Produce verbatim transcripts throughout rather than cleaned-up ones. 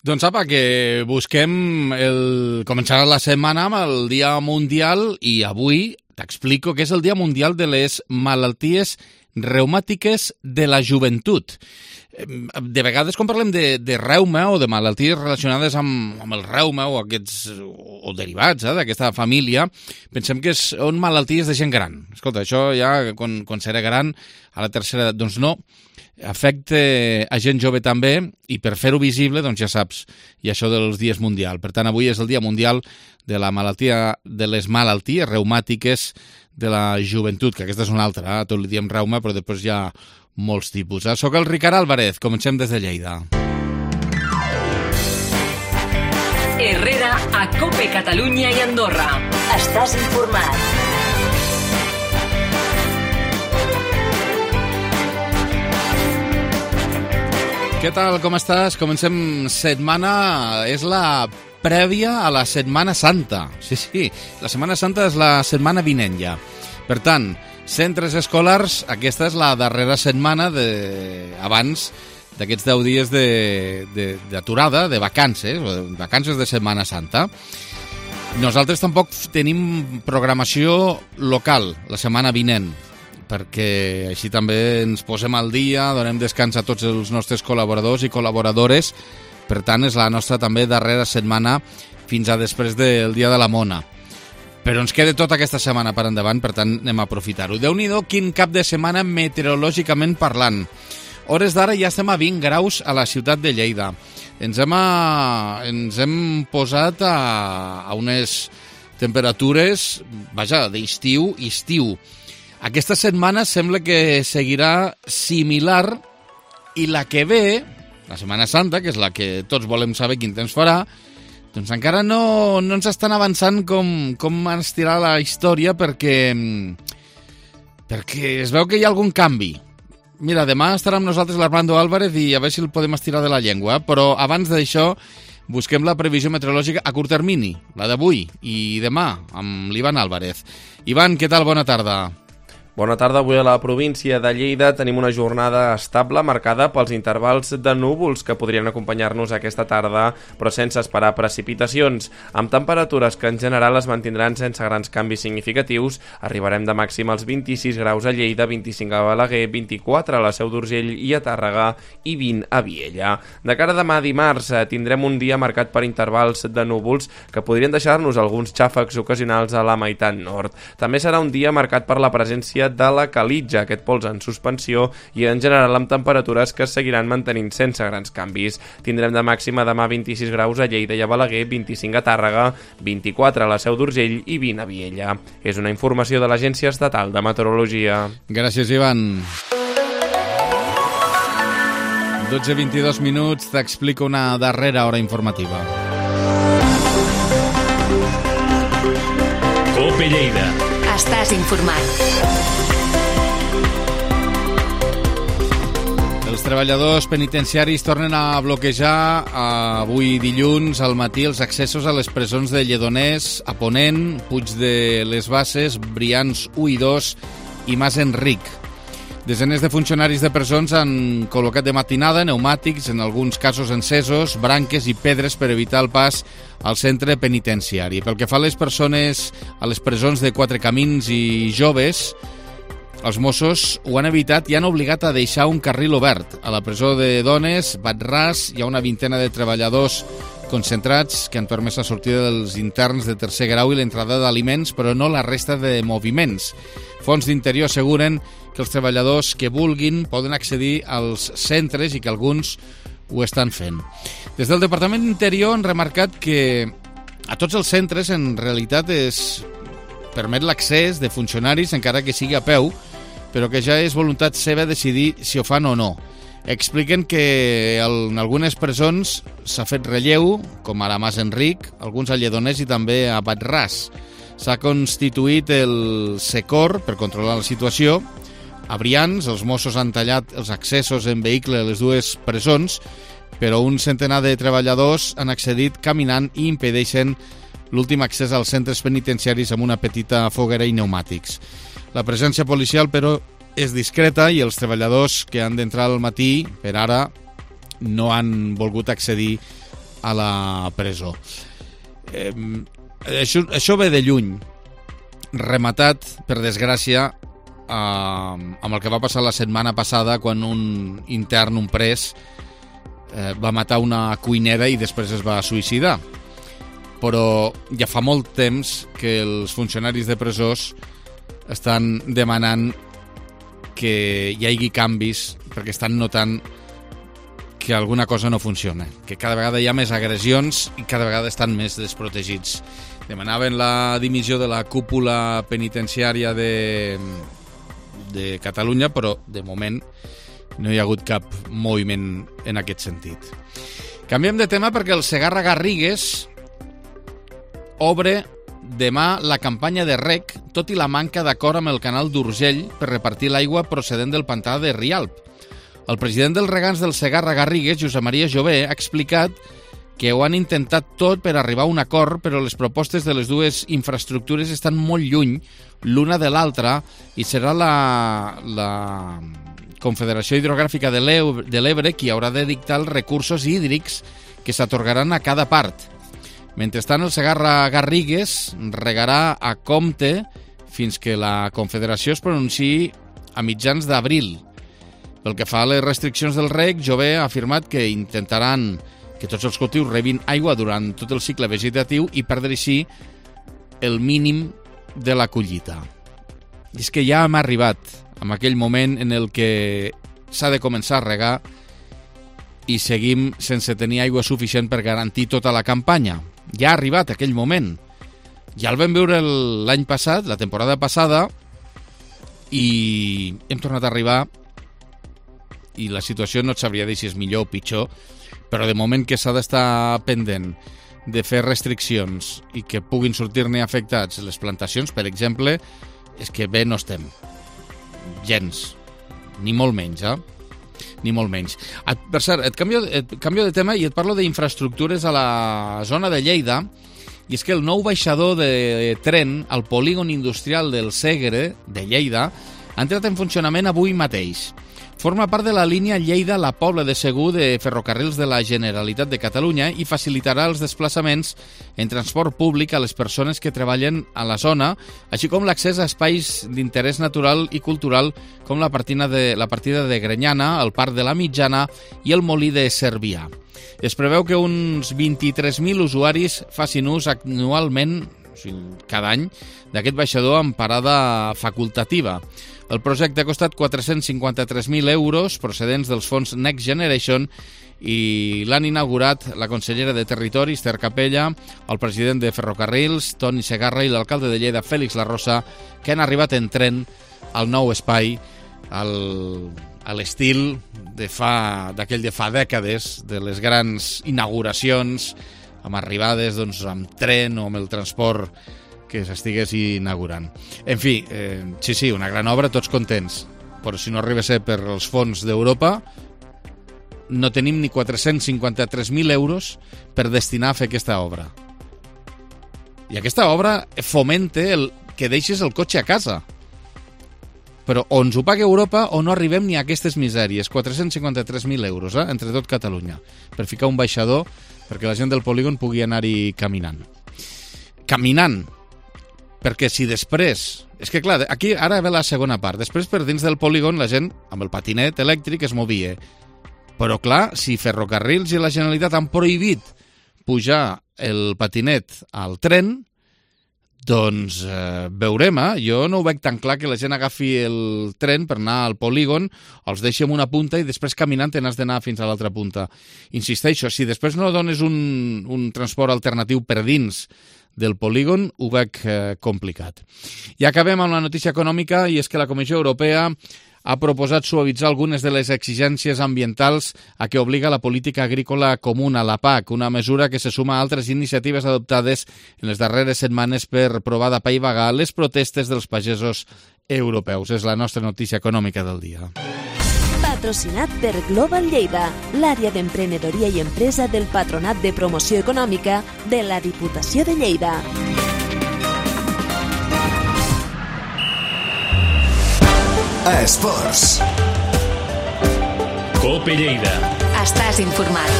Doncs apa, que busquem el... començar la setmana amb el Dia Mundial i avui t'explico què és el Dia Mundial de les malalties reumàtiques de la joventut. De vegades quan parlem de, de reuma o de malalties relacionades amb, amb el reuma o aquests o derivats eh, d'aquesta família, pensem que són malalties de gent gran. Escolta, això ja quan, quan serà gran, a la tercera edat, doncs no, afecta a gent jove també i per fer-ho visible, doncs ja saps, i això dels dies mundial. Per tant, avui és el Dia Mundial de la malaltia de les malalties reumàtiques de la joventut, que aquesta és una altra, eh? Tot li diem reuma, però després hi ha molts tipus. Eh? Soc el Ricard Álvarez, comencem des de Lleida. Herrera a COPE Catalunya i Andorra. Estàs informat. Què tal, com estàs? Comencem setmana, és la prèvia a la Setmana Santa. Sí, sí, la Setmana Santa és la setmana vinent ja. Per tant, centres escolars, aquesta és la darrera setmana de... abans d'aquests deu dies d'aturada, de, de, de vacances, vacances de Setmana Santa. Nosaltres tampoc tenim programació local la setmana vinent, perquè així també ens posem al dia, donem descans a tots els nostres col·laboradors i col·laboradores. Per tant, és la nostra també darrera setmana fins a després del Dia de la Mona. Però ens queda tota aquesta setmana per endavant, per tant, anem a aprofitar-ho. Déu-n'hi-do, quin cap de setmana meteorològicament parlant. Hores d'ara ja estem a vint graus a la ciutat de Lleida. Ens hem, a... ens hem posat a, a unes temperatures, vaja, d'estiu i estiu. Aquesta setmana sembla que seguirà similar i la que ve, la Setmana Santa, que és la que tots volem saber quin temps farà, doncs encara no, no ens estan avançant com, com ens tirà la història perquè, perquè es veu que hi ha algun canvi. Mira, demà estarà amb nosaltres l'Armando Álvarez i a veure si el podem estirar de la llengua, però abans d'això busquem la previsió meteorològica a curt termini, la d'avui i demà, amb l'Ivan Álvarez. Ivan, què tal? Bona tarda. Bona tarda. Avui a la província de Lleida tenim una jornada estable marcada pels intervals de núvols que podrien acompanyar-nos aquesta tarda, però sense esperar precipitacions. Amb temperatures que en general es mantindran sense grans canvis significatius, arribarem de màxim als vint-i-sis graus a Lleida, vint-i-cinc a Balaguer, vint-i-quatre a la Seu d'Urgell i a Tàrrega i vint a Viella. De cara a demà dimarts tindrem un dia marcat per intervals de núvols que podrien deixar-nos alguns xàfecs ocasionals a la meitat nord. També serà un dia marcat per la presència de la calitja, aquest pols en suspensió, i en general amb temperatures que es seguiran mantenint sense grans canvis. Tindrem de màxima demà vint-i-sis graus a Lleida i a Balaguer, vint-i-cinc a Tàrrega, vint-i-quatre a la Seu d'Urgell i vint a Viella. És una informació de l'Agència Estatal de Meteorologia. Gràcies, Ivan. dotze i vint-i-dos minuts, t'explico una darrera hora informativa. COPE Lleida. Estàs informat. Els treballadors penitenciaris tornen a bloquejar avui dilluns al matí els accessos a les presons de Lledoners, a Ponent, Puig de les Basses, Brians u i dos i Mas Enric. Desenes de funcionaris de presons han col·locat de matinada pneumàtics, en alguns casos encesos, branques i pedres per evitar el pas al centre penitenciari. Pel que fa a les persones a les presons de Quatre Camins i joves, els Mossos ho han evitat i han obligat a deixar un carril obert. A la presó de dones, Batràs, hi ha una vintena de treballadors concentrats que han permès la sortida dels interns de tercer grau i l'entrada d'aliments, però no la resta de moviments. Fons d'Interior asseguren que els treballadors que vulguin poden accedir als centres i que alguns ho estan fent. Des del Departament d'Interior han remarcat que a tots els centres en realitat es permet l'accés de funcionaris encara que sigui a peu, però que ja és voluntat seva decidir si ho fan o no. Expliquen que en algunes presons s'ha fet relleu, com ara Mas Enric, alguns a Lledoners i també a Batràs. S'ha constituït el SECOR per controlar la situació. A Brians, els Mossos han tallat els accessos en vehicle a les dues presons, però un centenar de treballadors han accedit caminant i impedeixen l'últim accés als centres penitenciaris amb una petita foguera i pneumàtics. La presència policial, però, és discreta i els treballadors que han d'entrar al matí, per ara, no han volgut accedir a la presó. Eh, això, això ve de lluny, rematat, per desgràcia, eh, amb el que va passar la setmana passada quan un intern, un pres, eh, va matar una cuinera i després es va suïcidar. Però ja fa molt temps que els funcionaris de presós estan demanant que hi hagi canvis perquè estan notant que alguna cosa no funciona, que cada vegada hi ha més agressions i cada vegada estan més desprotegits. Demanaven la dimissió de la cúpula penitenciària de, de Catalunya, però de moment no hi ha hagut cap moviment en aquest sentit. Canviem de tema perquè el Segarra Garrigues obre demà la campanya de rec, tot i la manca d'acord amb el canal d'Urgell per repartir l'aigua procedent del pantà de Rialp. El president dels regants del Segarra Garrigues, Josep Maria Jové, ha explicat que ho han intentat tot per arribar a un acord, però les propostes de les dues infraestructures estan molt lluny l'una de l'altra i serà la, la Confederació Hidrogràfica de l'Ebre qui haurà de dictar els recursos hídrics que s'atorgaran a cada part. Mentrestant, el Segarra Garrigues regarà a compte fins que la Confederació es pronunciï a mitjans d'abril. Pel que fa a les restriccions del reg, Jové ha afirmat que intentaran que tots els cultius rebin aigua durant tot el cicle vegetatiu i perdre així el mínim de la collita. I és que ja hem arribat en aquell moment en el que s'ha de començar a regar i seguim sense tenir aigua suficient per garantir tota la campanya. Ja ha arribat aquell moment. Ja el vam veure l'any passat, la temporada passada, i hem tornat a arribar i la situació no et sabria dir si és millor o pitjor, però de moment que s'ha d'estar pendent de fer restriccions i que puguin sortir-ne afectats les plantacions, per exemple, és que bé no estem. Gens. Ni molt menys, eh? Ni molt menys. Per cert, et canvio, et canvio de tema i et parlo d'infraestructures a la zona de Lleida, i és que el nou baixador de tren al polígon industrial del Segre, de Lleida, ha entrat en funcionament avui mateix. Forma part de la línia Lleida-La Pobla de Segur de Ferrocarrils de la Generalitat de Catalunya i facilitarà els desplaçaments en transport públic a les persones que treballen a la zona, així com l'accés a espais d'interès natural i cultural com la partida de, la partida de Grenyana, el Parc de la Mitjana i el Molí de Cervià. Es preveu que uns vint-i-tres mil usuaris facin ús anualment, o sigui, cada any, d'aquest baixador amb parada facultativa. El projecte ha costat quatre-cents cinquanta-tres mil euros procedents dels fons Next Generation i l'han inaugurat la consellera de Territori, Esther Capella, el president de Ferrocarrils, Toni Segarra, i l'alcalde de Lleida, Fèlix Larrosa, que han arribat en tren al nou espai al, a l'estil de fa, d'aquell de fa dècades, de les grans inauguracions amb arribades doncs, amb tren o amb el transport que s'estigués inaugurant. En fi, eh, sí, sí, una gran obra, tots contents, però si no arriba a ser per els fons d'Europa, no tenim ni quatre-cents cinquanta-tres mil euros per destinar a fer aquesta obra. I aquesta obra fomenta el que deixes el cotxe a casa. Però o ens ho paga Europa o no arribem ni a aquestes misèries. quatre-cents cinquanta-tres mil euros, eh, entre tot Catalunya, per ficar un baixador perquè la gent del polígon pugui anar-hi caminant. Caminant, perquè si després... És que clar, aquí ara ve la segona part. Després per dins del polígon la gent amb el patinet elèctric es movia. Però clar, si Ferrocarrils i la Generalitat han prohibit pujar el patinet al tren, doncs eh, veurem, eh? Jo no ho veig tan clar que la gent agafi el tren per anar al polígon, els deixi en una punta i després caminant te n'has d'anar fins a l'altra punta. Insisteixo, si després no dones un, un transport alternatiu per dins del polígon, ho veig eh, complicat. I acabem amb la notícia econòmica, i és que la Comissió Europea ha proposat suavitzar algunes de les exigències ambientals a què obliga la política agrícola comuna, la P A C, una mesura que se suma a altres iniciatives adoptades en les darreres setmanes per provar d'apaivagar les protestes dels pagesos europeus. És la nostra notícia econòmica del dia. Patrocinat per Global Lleida, l'àrea d'emprenedoria i empresa del Patronat de Promoció Econòmica de la Diputació de Lleida. Esports. Cope Lleida. Estàs informat.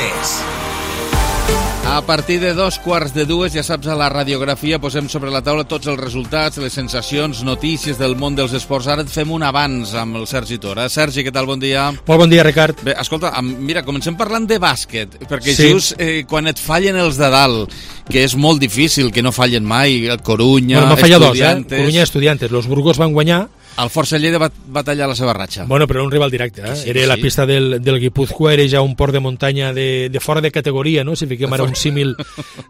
Sabatés. A partir de dos quarts de dues, ja saps, a la radiografia posem sobre la taula tots els resultats, les sensacions, notícies del món dels esports. Ara et fem un avanç amb el Sergi Tora. Sergi, què tal? Bon dia. Molt bon dia, Ricard. Bé, escolta, mira, comencem parlant de bàsquet, perquè sí. just eh, quan et fallen els de dalt, que és molt difícil, que no fallen mai, el Corunya, bueno, Estudiantes... Dos, eh? Corunya, Estudiantes. Los Burgos van guanyar. El Força Lleida va, va tallar la seva ratxa. Bueno, però un rival directe, eh? Sí, era sí. la pista del, del Guipúzcoa, era ja un port de muntanya de, de fora de categoria, no? Si fiquem ara un símil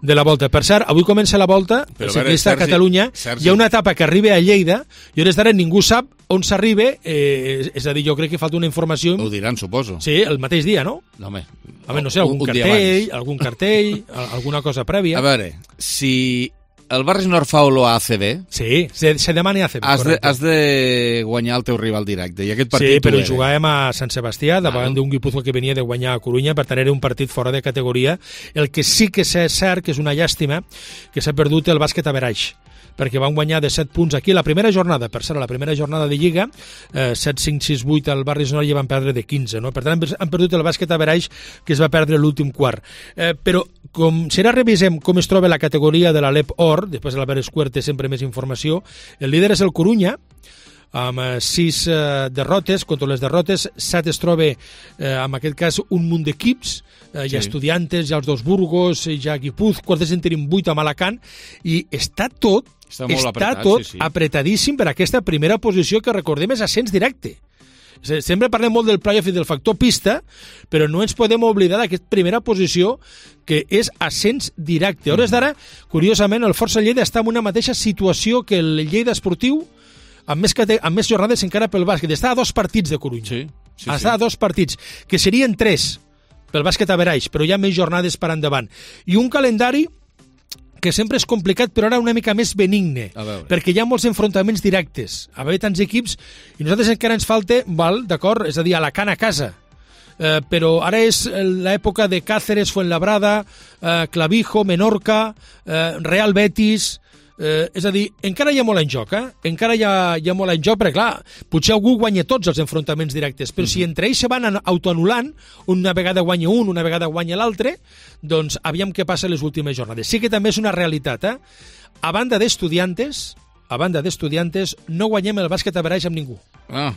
de la volta. Per cert, avui comença la volta, el ciclista a Catalunya, Sergi. Hi ha una etapa que arriba a Lleida, i hores d'ara ningú sap on s'arriba, eh, és a dir, jo crec que falta una informació... Ho diran, suposo. Sí, el mateix dia, no? No, home. Home, no sé, algun un, un cartell, algun cartell, alguna cosa prèvia. A veure, si... el Barris Nord fa olor a A C B. Sí, se, se demana A C B, has de, correcte. has de guanyar el teu rival directe, i aquest partit sí, però era. jugàvem a Sant Sebastià, davant ah. d'un Guipúzcoa que venia de guanyar a Corunya, per tant era un partit fora de categoria. El que sí que és cert, que és una llàstima, que s'ha perdut el bàsquet a Averaix, perquè van guanyar de set punts aquí la primera jornada, per cert, la primera jornada de Lliga, eh, set cinc sis vuit al Barris Nord i van perdre de quinze, no? Per tant han perdut el bàsquet a Averaix, que es va perdre l'últim quart. Eh, però com si ara revisem com es troba la categoria de l'Alep Or, després de l'Albert Escuer té sempre més informació, el líder és el Corunya, amb eh, sis eh, derrotes, contra les derrotes, set es troba, eh, en aquest cas, un munt d'equips, eh, hi ha sí. Estudiantes, hi ha els dos Burgos, hi ha Guipúzcoa, quartes en tenim vuit amb Alacant, i està tot, està, molt està apretat, tot sí, sí. apretadíssim per aquesta primera posició que recordem és ascens directe. Sempre parlem molt del playoff i del factor pista, però no ens podem oblidar d'aquesta primera posició que és ascens directe. A hores d'ara, curiosament, el Força Lleida està en una mateixa situació que el Lleida Esportiu, amb més, amb més jornades encara pel bàsquet. Està a dos partits de Corunya. Sí, sí, està sí. a dos partits, que serien tres pel bàsquet a Averaix, però hi ha més jornades per endavant. I un calendari que sempre és complicat, però ara una mica més benigne, perquè hi ha molts enfrontaments directes. A veure, tants equips, i nosaltres encara ens falta, val, d'acord, és a dir, Alacant a casa, eh, però ara és l'època de Cáceres, Fuenlabrada, eh, Clavijo, Menorca, eh, Real Betis... Eh, és a dir, encara hi ha molt en joc, eh? Encara hi ha, hi ha molt en joc, perquè clar, potser algú guanya tots els enfrontaments directes, però mm-hmm. si entre ells se van autoanulant, una vegada guanya un, una vegada guanya l'altre, doncs aviam què passa les últimes jornades. Sí que també és una realitat, eh? A banda d'Estudiantes, a banda d'Estudiantes, no guanyem el bàsquet a Averaix amb ningú. Ah.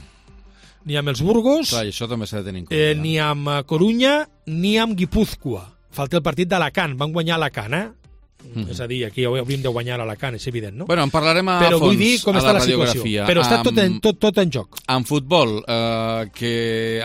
Ni amb els Burgos, clar, això també s'ha de tenir en compte. Eh, ni amb Corunya, ni amb Guipúzcoa. Falta el partit d'Alacant, van guanyar Alacant, eh? Mm-hmm. És a dir, aquí hauríem de guanyar a Alacant, és evident, no? Bueno, en parlarem a Però fons vull dir com a està la la situació. radiografia. Però està tot en, tot, tot en joc. En futbol, eh, que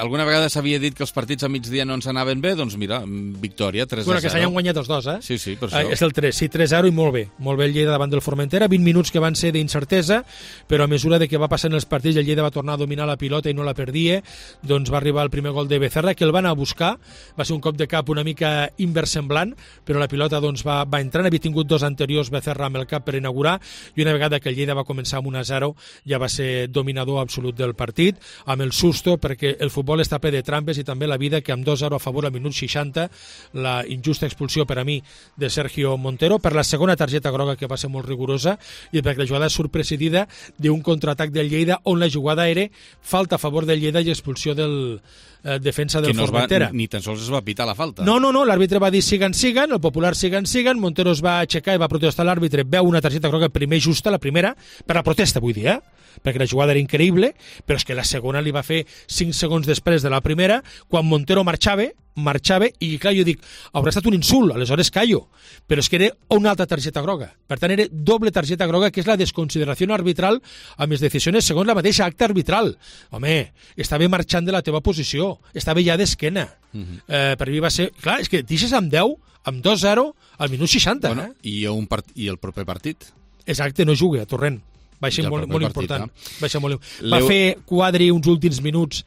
alguna vegada s'havia dit que els partits a migdia no ens anaven bé, doncs mira, victòria, tres a zero. Bueno, que s'hayan guanyat els dos, eh? Sí, sí, per això. Eh, és el tres, sí, tres a zero i molt bé. Molt bé el Lleida davant del Formentera, vint minuts que van ser d'incertesa, però a mesura de que va passant els partits, el Lleida va tornar a dominar la pilota i no la perdia, doncs va arribar el primer gol de Becerra, que el van a buscar, va ser un cop de cap una mica inversemblant, però la pilota doncs va, va entrar, havia tingut dos anteriors Becerra amb el cap per inaugurar, i una vegada que el Lleida va començar amb un a zero ja va ser dominador absolut del partit, amb el susto, perquè el futbol està ple de trampes i també la vida, que amb dos a zero a favor al minut seixanta, la injusta expulsió per a mi de Sergio Montero, per la segona targeta groga que va ser molt rigorosa, i perquè la jugada surt precedida d'un contraatac del Lleida on la jugada era falta a favor del Lleida i expulsió del eh, defensa del que no Formentera. Va, ni, ni tan sols es va pitar la falta. No, no, no, l'àrbitre va dir siguen, siguen, el popular siguen, siguen, Montero es va aixecar i va protestar l'àrbitre, veu una targeta groga primer justa, la primera, per la protesta vull dir, eh? Perquè la jugada era increïble, però és que la segona li va fer cinc segons després de la primera, quan Montero marxava, marxava, i clar, jo dic, haurà estat un insult, aleshores callo, però és que era una altra targeta groga. Per tant, era doble targeta groga, que és la desconsideració arbitral amb les decisions segons la mateixa acta arbitral. Home, estava marxant de la teva posició, estava ja d'esquena. Uh-huh. eh, per mi va ser... Clar, és que deixes amb deu, amb dos a zero, al minut seixanta. Bueno, eh? i, un part... I el proper partit? Exacte, no juga, a Torrent. Va ser molt, molt partit, important. Eh? Va, ser molt... va Leu... fer Quadri uns últims minuts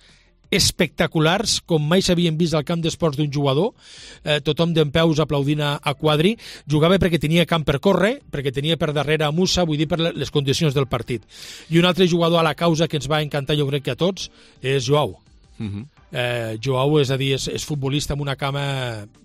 espectaculars, com mai s'havien vist al camp d'esports d'un jugador, eh, tothom dempeus aplaudint a, a Quadri, jugava perquè tenia camp per córrer, perquè tenia per darrere a Musa, vull dir per les condicions del partit. I un altre jugador a la causa que ens va encantar, jo crec que a tots, és Joao. Uh-huh. eh, Joao, és a dir, és, és futbolista amb una cama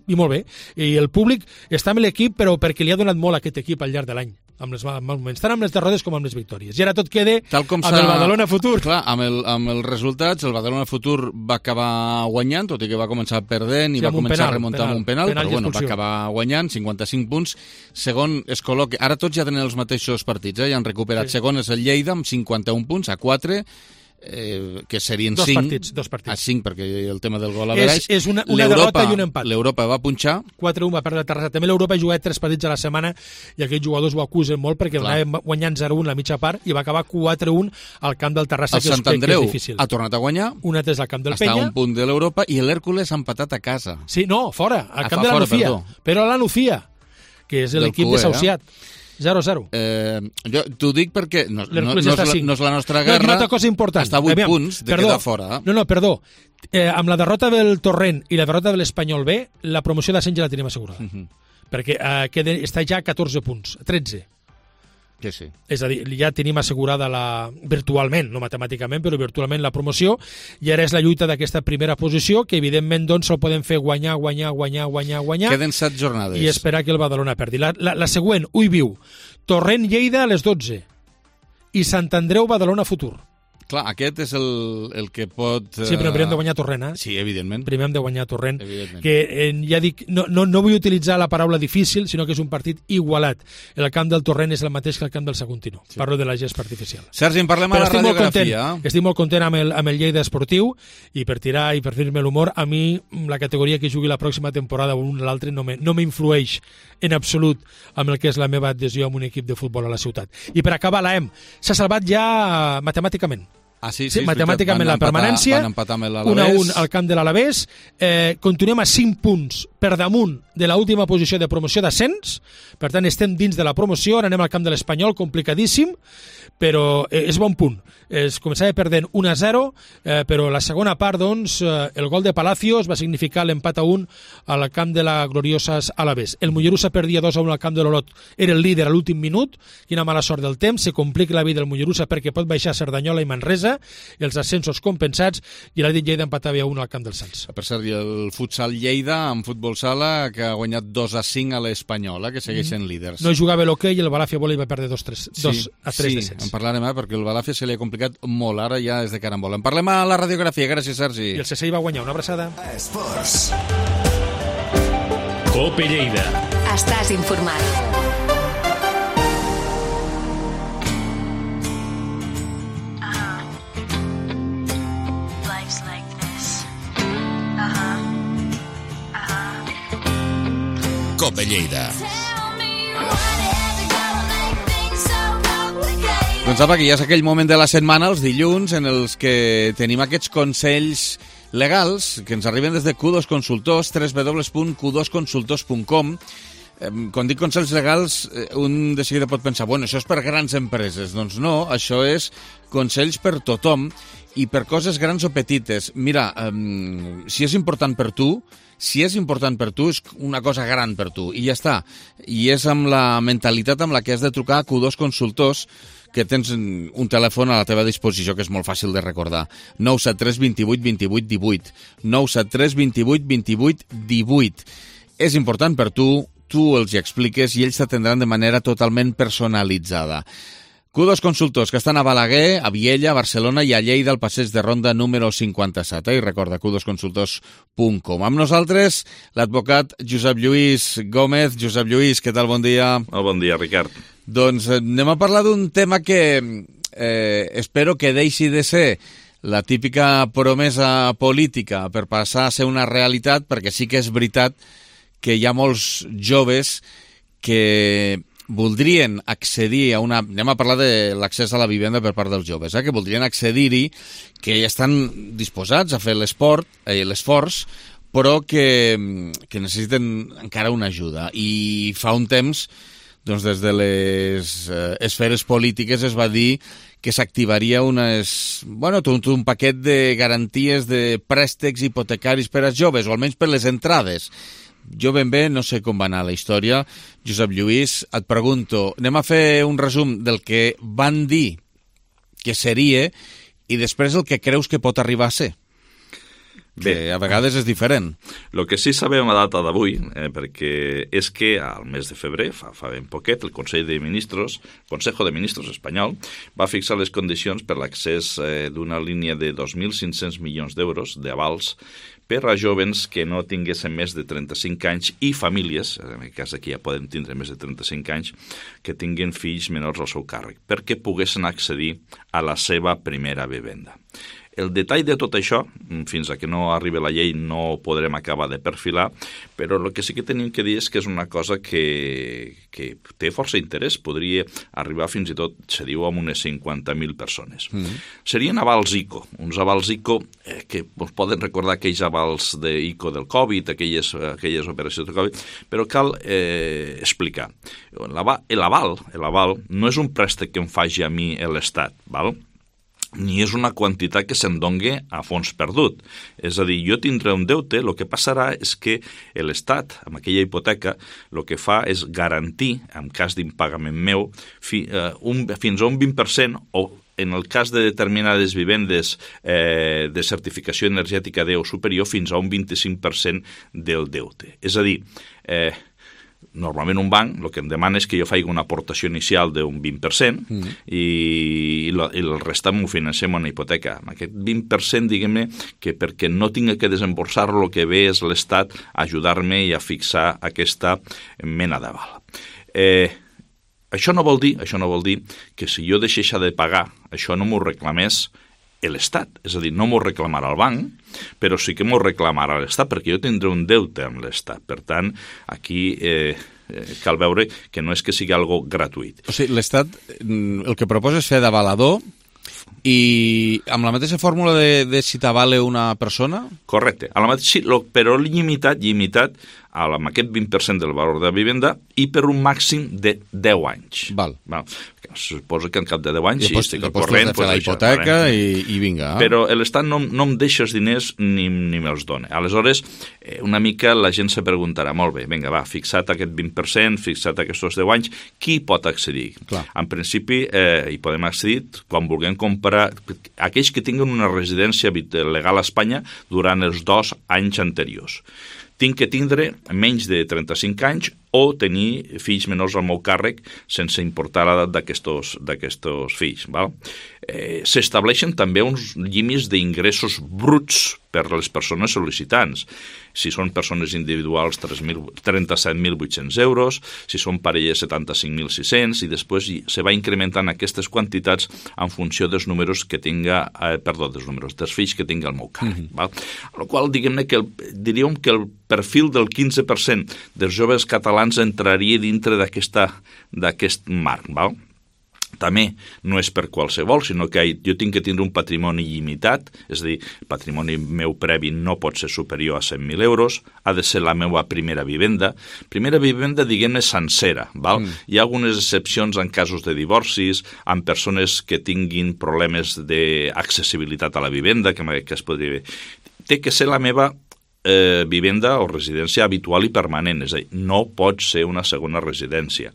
i molt bé, i el públic està amb l'equip però perquè li ha donat molt a aquest equip al llarg de l'any. amb els moments, tant amb les derrotes com amb les victòries. I ara tot queda Tal com amb el Badalona Futur. Clar, amb, el, amb els resultats, el Badalona Futur va acabar guanyant, tot i que va començar perdent i sí, va començar penal, a remuntar penal, amb un penal, penal però bueno, va acabar guanyant, cinquanta-cinc punts. Segon es col·loca... Ara tots ja tenen els mateixos partits, eh? Ja han recuperat. Sí. Segon és el Lleida, amb cinquanta-un punts, a quatre, eh, que serien dos cinc, partits, dos partits. a cinc, perquè el tema del gol a veraix. És, és una, una derrota i un empat. L'Europa va punxar. quatre a un va perdre el Terrassa. També l'Europa ha jugat tres partits a la setmana i aquells jugadors ho acusen molt perquè anava guanyant zero a un la mitja part i va acabar quatre a un al camp del Terrassa, el que Sant Andreu és difícil. Ha tornat a guanyar. Un altre és al camp del Està Penya. a un punt de l'Europa i l'Hèrcules ha empatat a casa. Sí, no, fora, al Ah, camp fa de la fora, Nucía. perdó. Però a la Nucía, que és l'equip de Sauciat. zero a zero. Eh, jo t'ho dic perquè no, no, no, L'Hèrcules és està la, cinc. no és la nostra No, guerra. i una altra cosa important. Està a vuit Aviam, punts de perdó, quedar fora. No, no, perdó. Eh, amb la derrota del Torrent i la derrota de l'Espanyol B, la promoció d'ascens ja la tenim assegurada. Uh -huh. Perquè eh, queda, està ja a catorze punts, tretze. Que sí. És a dir, ja tenim assegurada la, virtualment, no matemàticament, però virtualment la promoció, i ara és la lluita d'aquesta primera posició, que evidentment doncs el podem fer guanyar, guanyar, guanyar, guanyar, guanyar. Queden set jornades. I esperar que el Badalona perdi. La, la, la següent, Ui Viu, Torrent-Lleida a les dotze i Sant Andreu-Badalona Futur. Clar, aquest és el, el que pot... Sí, però primer hem de guanyar Torrent, eh? Sí, evidentment. Primer hem de guanyar Torrent, Evidentment. que eh, ja dic, no, no, no vull utilitzar la paraula difícil, sinó que és un partit igualat. El camp del Torrent és el mateix que el camp del Saguntino. Sí. Parlo de la gespa artificial. Sergi, en parlem Però a la estic molt radiografia. content, estic molt content amb el, amb el Lleida Esportiu, i per tirar i per fer-me l'humor, a mi la categoria que jugui la pròxima temporada o un o l'altre no me, no m'influeix en absolut amb el que és la meva adhesió amb un equip de futbol a la ciutat. I per acabar, l'A E M s'ha salvat ja matemàticament. Ah, sí, sí, sí, matemàticament la permanència, van empatar amb un a l'Alavés. un al camp de l'Alavés, eh, continuem a cinc punts per damunt de l'última posició de promoció d'ascens, per tant estem dins de la promoció, ara anem al camp de l'Espanyol, complicadíssim, però eh, és bon punt. Es començava perdent un a zero, eh, però la segona part, doncs, eh, el gol de Palacios va significar l'empat a un al camp de la gloriosa Alavés. El Mollerussa perdia dos a un al camp de l'Olot, era el líder a l'últim minut, quina mala sort del temps, se complica la vida del Mollerussa perquè pot baixar Cerdanyola i Manresa, i els ascensos compensats, i l'Atlètic Lleida empatava a un al camp del Sants. Per cert, i el futsal Lleida, en futbol sala, que ha guanyat dos a cinc a l'Espanyola, que segueixen mm. líders. No jugava l'hoquei i el Balàfia Volley va perdre dos a tres sí, descens. en parlarem, eh, perquè el Balàfia se li ha complicat molt, ara ja és de carambola. En parlem a la radiografia, gràcies, Sergi. I el C S I va guanyar, una abraçada. Esports. Cope Lleida. Estàs informat. Cope Lleida. Doncs apa, que ja és aquell moment de la setmana, els dilluns, en els que tenim aquests consells legals que ens arriben des de Q dos Consultors, w w w punt q dos consultors punt com. Eh, quan dic consells legals, eh, un de seguida pot pensar, bueno, això és per grans empreses. Doncs no, això és consells per tothom i per coses grans o petites. Mira, eh, si és important per tu, si és important per tu, és una cosa gran per tu, i ja està. I és amb la mentalitat amb la que has de trucar a Q dos Consultors, que tens un telèfon a la teva disposició que és molt fàcil de recordar. nou set tres dos vuit dos vuit un vuit. nou set tres dos vuit dos vuit un vuit. És important per tu, tu els hi expliques i ells t'atendran de manera totalment personalitzada. Q dos Consultors, que estan a Balaguer, a Viella, a Barcelona i a Lleida, al passeig de Ronda número cinquanta-set. Eh? I recorda, q dos consultors punt com. Amb nosaltres, l'advocat Josep Lluís Gómez. Josep Lluís, què tal? Bon dia. Oh, bon dia, Ricard. Doncs anem a parlar d'un tema que eh, espero que deixi de ser la típica promesa política per passar a ser una realitat, perquè sí que és veritat que hi ha molts joves que voldrien accedir a una... Anem a parlar de l'accés a la vivenda per part dels joves, eh? que voldrien accedir-hi, que estan disposats a fer l'esport, eh, l'esforç, però que, que necessiten encara una ajuda. I fa un temps, doncs des de les eh, esferes polítiques es va dir que s'activaria unes, bueno, tot un paquet de garanties de préstecs hipotecaris per als joves, o almenys per les entrades. Jo ben bé no sé com va anar la història. Josep Lluís, et pregunto, anem a fer un resum del que van dir que seria i després el que creus que pot arribar a ser. que Bé, a vegades és diferent. El que sí sabem a data d'avui, eh, perquè és que al mes de febrer, fa, fa ben poquet, el Consell de Ministros, Consejo de Ministros espanyol, va fixar les condicions per l'accés eh, d'una línia de dos mil cinc-cents milions d'euros d'avals per a jovens que no tinguessin més de trenta-cinc anys i famílies, en aquest cas aquí ja poden tindre més de trenta-cinc anys, que tinguin fills menors al seu càrrec, perquè poguessin accedir a la seva primera vivenda. El detall de tot això, fins a que no arribi la llei, no ho podrem acabar de perfilar, però el que sí que tenim que dir és que és una cosa que, que té força interès. Podria arribar fins i tot, se diu, amb unes cinquanta mil persones. Mm-hmm. Serien avals ICO, uns avals ICO eh, que us poden recordar aquells avals d'ICO del Covid, aquelles, aquelles operacions del Covid, però cal eh, explicar. L'aval, l'aval no és un préstec que em faci a mi l'Estat, val? Ni és una quantitat que se'n dongui a fons perdut. És a dir, jo tindré un deute, el que passarà és que l'Estat, amb aquella hipoteca, el que fa és garantir, en cas d'impagament meu, fi, eh, un, fins a un vint per cent o en el cas de determinades vivendes eh, de certificació energètica D o superior, fins a un vint-i-cinc per cent del deute. És a dir, eh, normalment un banc el que em demana és que jo faci una aportació inicial d'un vint per cent mm. i, i, la, i el restant m'ho financem en una hipoteca. Aquest vint per cent, diguem-ne, que perquè no tinga que desemborsar-lo, el que ve és l'Estat a ajudar-me i a fixar aquesta mena d'aval. Eh, això no vol dir, això no vol dir que si jo deixés de pagar, això no m'ho reclamés l'Estat, és a dir, no m'ho reclamarà el banc, però sí que m'ho reclamarà l'Estat, perquè jo tindré un deute amb l'Estat. Per tant, aquí eh, cal veure que no és que sigui algo gratuït. O sigui, l'Estat el que proposa és fer d'avalador i amb la mateixa fórmula de, de si t'avale una persona? Correcte, a la mateixa, però limitat, limitat amb aquest vint per cent del valor de la vivenda i per un màxim de deu anys. Val. Val. Suposo que en cap de deu anys I després, sí, estic al corrent. Després de fer la hipoteca i, i vinga. Eh? Però l'Estat no, no em deixa els diners ni, ni me'ls dona. Aleshores, eh, una mica la gent se preguntarà, molt bé, vinga, va, fixat aquest vint per cent, fixat aquests deu anys, qui pot accedir? Clar. En principi, eh, hi podem accedir quan vulguem comprar aquells que tinguin una residència legal a Espanya durant els dos anys anteriors. Tinc que tindre menys de trenta-cinc anys o tenir fills menors al meu càrrec sense importar l'edat d'aquests fills. Val? Eh, S'estableixen també uns límits d'ingressos bruts per a les persones sol·licitants. Si són persones individuals, trenta-set mil vuit-cents euros, si són parelles, setanta-cinc mil sis-cents, i després se va incrementant aquestes quantitats en funció dels números que tinga, eh, perdó, dels números, dels fills que tinga el meu càrrec. Mm-hmm. Val? A la qual, diguem-ne, que el, diríem que el perfil del quinze per cent dels joves catalans entraria dintre d'aquest marc, val? També no és per qualsevol, sinó que jo tinc que tindre un patrimoni limitat, és a dir, el patrimoni meu previ no pot ser superior a cent mil euros, ha de ser la meva primera vivenda. Primera vivenda, diguem-ne, sencera. Val? Mm. Hi ha algunes excepcions en casos de divorcis, en persones que tinguin problemes d'accessibilitat a la vivenda, que, que es podria... Té que ser la meva eh, vivenda o residència habitual i permanent, és a dir, no pot ser una segona residència.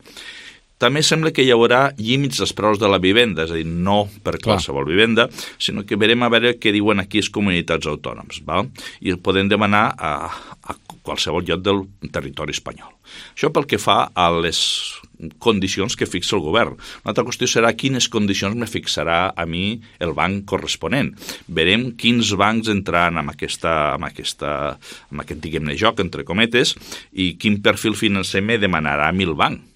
També sembla que hi haurà límits als preus de la vivenda, és a dir, no per qualsevol vivenda, sinó que verem a veure què diuen aquí les comunitats autònomes, val? I el podem demanar a, a qualsevol lloc del territori espanyol. Això pel que fa a les condicions que fixa el govern. Una altra qüestió serà quines condicions me fixarà a mi el banc corresponent. Verem quins bancs entraran en, aquesta, en, aquesta, en aquest, diguem-ne, joc, entre cometes, i quin perfil financer me demanarà a mi el banc.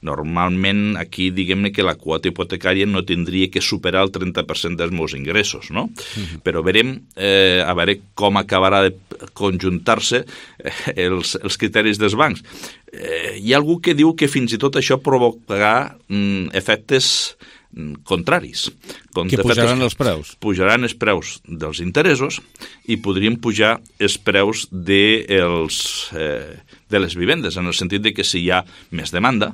Normalment aquí, diguem-ne, que la quota hipotecària no tindria que superar el trenta per cent dels meus ingressos, no? Uh-huh. Però verem eh, a veure com acabarà de conjuntar-se eh, els, els criteris dels bancs. Eh, hi ha algú que diu que fins i tot això provocarà mm, efectes contraris. Que pujaran els preus. Pujaran els preus dels interessos i podrien pujar els preus de, els, eh, de les vivendes, en el sentit de que si hi ha més demanda,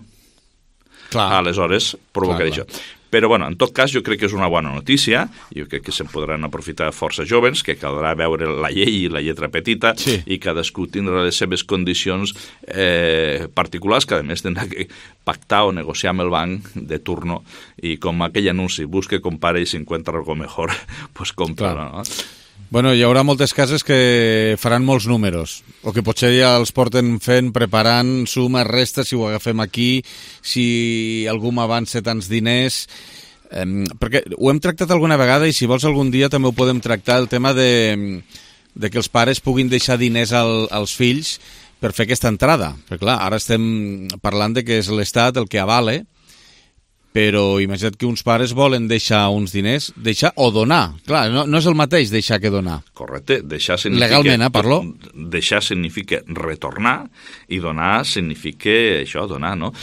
clar, aleshores provocarà clar, clar. això. Però, bueno, en tot cas, jo crec que és una bona notícia, jo crec que se'n podran aprofitar força joves, que caldrà veure la llei i la lletra petita, sí. i cadascú tindrà les seves condicions eh, particulars, que a més tindrà que pactar o negociar amb el banc de turno, i com aquell anunci, busque, compare i si encuentra algo mejor, pues compra, no? Bueno, hi haurà moltes cases que faran molts números, o que potser ja els porten fent, preparant, suma, resta, si ho agafem aquí, si algú m'avança tants diners... Eh, perquè ho hem tractat alguna vegada i si vols algun dia també ho podem tractar, el tema de, de que els pares puguin deixar diners al, als fills per fer aquesta entrada. Perquè clar, ara estem parlant de que és l'Estat el que avale, però imagina't que uns pares volen deixar uns diners, deixar o donar. Clar, no, no és el mateix deixar que donar. Correcte, deixar significa... Legalment, eh, parlo? Deixar significa retornar i donar significa això, donar, no?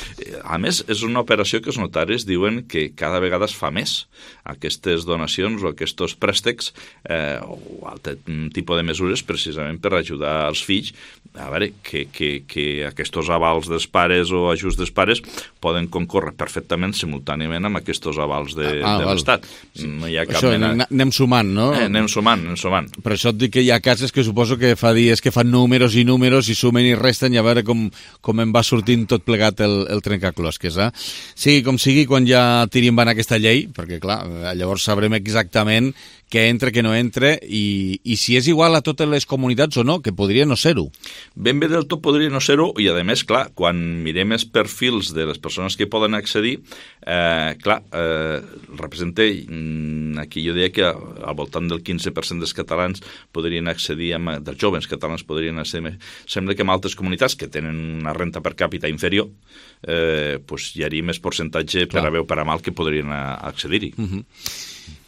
A més, és una operació que els notaris diuen que cada vegada es fa més. Aquestes donacions o aquests préstecs eh, o altre tipus de mesures precisament per ajudar els fills a veure que, que, que aquests avals dels pares o ajuts dels pares poden concórrer perfectament simultàniament amb aquests avals de, ah, de l'Estat. Sí. No hi ha cap Això, mena... anem sumant, no? Eh, anem sumant, anem sumant. Per això et dic que hi ha cases que suposo que fa dies que fan números i números i sumen i resten i a veure com, com em va sortint tot plegat el, el trencaclosques. Eh? Sigui com sigui, quan ja tiri en van aquesta llei, perquè clar, llavors sabrem exactament què entra, què no entra, i, i si és igual a totes les comunitats o no, que podria no ser-ho. Ben bé del tot podria no ser-ho, i a més, clar, quan mirem els perfils de les persones que poden accedir, eh, clar, eh, representa, aquí jo deia que al voltant del quinze per cent dels catalans podrien accedir, amb, dels joves catalans podrien accedir, sembla que en altres comunitats que tenen una renta per càpita inferior, eh, pues hi hauria més percentatge per a bé o per a mal que podrien accedir-hi. Uh-huh.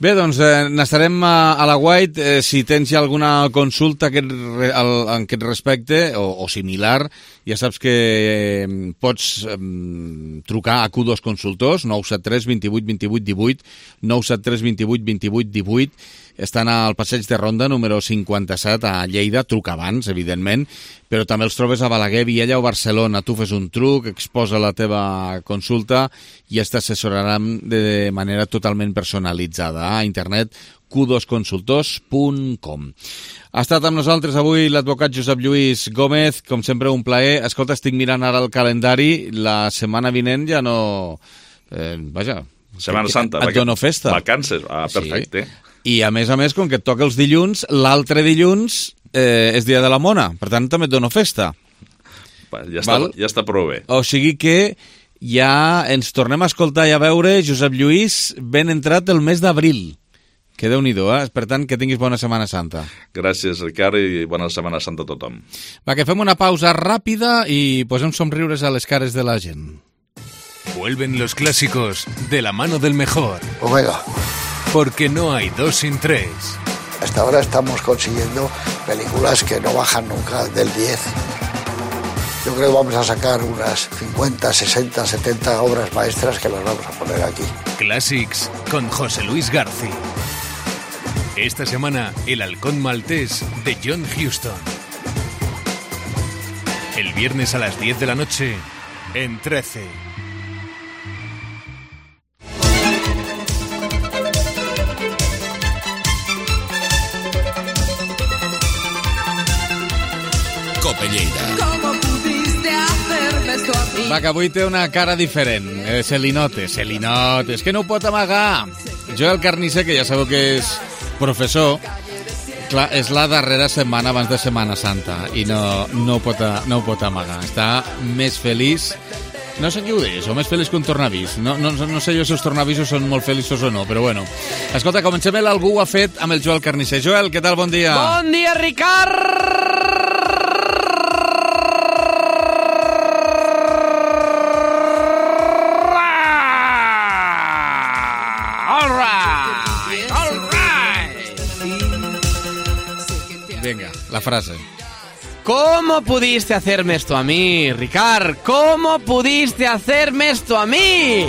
Bé, doncs eh, n'estarem a, a la White. Eh, si tens ja alguna consulta aquest, al, en aquest respecte o, o similar, ja saps que eh, pots eh, trucar a Q dos Consultors, nou set tres, vint vuit, vint vuit, divuit, nou set tres, vint vuit, vint vuit, divuit. Estan al Passeig de Ronda, número cinquanta-set, a Lleida. Truca abans, evidentment, però també els trobes a Balaguer, Viella o Barcelona. Tu fes un truc, exposa la teva consulta i es t'assessoraran de manera totalment personalitzada. A internet, Q dos consultors punt com. Ha estat amb nosaltres avui l'advocat Josep Lluís Gómez, com sempre un plaer. Escolta, estic mirant ara el calendari, la setmana vinent ja no... Eh, vaja... Setmana Santa. Et dono festa. Vacances, ah, perfecte. Sí. I a més a més, com que et toca els dilluns, l'altre dilluns eh, és dia de la mona, per tant també et dono festa. Ja està, ja està prou bé. O sigui que ja ens tornem a escoltar i a veure, Josep Lluís, ben entrat el mes d'abril. Que Déu-n'hi-do, eh? Per tant, que tinguis bona Setmana Santa. Gràcies, Ricard, i bona Setmana Santa a tothom. Va, que fem una pausa ràpida i posem somriures a les cares de la gent. Vuelven los clásicos de la mano del mejor. Omega. Porque no hay dos sin tres. Hasta ahora estamos consiguiendo películas que no bajan nunca del diez. Yo creo que vamos a sacar unas cincuenta, sesenta, setenta obras maestras que las vamos a poner aquí. Classics con José Luis García. Esta semana, El halcón maltés de John Huston. El viernes a las diez de la noche, en trece. Cope Lleida. Va, que avui té una cara diferent. Eh, se li nota, se li nota. És que no ho pot amagar. Joel Carnicer, que ja sabeu que és professor, clar, és la darrera setmana abans de Setmana Santa i no, no, ho pot, no ho pot amagar. Està més feliç, no sé qui ho deix, o més feliç que un tornavís. No, no, no sé jo si els tornavisos són molt feliços o no, però bueno. Escolta, comencem el Algú ho ha fet amb el Joel Carnicer. Joel, què tal? Bon dia. Bon dia, Ricard! Venga, la frase. ¿Cómo pudiste hacerme esto a mí, Ricard? ¿Cómo pudiste hacerme esto a mí?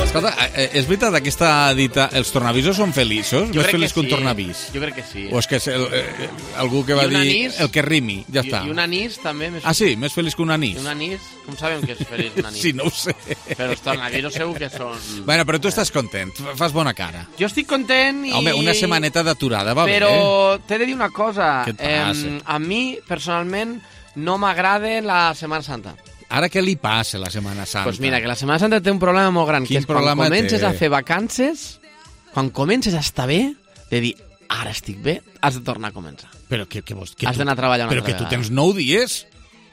Escolta, és veritat aquesta dita, els tornavisos són feliços? Jo Més crec feliç que que un sí. tornavís? Jo crec que sí. O és que és el, eh, algú que va I un dir anís? el que rimi, ja I, està. I un anís també. Més Ah, sí? Més feliç que un anís? I un anís? Com sabem que és feliç un anís? Sí, no ho sé. Però els tornavisos segur que són... Bueno, però tu estàs content, fas bona cara. Jo estic content i... Home, una setmaneta d'aturada va Però bé. Però t'he de dir una cosa. Què et passa? Eh, a mi, personalment, no m'agrada la Setmana Santa. Ara què li passa a la Setmana Santa? Doncs pues mira, que la Setmana Santa té un problema molt gran, Quin que és quan comences té? a fer vacances, quan comences a estar bé, de dir, ara estic bé, has de tornar a començar. Però que, que vols? Que has tu, d'anar a treballar una però altra que tu vegada. tens nou dies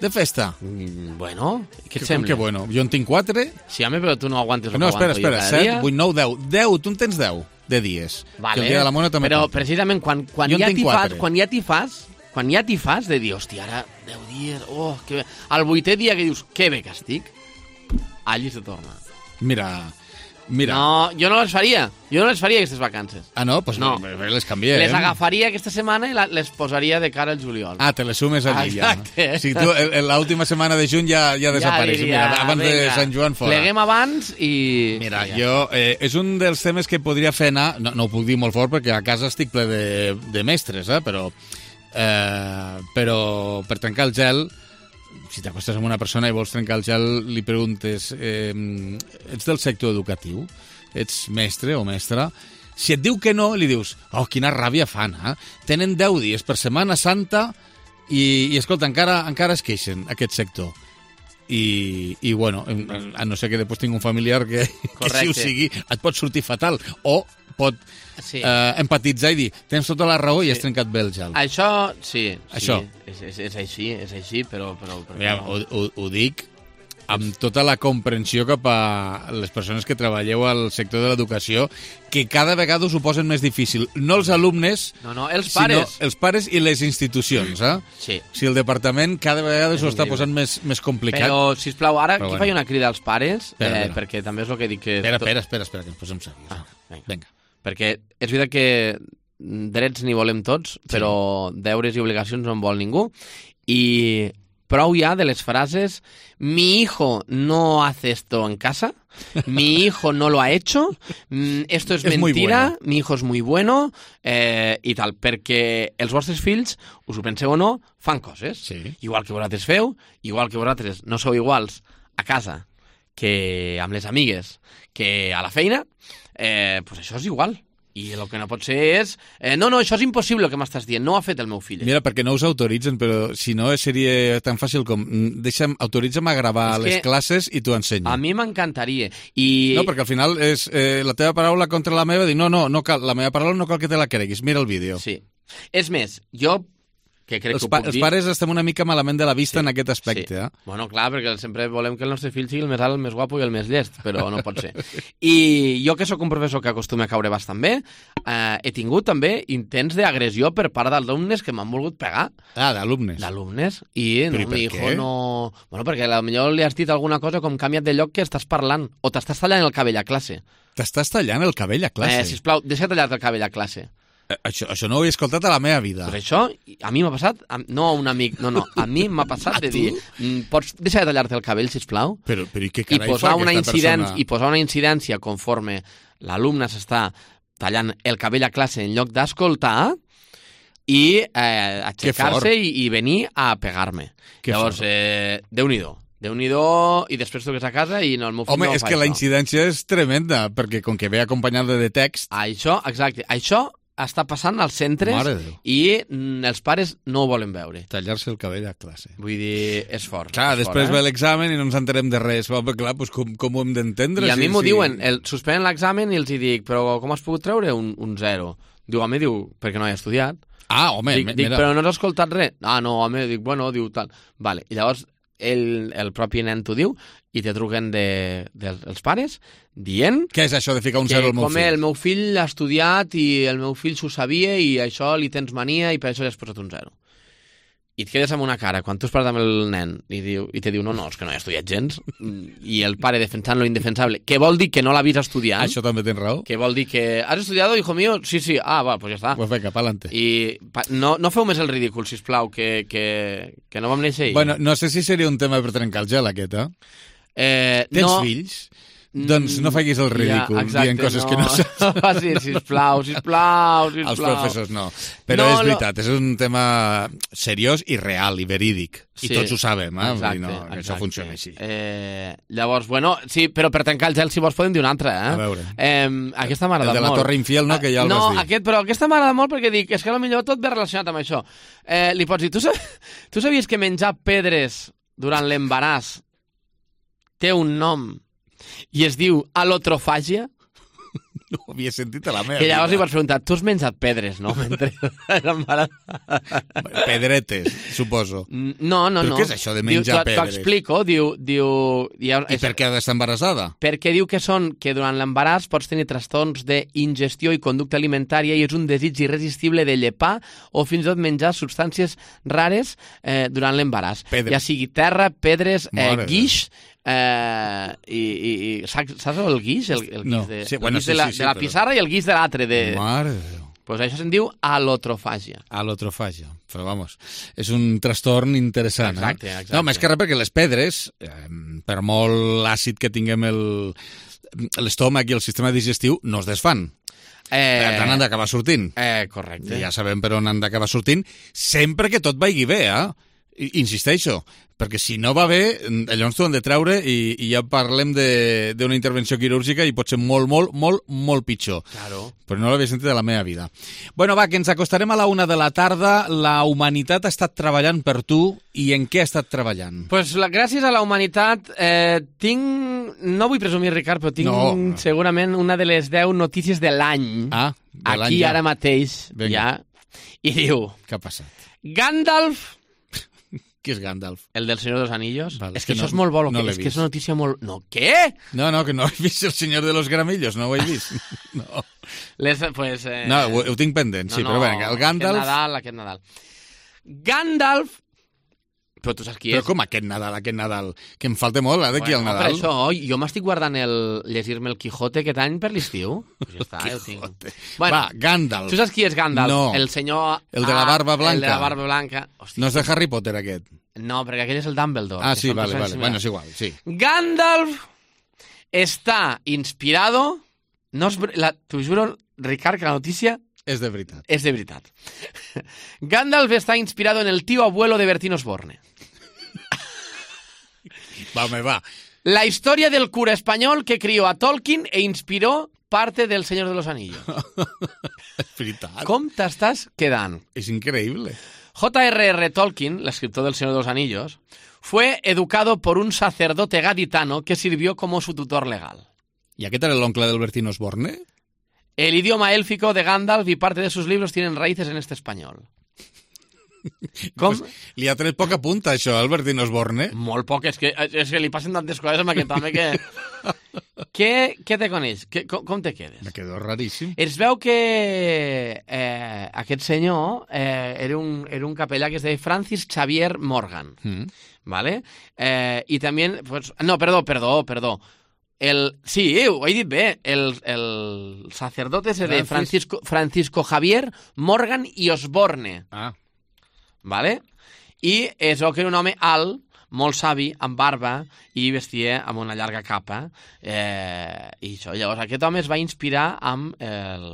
de festa. Mm, bueno, què et Que, sembla? que bueno, jo en tinc quatre. Sí, home, però tu no aguantes el No, que espera, aguanto espera, jo cada set, dia. vuit, nou, deu. Deu, tu en tens deu de dies. Vale, que el dia de la mona també però compta. precisament quan, quan, Jo en ja tinc t'hi fas, quatre. quan ja t'hi fas, quan ja t'hi fas de dir, hòstia, ara deu dies, oh, que bé. Al vuitè dia que dius, que bé que estic, allí se torna. Mira, mira. No, jo no les faria. Jo no les faria, aquestes vacances. Ah, no? Doncs No. no. les canviem. Les agafaria aquesta setmana i la, les posaria de cara al juliol. Ah, te les sumes allí Exacte. ja. O sigui, tu el- el- l'última setmana de juny ja, ja desapareix. diria, Mira, abans de vinga, Sant Joan fora. Pleguem abans i... Mira, ja. jo, eh, és un dels temes que podria fer anar, no, no ho puc dir molt fort perquè a casa estic ple de, de mestres, eh, però, eh, però per trencar el gel, si t'acostes amb una persona i vols trencar el gel, li preguntes, eh, ets del sector educatiu? Ets mestre o mestra? Si et diu que no, li dius, oh, quina ràbia fan, eh? Tenen deu dies per Setmana Santa i, i escolta, encara, encara es queixen, aquest sector. I, i bueno, a no ser que després tinc un familiar que, que si ho sigui, et pot sortir fatal o pot Sí. eh, empatitzar i dir, tens tota la raó i has trencat bé el gel. Això, sí. Això. Sí, és, és, és així, és així, però... però, però Mira, no. ho, ho, ho dic amb tota la comprensió cap a les persones que treballeu al sector de l'educació, que cada vegada us ho posen més difícil. No els alumnes, No, no, els pares. sinó els pares i les institucions. Eh? Sí. Si el departament cada vegada s'ho està increïble. posant més, més complicat. Però, sisplau, ara Però aquí bueno. faig una crida als pares, Espera, eh, espera. perquè també és el que dic que... Espera, espera, espera, espera, que ens posem serios. Ah, vinga. Vinga. Perquè és veritat que drets n'hi volem tots, però deures i obligacions no en vol ningú. I prou ja de les frases mi hijo no hace esto en casa, mi hijo no lo ha hecho, mm, esto es, Es muy mentira, bueno. mi hijo es muy bueno, eh, i tal, perquè els vostres fills, us ho penseu o no, fan coses. Sí. Igual que vosaltres feu, igual que vosaltres no sou iguals a casa que amb les amigues, que a la feina, eh, pues això és igual. I el que no pot ser és... Eh, no, no, això és impossible el que m'estàs dient, no ho ha fet el meu fill. Mira, perquè no us autoritzen, però si no seria tan fàcil com mm, deixa'm, autoritza'm a gravar És les que classes i t'ho ensenyo. A mi m'encantaria. I... No, perquè al final és eh, la teva paraula contra la meva, dir, no, no, no cal, la meva paraula no cal que te la creguis, mira el vídeo. Sí. És més, jo, que crec Els, que ho pa puc els dir... pares estem una mica malament de la vista Sí, en aquest aspecte. sí. Eh? Bueno, clar, perquè sempre volem que el nostre fill sigui el més alt, el més guapo i el més llest, però no pot ser. I jo, que sóc un professor que acostuma a caure bastant bé, eh, he tingut també intents d'agressió per part d'alumnes que m'han volgut pegar. Ah, d'alumnes. D'alumnes. I Però no, i per mi hijo què? no... Bueno, perquè potser li has dit alguna cosa com canvia't de lloc que estàs parlant, o t'estàs tallant el cabell a classe. T'estàs tallant el cabell a classe. Eh, sisplau, deixa tallar-te el cabell a classe. Eh, això, això no ho he escoltat a la meva vida. Pues això, a mi m'ha passat, a, no a un amic, no, no, a mi m'ha passat de dir, mm, pots deixar de tallar-te el cabell, sisplau, Però, però i què i carai posar, fa una aquesta incidència, persona? i posar una incidència conforme l'alumne s'està tallant el cabell a classe en lloc d'escoltar i eh, aixecar-se i, i venir a pegar-me. Que Llavors, fort. eh, Déu-n'hi-do. Déu-n'hi-do, i després truques a casa i no, el meu fill Home, no és fa que la això. incidència és tremenda, perquè com que ve acompanyada de text... Això, exacte, això està passant als centres Mare de Déu. i mm, els pares no ho volen veure. Tallar-se el cabell a classe. Vull dir, és fort. Clar, és després fort, ve eh? l'examen i no ens enterem de res. Va, però clar, doncs com, com ho hem d'entendre? I a si- mi m'ho si- diuen, el, suspenen l'examen i els hi dic, però com has pogut treure un, un zero? Diu, home, diu, perquè no he estudiat. Ah, home, dic, me- dic, mira. però no has escoltat res? Ah, no, home, dic, bueno, diu tal. Vale, i llavors el, el propi nen t'ho diu i te truquen de, de, dels pares dient Què és això de ficar un que zero al meu com fill? el meu fill ha estudiat i el meu fill s'ho sabia i això li tens mania i per això li has posat un zero. I et quedes amb una cara, quan tu has parlat amb el nen i, diu, i te diu, no, no, és que no he estudiat gens, i el pare defensant lo indefensable, que vol dir que no l'ha vist estudiant, Això també tens raó. que vol dir que has estudiado, hijo mío? Sí, sí, ah, va, pues ja està. Pues vinga, pa'lante. I pa, no, no feu més el ridícul, sisplau, que, que, que no vam néixer ahir. Bueno, no sé si seria un tema per trencar el gel, aquest, eh? eh, Tens no, fills? Doncs no facis el ridícul ja, exacte, dient coses que no saps. No facis, sisplau, sisplau, sisplau. Els professors no. Però No, és no. veritat, és un tema seriós i real i verídic. I Sí, tots ho sabem, eh? Vull exacte, dir, no, que això exacte. funciona així. Eh, llavors, bueno, sí, però per tancar el gel, si vols, podem dir una altra, eh? A veure. Eh, aquesta m'ha El agradat de la molt. Torre Infiel, no?, que ja el no, vas dir. aquest, però aquesta m'ha agradat molt perquè dic, és que potser tot ve relacionat amb això. Eh, li pots dir, tu, sab tu sabies que menjar pedres durant l'embaràs té un nom i es diu alotrofàgia? No ho havia sentit a la meva Que llavors vida. li pots preguntar, tu has menjat pedres, no? Mentre Pedretes, suposo. No, no, Però no. què és això de menjar diu, pedres? T'ho explico, diu... diu I per què ha d'estar embarassada? Perquè diu que són que durant l'embaràs pots tenir trastorns d'ingestió i conducta alimentària i és un desig irresistible de llepar o fins i tot menjar substàncies rares eh, durant l'embaràs. Pedres. Ja sigui terra, pedres, eh, Mare guix... Eh, i, i, i saps, saps el guix? El, el guix, No. de, Sí, el bueno, guix sí, de la, sí, sí, de la però- pissarra i el guix de l'altre. De... Mare de Déu. Pues això se'n diu alotrofàgia. Alotrofàgia. Però, vamos, és un trastorn interessant. Exacte, eh? exacte. No, més que res perquè les pedres, eh, per molt àcid que tinguem el l'estómac i el sistema digestiu, no es desfan. Eh, Per tant, han d'acabar sortint. Eh, correcte. Ja sabem per on han d'acabar sortint, sempre que tot vagi bé, eh? I- Insisteixo, perquè si no va bé, llavors t'ho han de treure i, i ja parlem de- d'una intervenció quirúrgica i pot ser molt, molt, molt, molt pitjor. Claro. Però no l'havia sentit de la meva vida. Bueno, va, que ens acostarem a la una de la tarda. La humanitat ha estat treballant per tu i en què ha estat treballant? Pues la, gràcies a la humanitat eh, tinc, no vull presumir, Ricard, però tinc No. segurament una de les deu notícies de l'any. Ah, de l'any Aquí ja. ara mateix, Vinga. ja. I diu, Què ha passat? Gandalf, Qui és Gandalf? el del Senyor dels Anillos. Vale, és és que, que això no- és molt bo, no que, l'he és que és vist. una notícia molt... No, què? No, no, que no he vist El Senyor de los Gramillos, no ho he vist. No, Les, pues, eh, no ho, ho tinc pendent, sí, però bé, el Gandalf... Aquest Nadal, aquest Nadal. Gandalf... Però tu saps qui Però és? com aquest Nadal, aquest Nadal? Que em falta molt, eh, d'aquí al Bueno, Nadal. Per això, jo m'estic guardant el llegir-me el Quijote aquest any per l'estiu. Pues ja està, ja ho tinc. Bueno, Va, Gandalf. tu saps qui és Gandalf? No. El senyor... El de la barba blanca. El de la barba blanca. Hòstia, No és de Harry Potter, aquest. no, perquè aquell és el Dumbledore. Ah, que sí, són vale, persones vale. Bueno, similars. és igual, sí. Gandalf està inspirado... No és... ver- La, t'ho juro, Ricard, que la notícia És de veritat. és de veritat. Gandalf está inspirado en el tío abuelo de Bertín Osborne. Va, home, va. La historia del cura español que crió a Tolkien e inspiró parte del Señor de los Anillos. És veritat. Com t'estàs quedant? És increïble. J R R Tolkien, l'escriptor del Señor de los Anillos, fue educado por un sacerdote gaditano que sirvió como su tutor legal. I aquest era l'oncle del Bertín Osborne? El idioma élfico de Gandalf y parte de sus libros tienen raíces en este español. Com? Pues, li ha tret poca punta, això, al Bertín Osborne. Molt poc, és que, és que li passen tantes coses amb aquest home que... què, què te coneix? Que, com, com te quedes? Me quedo raríssim. Es veu que eh, aquest senyor eh, era, un, era un capellà que es deia Francis Xavier Morgan, Mm. ¿vale? Eh, I també... Pues, no, perdó, perdó, perdó. El, sí, ho he dit bé. El, el sacerdote se de Francis. Francisco, Francisco Javier Morgan i Osborne. Ah. ¿Vale? I es veu que era un home alt, molt savi, amb barba, i vestia amb una llarga capa. Eh, I això, llavors aquest home es va inspirar amb el,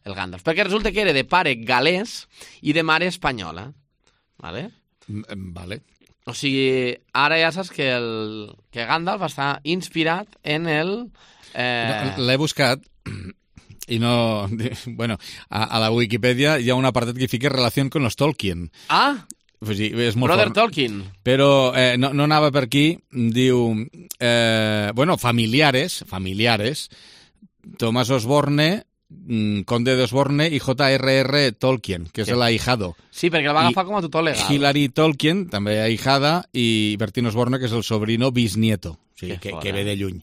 el Gandalf. Perquè resulta que era de pare galès i de mare espanyola. ¿Vale? Mm, Vale. O sigui, ara ja saps que, el, que Gandalf està inspirat en el... Eh... No, l'he buscat i no... Bueno, a, a la Wikipedia hi ha un apartat que fica relació con los Tolkien. Ah! Pues sí, és molt Brother fort. Tolkien. Però eh, no, no anava per aquí. Diu... Eh, bueno, familiares, familiares, Tomás Osborne, mm, conde de Osborne i J R R Tolkien, que és Sí. l'ahijado. Sí, perquè el va I agafar com a tutor legal. Hilary Tolkien, també ahijada, i Bertín Osborne, que és el sobrino bisnieto, o sigui, que, fora. que ve de lluny.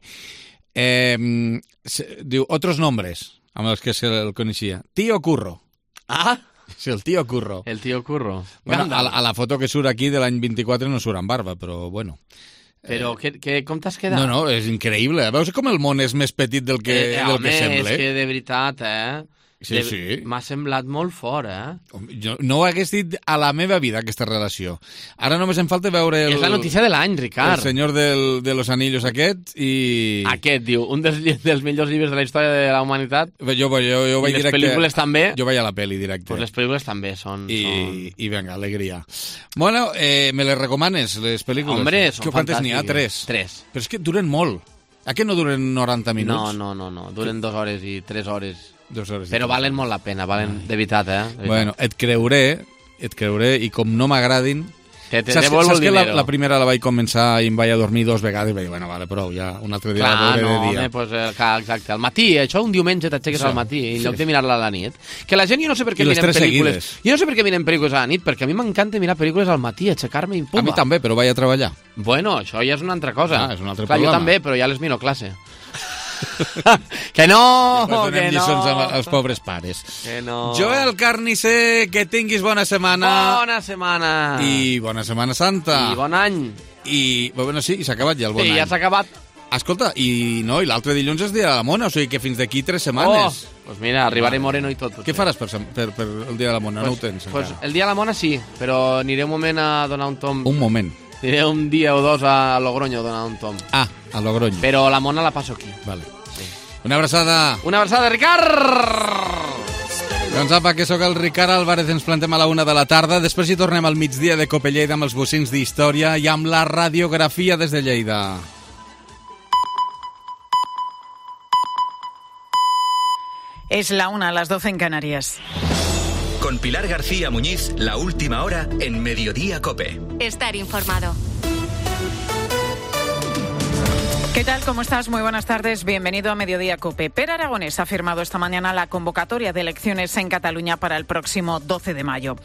Eh, se, diu, otros nombres, amb els que se'l coneixia. Tío Curro. Ah! Sí, el tío Curro. El tío Curro. Bueno, a, Gandalf. la- a la foto que surt aquí de l'any vint-i-quatre no surt amb barba, però bueno. Però que, que, com t'has quedat? No, no, és increïble. Veus com el món és més petit del que, eh, del home, que sembla? és que de veritat, eh? Sí, de, sí. M'ha semblat molt fort, eh? Jo no ho hagués dit a la meva vida, aquesta relació. Ara només em falta veure el... És la notícia de l'any, Ricard. El senyor del, de los anillos aquest i... Aquest, diu, un dels, lli- dels millors llibres de la història de la humanitat. Jo, jo, jo I vaig les directe... pel·lícules també. Jo vaig a la pel·li directe. Pues les pel·lícules també són... I, són... i venga, alegria. Bueno, eh, me les recomanes, les pel·lícules? Hombre, són Que quantes n'hi ha? fantàstiques. Tres. Tres. Però és que duren molt. A què no duren noranta No, minuts? no, no, no. Duren dues hores i tres hores. Dues hores i Però tres. valen molt la pena, valen de veritat, eh? De veritat. Bueno, et creuré, et creuré, i com no m'agradin, Te, te saps devolvo saps el que la, dinero. la primera la vaig començar i em vaig a dormir dos vegades i vaig dir, bueno, vale, prou, ja un altre dia Clar, la veuré no, de dia. home, pues, eh, exacte. Al matí, això un diumenge t'aixeques Sí. al matí, en Sí. lloc de mirar-la a la nit. Que la gent, jo no sé per què I les miren tres pel·lícules... seguides. Jo no sé per què miren pel·lícules a la nit, perquè a mi m'encanta mirar pel·lícules al matí, aixecar-me i pumba. A mi també, però vaig a treballar. Bueno, això ja és una altra cosa. Ah, és un altre Clar, problema. jo també, però ja les miro a classe. Que no, Després donem que lliçons no. als pobres pares. Que no. Joel Carnicer, que tinguis bona setmana. Bona setmana. I bona Setmana Santa. I bon any. I, bueno, sí, i s'ha acabat ja el bon Sí, any. ja s'ha acabat. Escolta, i no, i l'altre dilluns és dia de la Mona, o sigui que fins d'aquí tres setmanes. Oh, pues mira, arribaré moreno i tot. Què faràs per, per, per el dia de la Mona? Pues, no ho tens pues encara. el dia de la Mona sí, però aniré un moment a donar un tom. Un moment. Aniré un dia o dos a Logroño a donar un tom. Ah, a Logroño. Però la Mona la passo aquí. Vale. Sí. Una abraçada. Una abraçada, Ricard! Doncs apa, que sóc el Ricard Álvarez, ens plantem a la una de la tarda, després hi tornem al migdia de Cope Lleida amb els bocins d'història i amb la radiografia des de Lleida. Es la una, a las doce en Canarias. Con Pilar García Muñiz, la última hora en Mediodía Cope. Estar informado. ¿Qué tal? ¿Cómo estás? Muy buenas tardes. Bienvenido a Mediodía Cope. Per Aragonés ha firmado esta mañana la convocatoria de elecciones en Cataluña para el próximo doce de mayo.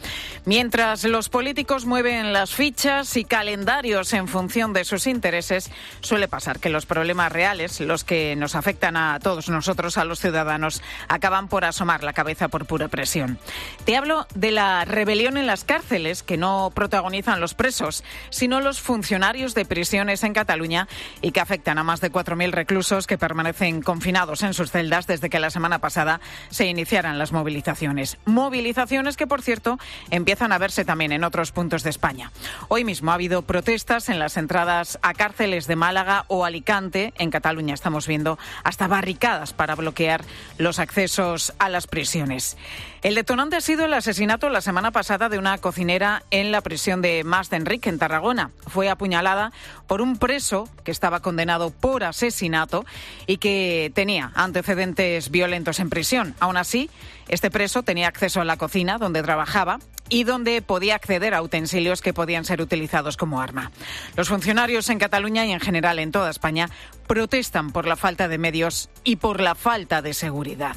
Mientras los políticos mueven las fichas y calendarios en función de sus intereses, suele pasar que los problemas reales, los que nos afectan a todos nosotros, a los ciudadanos, acaban por asomar la cabeza por pura presión. Te hablo de la rebelión en las cárceles que no protagonizan los presos, sino los funcionarios de prisiones en Cataluña y que afectan a más de cuatro mil reclusos que permanecen confinados en sus celdas desde que la semana pasada se iniciaran las movilizaciones. Movilizaciones que, por cierto, empiezan a verse también en otros puntos de España. Hoy mismo ha habido protestas en las entradas a cárceles de Málaga o Alicante. En Cataluña estamos viendo hasta barricadas para bloquear los accesos a las prisiones. El detonante ha sido el asesinato la semana pasada de una cocinera en la prisión de Mas d'Enric, en Tarragona. Fue apuñalada por un preso que estaba condenado por asesinato y que tenía antecedentes violentos en prisión. Aún así, este preso tenía acceso a la cocina donde trabajaba y donde podía acceder a utensilios que podían ser utilizados como arma. Los funcionarios en Cataluña y en general en toda España protestan por la falta de medios y por la falta de seguridad.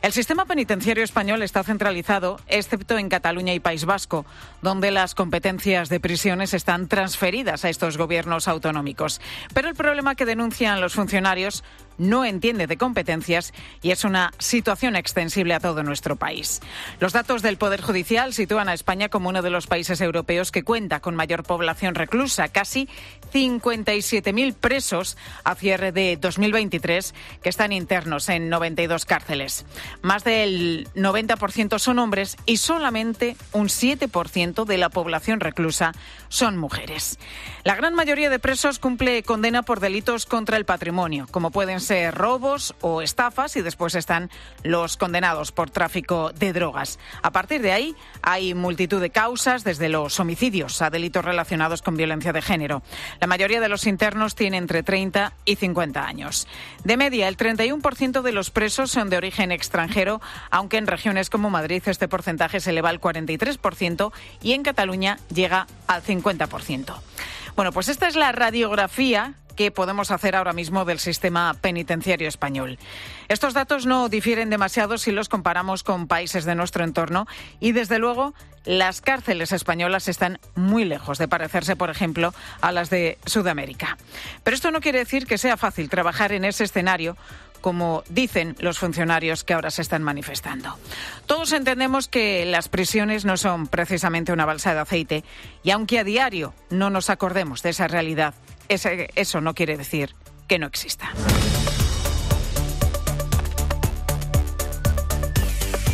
El sistema penitenciario español está centralizado, excepto en Cataluña y País Vasco, donde las competencias de prisiones están transferidas a estos gobiernos autonómicos. Pero el problema que denuncian los funcionarios no entiende de competencias y es una situación extensible a todo nuestro país. Los datos del Poder Judicial sitúan a España como uno de los países europeos que cuenta con mayor población reclusa, casi cincuenta y siete mil presos a cierre de dos mil veintitrés que están internos en noventa y dos cárceles. Más del noventa por ciento son hombres y solamente un siete por ciento de la población reclusa son mujeres. La gran mayoría de presos cumple condena por delitos contra el patrimonio, como pueden ser robos o estafas, y después están los condenados por tráfico de drogas. A partir de ahí hay multitud de causas, desde los homicidios a delitos relacionados con violencia de género. La mayoría de los internos tienen entre treinta y cincuenta años. De media, el treinta y uno por ciento de los presos son de origen extranjero, aunque en regiones como Madrid este porcentaje se eleva al cuarenta y tres por ciento y en Cataluña llega al cincuenta por ciento. Bueno, pues esta es la radiografía que podemos hacer ahora mismo del sistema penitenciario español. Estos datos no difieren demasiado si los comparamos con países de nuestro entorno y, desde luego, las cárceles españolas están muy lejos de parecerse, por ejemplo, a las de Sudamérica. Pero esto no quiere decir que sea fácil trabajar en ese escenario, como dicen los funcionarios que ahora se están manifestando. Todos entendemos que las prisiones no son precisamente una balsa de aceite y, aunque a diario no nos acordemos de esa realidad, ese, eso no quiere decir que no exista.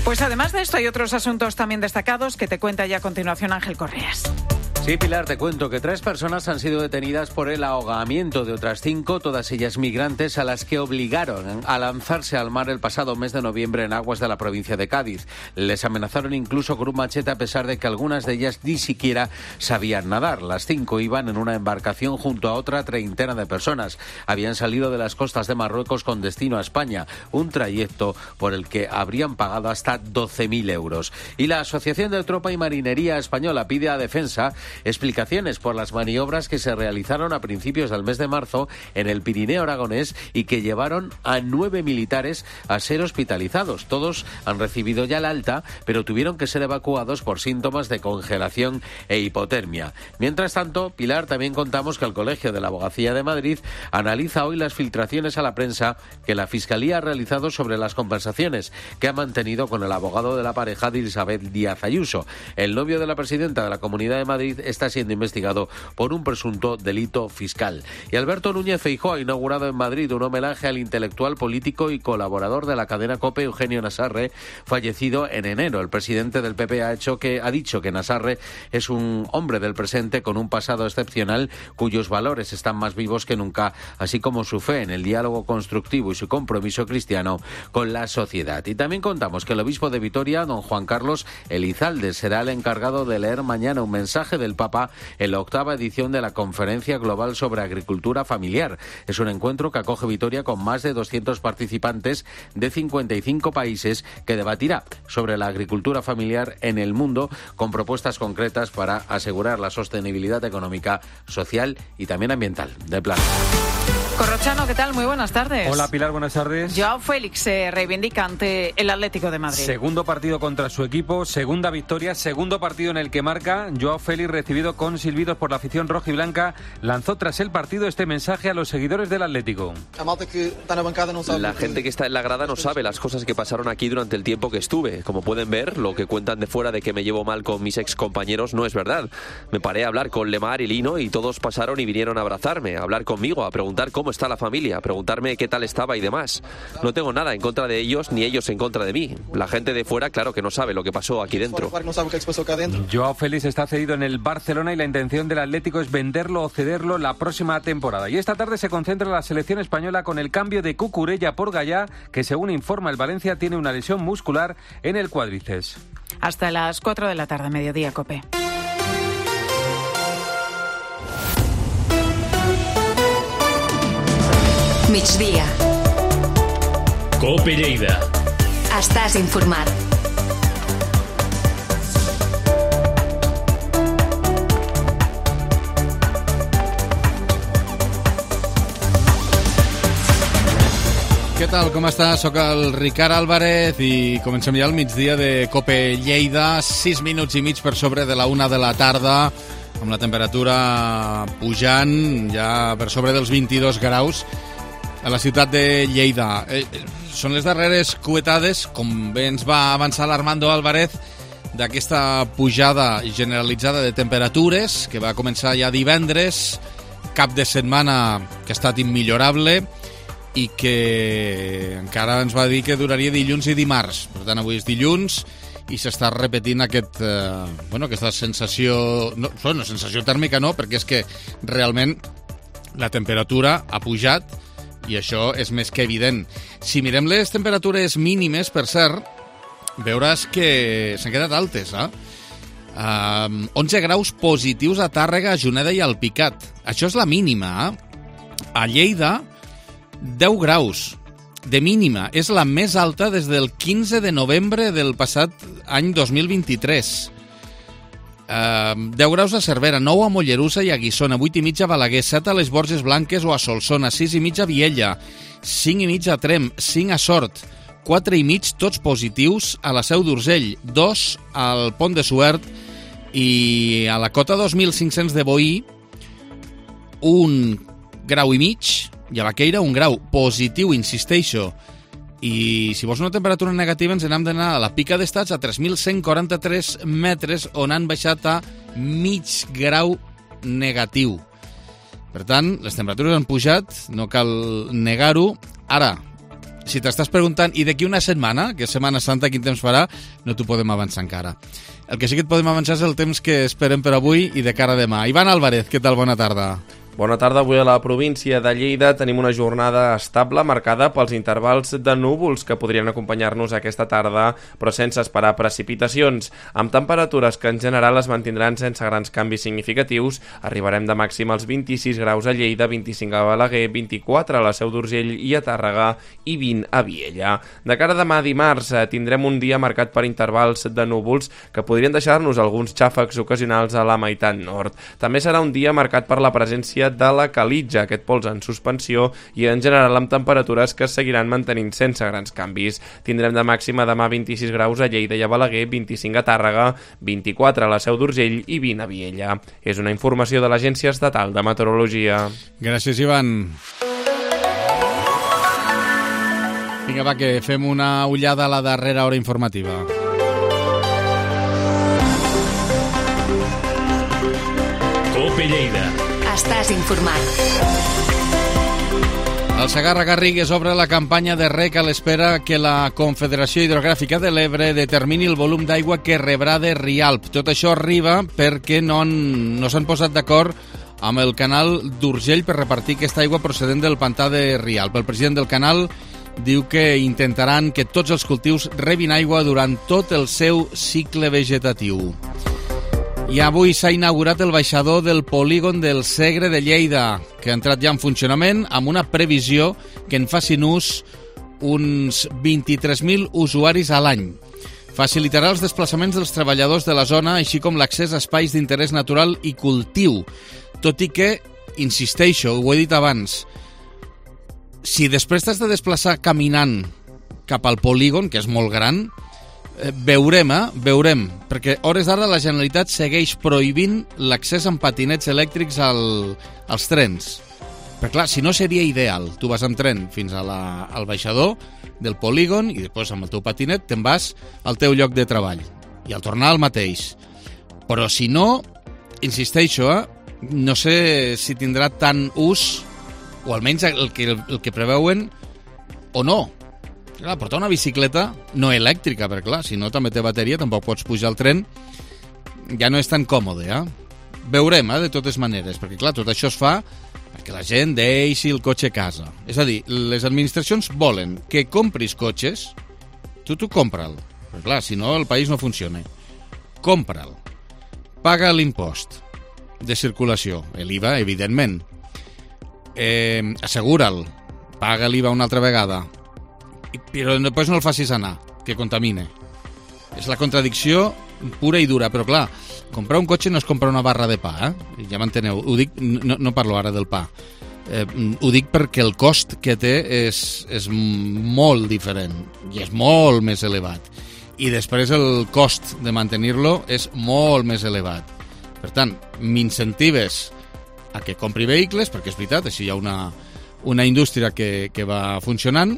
Pues además de esto hay otros asuntos también destacados que te cuenta ya a continuación Ángel Correas. Sí, Pilar, te cuento que tres personas han sido detenidas por el ahogamiento de otras cinco, todas ellas migrantes, a las que obligaron a lanzarse al mar el pasado mes de noviembre en aguas de la provincia de Cádiz. Les amenazaron incluso con un machete, a pesar de que algunas de ellas ni siquiera sabían nadar. Las cinco iban en una embarcación junto a otra treintena de personas. Habían salido de las costas de Marruecos con destino a España, un trayecto por el que habrían pagado hasta doce mil euros. Y la Asociación de Tropa y Marinería Española pide a Defensa explicaciones por las maniobras que se realizaron a principios del mes de marzo en el Pirineo aragonés y que llevaron a nueve militares a ser hospitalizados. Todos han recibido ya la alta, pero tuvieron que ser evacuados por síntomas de congelación e hipotermia. Mientras tanto, Pilar, también contamos que el Colegio de la Abogacía de Madrid analiza hoy las filtraciones a la prensa que la Fiscalía ha realizado sobre las conversaciones que ha mantenido con el abogado de la pareja de Isabel Díaz Ayuso. El novio de la presidenta de la Comunidad de Madrid está siendo investigado por un presunto delito fiscal. Y Alberto Núñez Feijóo ha inaugurado en Madrid un homenaje al intelectual, político y colaborador de la cadena COPE, Eugenio Nassarre, fallecido en enero. El presidente del P P ha, hecho que, ha dicho que Nassarre es un hombre del presente con un pasado excepcional cuyos valores están más vivos que nunca, así como su fe en el diálogo constructivo y su compromiso cristiano con la sociedad. Y también contamos que el obispo de Vitoria, don Juan Carlos Elizalde, será el encargado de leer mañana un mensaje del Papa en la octava edición de la Conferencia Global sobre Agricultura Familiar. Es un encuentro que acoge Vitoria con más de doscientos participantes de cincuenta y cinco países que debatirá sobre la agricultura familiar en el mundo con propuestas concretas para asegurar la sostenibilidad económica, social y también ambiental del planeta. Corrochano, ¿qué tal? Muy buenas tardes. Hola Pilar, buenas tardes. Joao Félix se reivindica ante el Atlético de Madrid. Segundo partido contra su equipo, segunda victoria, segundo partido en el que marca. Joao Félix, recibido con silbidos por la afición roja y blanca, lanzó tras el partido este mensaje a los seguidores del Atlético. La gente que está en la grada no sabe las cosas que pasaron aquí durante el tiempo que estuve. Como pueden ver, lo que cuentan de fuera de que me llevo mal con mis ex compañeros no es verdad. Me paré a hablar con Lemar y Lino y todos pasaron y vinieron a abrazarme, a hablar conmigo, a preguntar cómo está la familia, a preguntarme qué tal estaba y demás. No tengo nada en contra de ellos ni ellos en contra de mí. La gente de fuera, claro que no sabe lo que pasó aquí dentro. Joao Félix está cedido en el Barcelona y la intención del Atlético es venderlo o cederlo la próxima temporada. Y esta tarde se concentra la selección española con el cambio de Cucurella por Gallá, que según informa el Valencia tiene una lesión muscular en el cuádriceps. Hasta las cuatro de la tarde, mediodía, COPE. Migdia. COPE Lleida. Estàs informat. Què tal, com estàs? Soc el Ricard Álvarez i comencem ja el migdia de COPE Lleida, sis minuts i mig per sobre de la una de la tarda, amb la temperatura pujant ja per sobre dels vint-i-dos graus a la ciutat de Lleida. Eh, són les darreres cuetades, com bé ens va avançar l'Armando Álvarez, d'aquesta pujada generalitzada de temperatures que va començar ja divendres, cap de setmana que ha estat immillorable i que encara ens va dir que duraria dilluns i dimarts. Per tant, avui és dilluns i s'està repetint aquest, eh, bueno, aquesta sensació, no, bueno, sensació tèrmica no, perquè és que realment la temperatura ha pujat i això és més que evident. Si mirem les temperatures mínimes, per cert, veuràs que s'han quedat altes, eh? Uh, onze graus positius a Tàrrega, a Juneda i al Picat. Això és la mínima, eh? A Lleida, deu graus de mínima. És la més alta des del quinze de novembre del passat any dos mil vint-i-tres. Uh, deu graus a Cervera, nou a Mollerussa i a Guissona, vuit i mig a Balaguer, set a les Borges Blanques o a Solsona, sis i mig a Viella, cinc i mig a Tremp, cinc a Sort, quatre i mig tots positius a la Seu d'Urgell, dos al Pont de Suert i a la Cota dos mil cinc-cents de Boí, un grau i mig, i a Baqueira un grau positiu, insisteixo. I si vols una temperatura negativa ens n'hem d'anar a la Pica d'Estats a tres mil cent quaranta-tres metres on han baixat a mig grau negatiu. Per tant, les temperatures han pujat, no cal negar-ho. Ara, si t'estàs preguntant i d'aquí una setmana, que és Setmana Santa, quin temps farà, no t'ho podem avançar encara. El que sí que et podem avançar és el temps que esperem per avui i de cara a demà. Ivan Álvarez, què tal? Bona tarda. Bona tarda. Avui a la província de Lleida tenim una jornada estable marcada pels intervals de núvols que podrien acompanyar-nos aquesta tarda, però sense esperar precipitacions. Amb temperatures que en general es mantindran sense grans canvis significatius, arribarem de màxim als vint-i-sis graus a Lleida, vint-i-cinc a Balaguer, vint-i-quatre a la Seu d'Urgell i a Tàrrega i vint a Viella. De cara a demà dimarts tindrem un dia marcat per intervals de núvols que podrien deixar-nos alguns xàfecs ocasionals a la meitat nord. També serà un dia marcat per la presència de la calitja, aquest pols en suspensió, i en general amb temperatures que es seguiran mantenint sense grans canvis. Tindrem de màxima demà vint-i-sis graus a Lleida i a Balaguer, vint-i-cinc a Tàrrega, vint-i-quatre a la Seu d'Urgell i vint a Viella. És una informació de l'Agència Estatal de Meteorologia. Gràcies, Ivan. Vinga, va, que fem una ullada a la darrera hora informativa. Cope Lleida. Estàs informat. El Segarra-Garrigues obre la campanya de rec a l'espera que la Confederació Hidrogràfica de l'Ebre determini el volum d'aigua que rebrà de Rialp. Tot això arriba perquè no, han, no s'han posat d'acord amb el canal d'Urgell per repartir aquesta aigua procedent del pantà de Rialp. El president del canal diu que intentaran que tots els cultius rebin aigua durant tot el seu cicle vegetatiu. I avui s'ha inaugurat el baixador del polígon del Segre de Lleida, que ha entrat ja en funcionament amb una previsió que en facin ús uns vint-i-tres mil usuaris a l'any. Facilitarà els desplaçaments dels treballadors de la zona, així com l'accés a espais d'interès natural i cultiu. Tot i que, insisteixo, ho he dit abans, si després t'has de desplaçar caminant cap al polígon, que és molt gran, veurem, eh? Veurem, perquè a hores d'ara la Generalitat segueix prohibint l'accés amb patinets elèctrics al, als trens. Però clar, si no seria ideal, tu vas amb tren fins a la, al baixador del polígon i després amb el teu patinet te'n vas al teu lloc de treball i al tornar al mateix. Però si no, insisteixo, eh? No sé si tindrà tant ús, o almenys el que, el que preveuen, o no. Clar, portar una bicicleta no elèctrica, perquè clar, si no també té bateria, tampoc pots pujar al tren, ja no és tan còmode, eh? Veurem, eh, de totes maneres, perquè clar, tot això es fa perquè la gent deixi el cotxe a casa. És a dir, les administracions volen que compris cotxes, tu tu compra'l, perquè clar, si no el país no funciona. Compra'l, paga l'impost de circulació, l'I V A, evidentment, eh, assegura'l, paga l'I V A una altra vegada, però després no el facis anar, que contamine. És la contradicció pura i dura, però clar, comprar un cotxe no és comprar una barra de pa, eh? Ja m'enteneu, ho dic, no, no parlo ara del pa, eh, ho dic perquè el cost que té és, és molt diferent i és molt més elevat, i després el cost de mantenir-lo és molt més elevat. Per tant, m'incentives a que compri vehicles, perquè és veritat, així hi ha una, una indústria que, que va funcionant,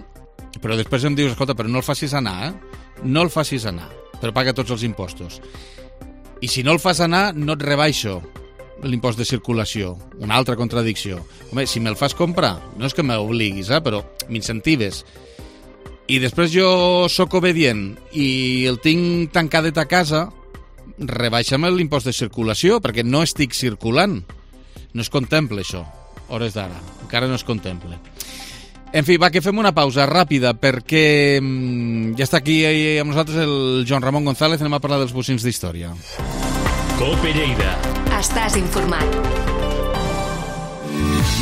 però després em dius, escolta, però no el facis anar, eh? No el facis anar, però paga tots els impostos. I si no el fas anar, no et rebaixo l'impost de circulació. Una altra contradicció. Home, si me'l fas comprar, no és que m'obliguis, eh? Però m'incentives. I després jo sóc obedient i el tinc tancadet a casa, rebaixa'm l'impost de circulació, perquè no estic circulant. No es contempla això, hores d'ara. Encara no es contempla. En fi, va, que fem una pausa ràpida perquè mmm, ja està aquí amb nosaltres el Joan Ramon González. Anem a parlar dels bocins d'història. Cope Lleida. Estàs informat.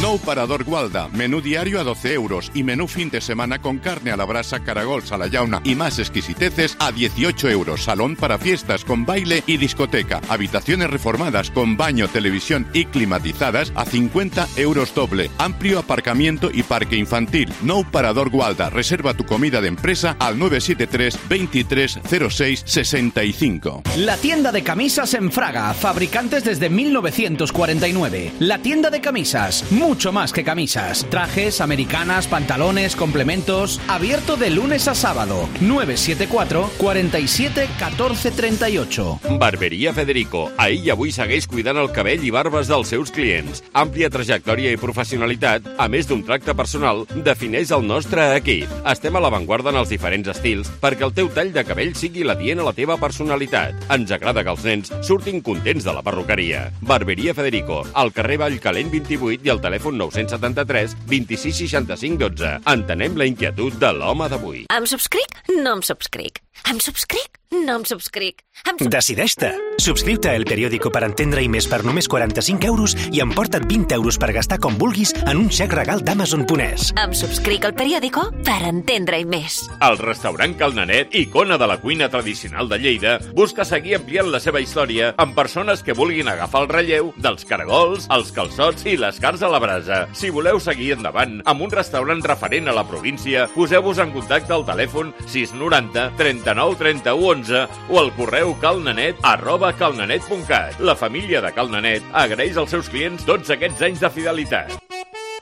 Nou Parador Gualda, menú diario a doce euros y menú fin de semana con carne a la brasa, caragols a la llauna y más exquisiteces a dieciocho euros. Salón para fiestas con baile y discoteca. Habitaciones reformadas con baño, televisión y climatizadas a cincuenta euros doble. Amplio aparcamiento y parque infantil. Nou Parador Gualda. Reserva tu comida de empresa al nueve siete tres, veintitrés, cero seis, sesenta y cinco. La tienda de camisas en Fraga. Fabricantes desde mil novecientos cuarenta y nueve. La tienda de camisas. Muy mucho más que camisas. Trajes, americanas, pantalones, complementos. Abierto de lunes a sábado. nueve siete cuatro, cuatro siete, uno cuatro tres ocho. Barberia Federico. Ahir i avui segueix cuidant el cabell i barbes dels seus clients. Àmplia trajectòria i professionalitat, a més d'un tracte personal, defineix el nostre equip. Estem a l'avantguarda en els diferents estils perquè el teu tall de cabell sigui l'adient a la teva personalitat. Ens agrada que els nens surtin contents de la perruqueria. Barberia Federico, al carrer Vallcalent vint-i-vuit i al telèfon nou setanta-tres, vint-i-sis, seixanta-cinc, dotze. Entenem la inquietud de l'home d'avui. Em subscric? No em subscric. Em subscric? No em subscric. Em sub... Decideix-te. Subscriu-te a El Periódico per entendre-hi més per només quaranta-cinc euros i emporta't vint euros per gastar com vulguis en un xec regal d'Amazon punt es. Em subscric al Periódico per entendre-hi més. El restaurant Cal Nanet, icona de la cuina tradicional de Lleida, busca seguir ampliant la seva història amb persones que vulguin agafar el relleu dels caragols, els calçots i les carns a la brasa. Si voleu seguir endavant amb un restaurant referent a la província, poseu-vos en contacte al telèfon sis noranta, trenta-nou, trenta-u, onze o al correu calnanet arroba calnanet punt cat. La família de Cal Nanet agraeix als seus clients tots aquests anys de fidelitat.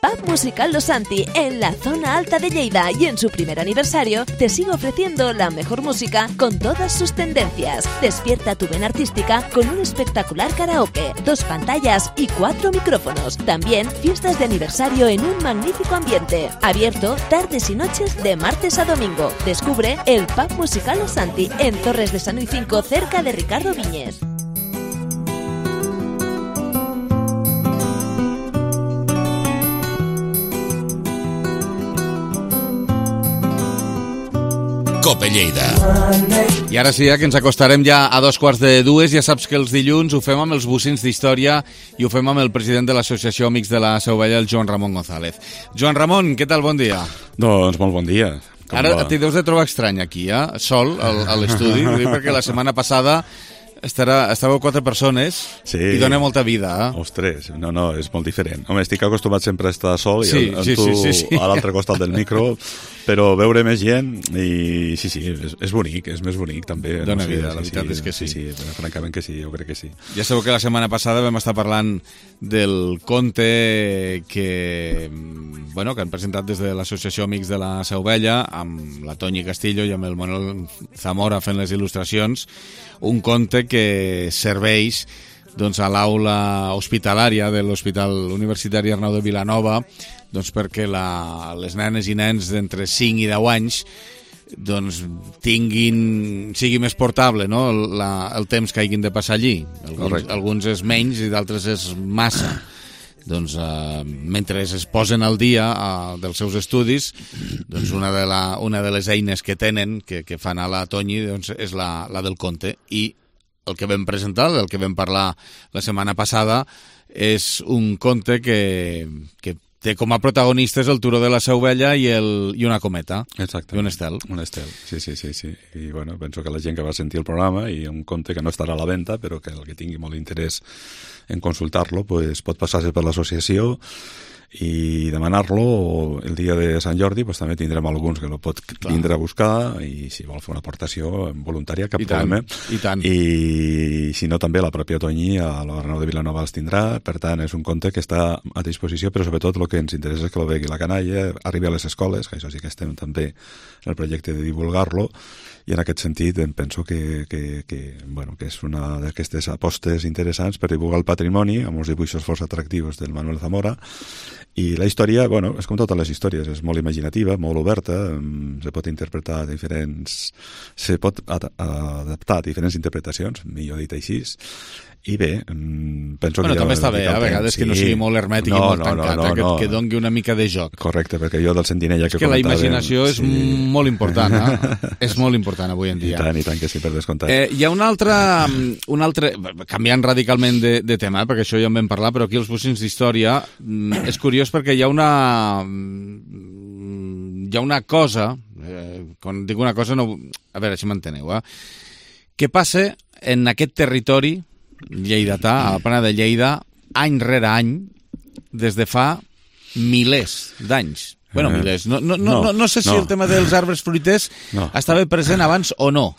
Pub Musical Los Santi, en la zona alta de Lleida, y en su primer aniversario te sigue ofreciendo la mejor música con todas sus tendencias. Despierta tu vena artística con un espectacular karaoke, dos pantallas y cuatro micrófonos. También fiestas de aniversario en un magnífico ambiente. Abierto tardes y noches de martes a domingo. Descubre el Pub Musical Los Santi en Torres de San Luis cinco, cerca de Ricardo Viñes. Cope Lleida. I ara sí, que ens acostarem ja a dos quarts de dues. Ja saps que els dilluns ho fem amb els bocins d'història i ho fem amb el president de l'Associació Amics de la Seu Vella, el Joan Ramon González. Joan Ramon, què tal? Bon dia. Doncs molt bon dia. Com ara va? t'hi deus de trobar estrany aquí, eh? Sol, al, a l'estudi, perquè la setmana passada Estarà, estàveu quatre persones sí. i dona molta vida, eh? Ostres, no, no, és molt diferent. Home, estic acostumat sempre a estar sol i sí, amb sí, tu sí, sí, sí. a l'altre costat del micro, però veure més gent i sí, sí, és, és bonic, és més bonic també. Dona no sé, vida, la sí, veritat sí, és que sí. Sí, sí, francament que sí, jo crec que sí. Ja sabeu que la setmana passada vam estar parlant del conte que, bueno, que han presentat des de l'Associació Amics de la Seu Vella, amb la Toñi Castillo i amb el Manuel Zamora fent les il·lustracions, un conte que serveix doncs, a l'aula hospitalària de l'Hospital Universitari Arnau de Vilanova doncs, perquè la, les nenes i nens d'entre cinc i deu anys doncs, tinguin, sigui més portable, no? la, el temps que hagin de passar allí. Alguns, alguns és menys i d'altres és massa. Doncs, eh, mentre es posen al dia eh, dels seus estudis, doncs una, de la, una de les eines que tenen, que, que fan a la Toñi, doncs, és la, la del conte. I el que vam presentar, el que vam parlar la setmana passada, és un conte que, que té com a protagonistes el turó de la Seu Vella i, el, i una cometa. Exacte. I un estel. Un estel, sí, sí, sí, sí. I bueno, penso que la gent que va sentir el programa i un conte que no estarà a la venda, però que el que tingui molt interès en consultar-lo, pues, pot passar-se per l'associació i demanar-lo. El dia de Sant Jordi pues, també tindrem alguns que lo pot vindre a buscar i si vol fer una aportació voluntària, cap I tant, problema. i tant. I si no, també la pròpia Toñi a l'Arnau de Vilanova els tindrà. Per tant, és un conte que està a disposició, però sobretot el que ens interessa és que lo vegi la canalla, arribi a les escoles, que això sí que estem també en el projecte de divulgar-lo, i en aquest sentit em penso que, que, que, bueno, que és una d'aquestes apostes interessants per divulgar el patrimoni amb uns dibuixos força atractius del Manuel Zamora. I la història, bueno, és com totes les històries, és molt imaginativa, molt oberta, se pot interpretar diferents, se pot adaptar a diferents interpretacions, millor dit així. I bé, penso bueno, que... també està bé, a vegades sí. que no sigui molt hermètic no, i molt no, tancat, no, no, que, no. que doni una mica de joc. Correcte, perquè jo del Sentinella que, que comentava... la imaginació és sí. molt important, eh? És molt important avui en dia. I tant, i tant que sí, per descomptat. Eh, hi ha una altra, un altre, canviant radicalment de, de tema, eh, perquè això ja en vam parlar, però aquí els bocins d'història és curiós perquè hi ha una... hi ha una cosa, eh, quan dic una cosa, no, a veure si m'enteneu, eh? Què passa en aquest territori lleidatà, a la plana de Lleida, any rere any, des de fa milers d'anys. Bueno, milers. No, no, no, no, no sé si no. el tema dels arbres fruiters no. estava present abans o no.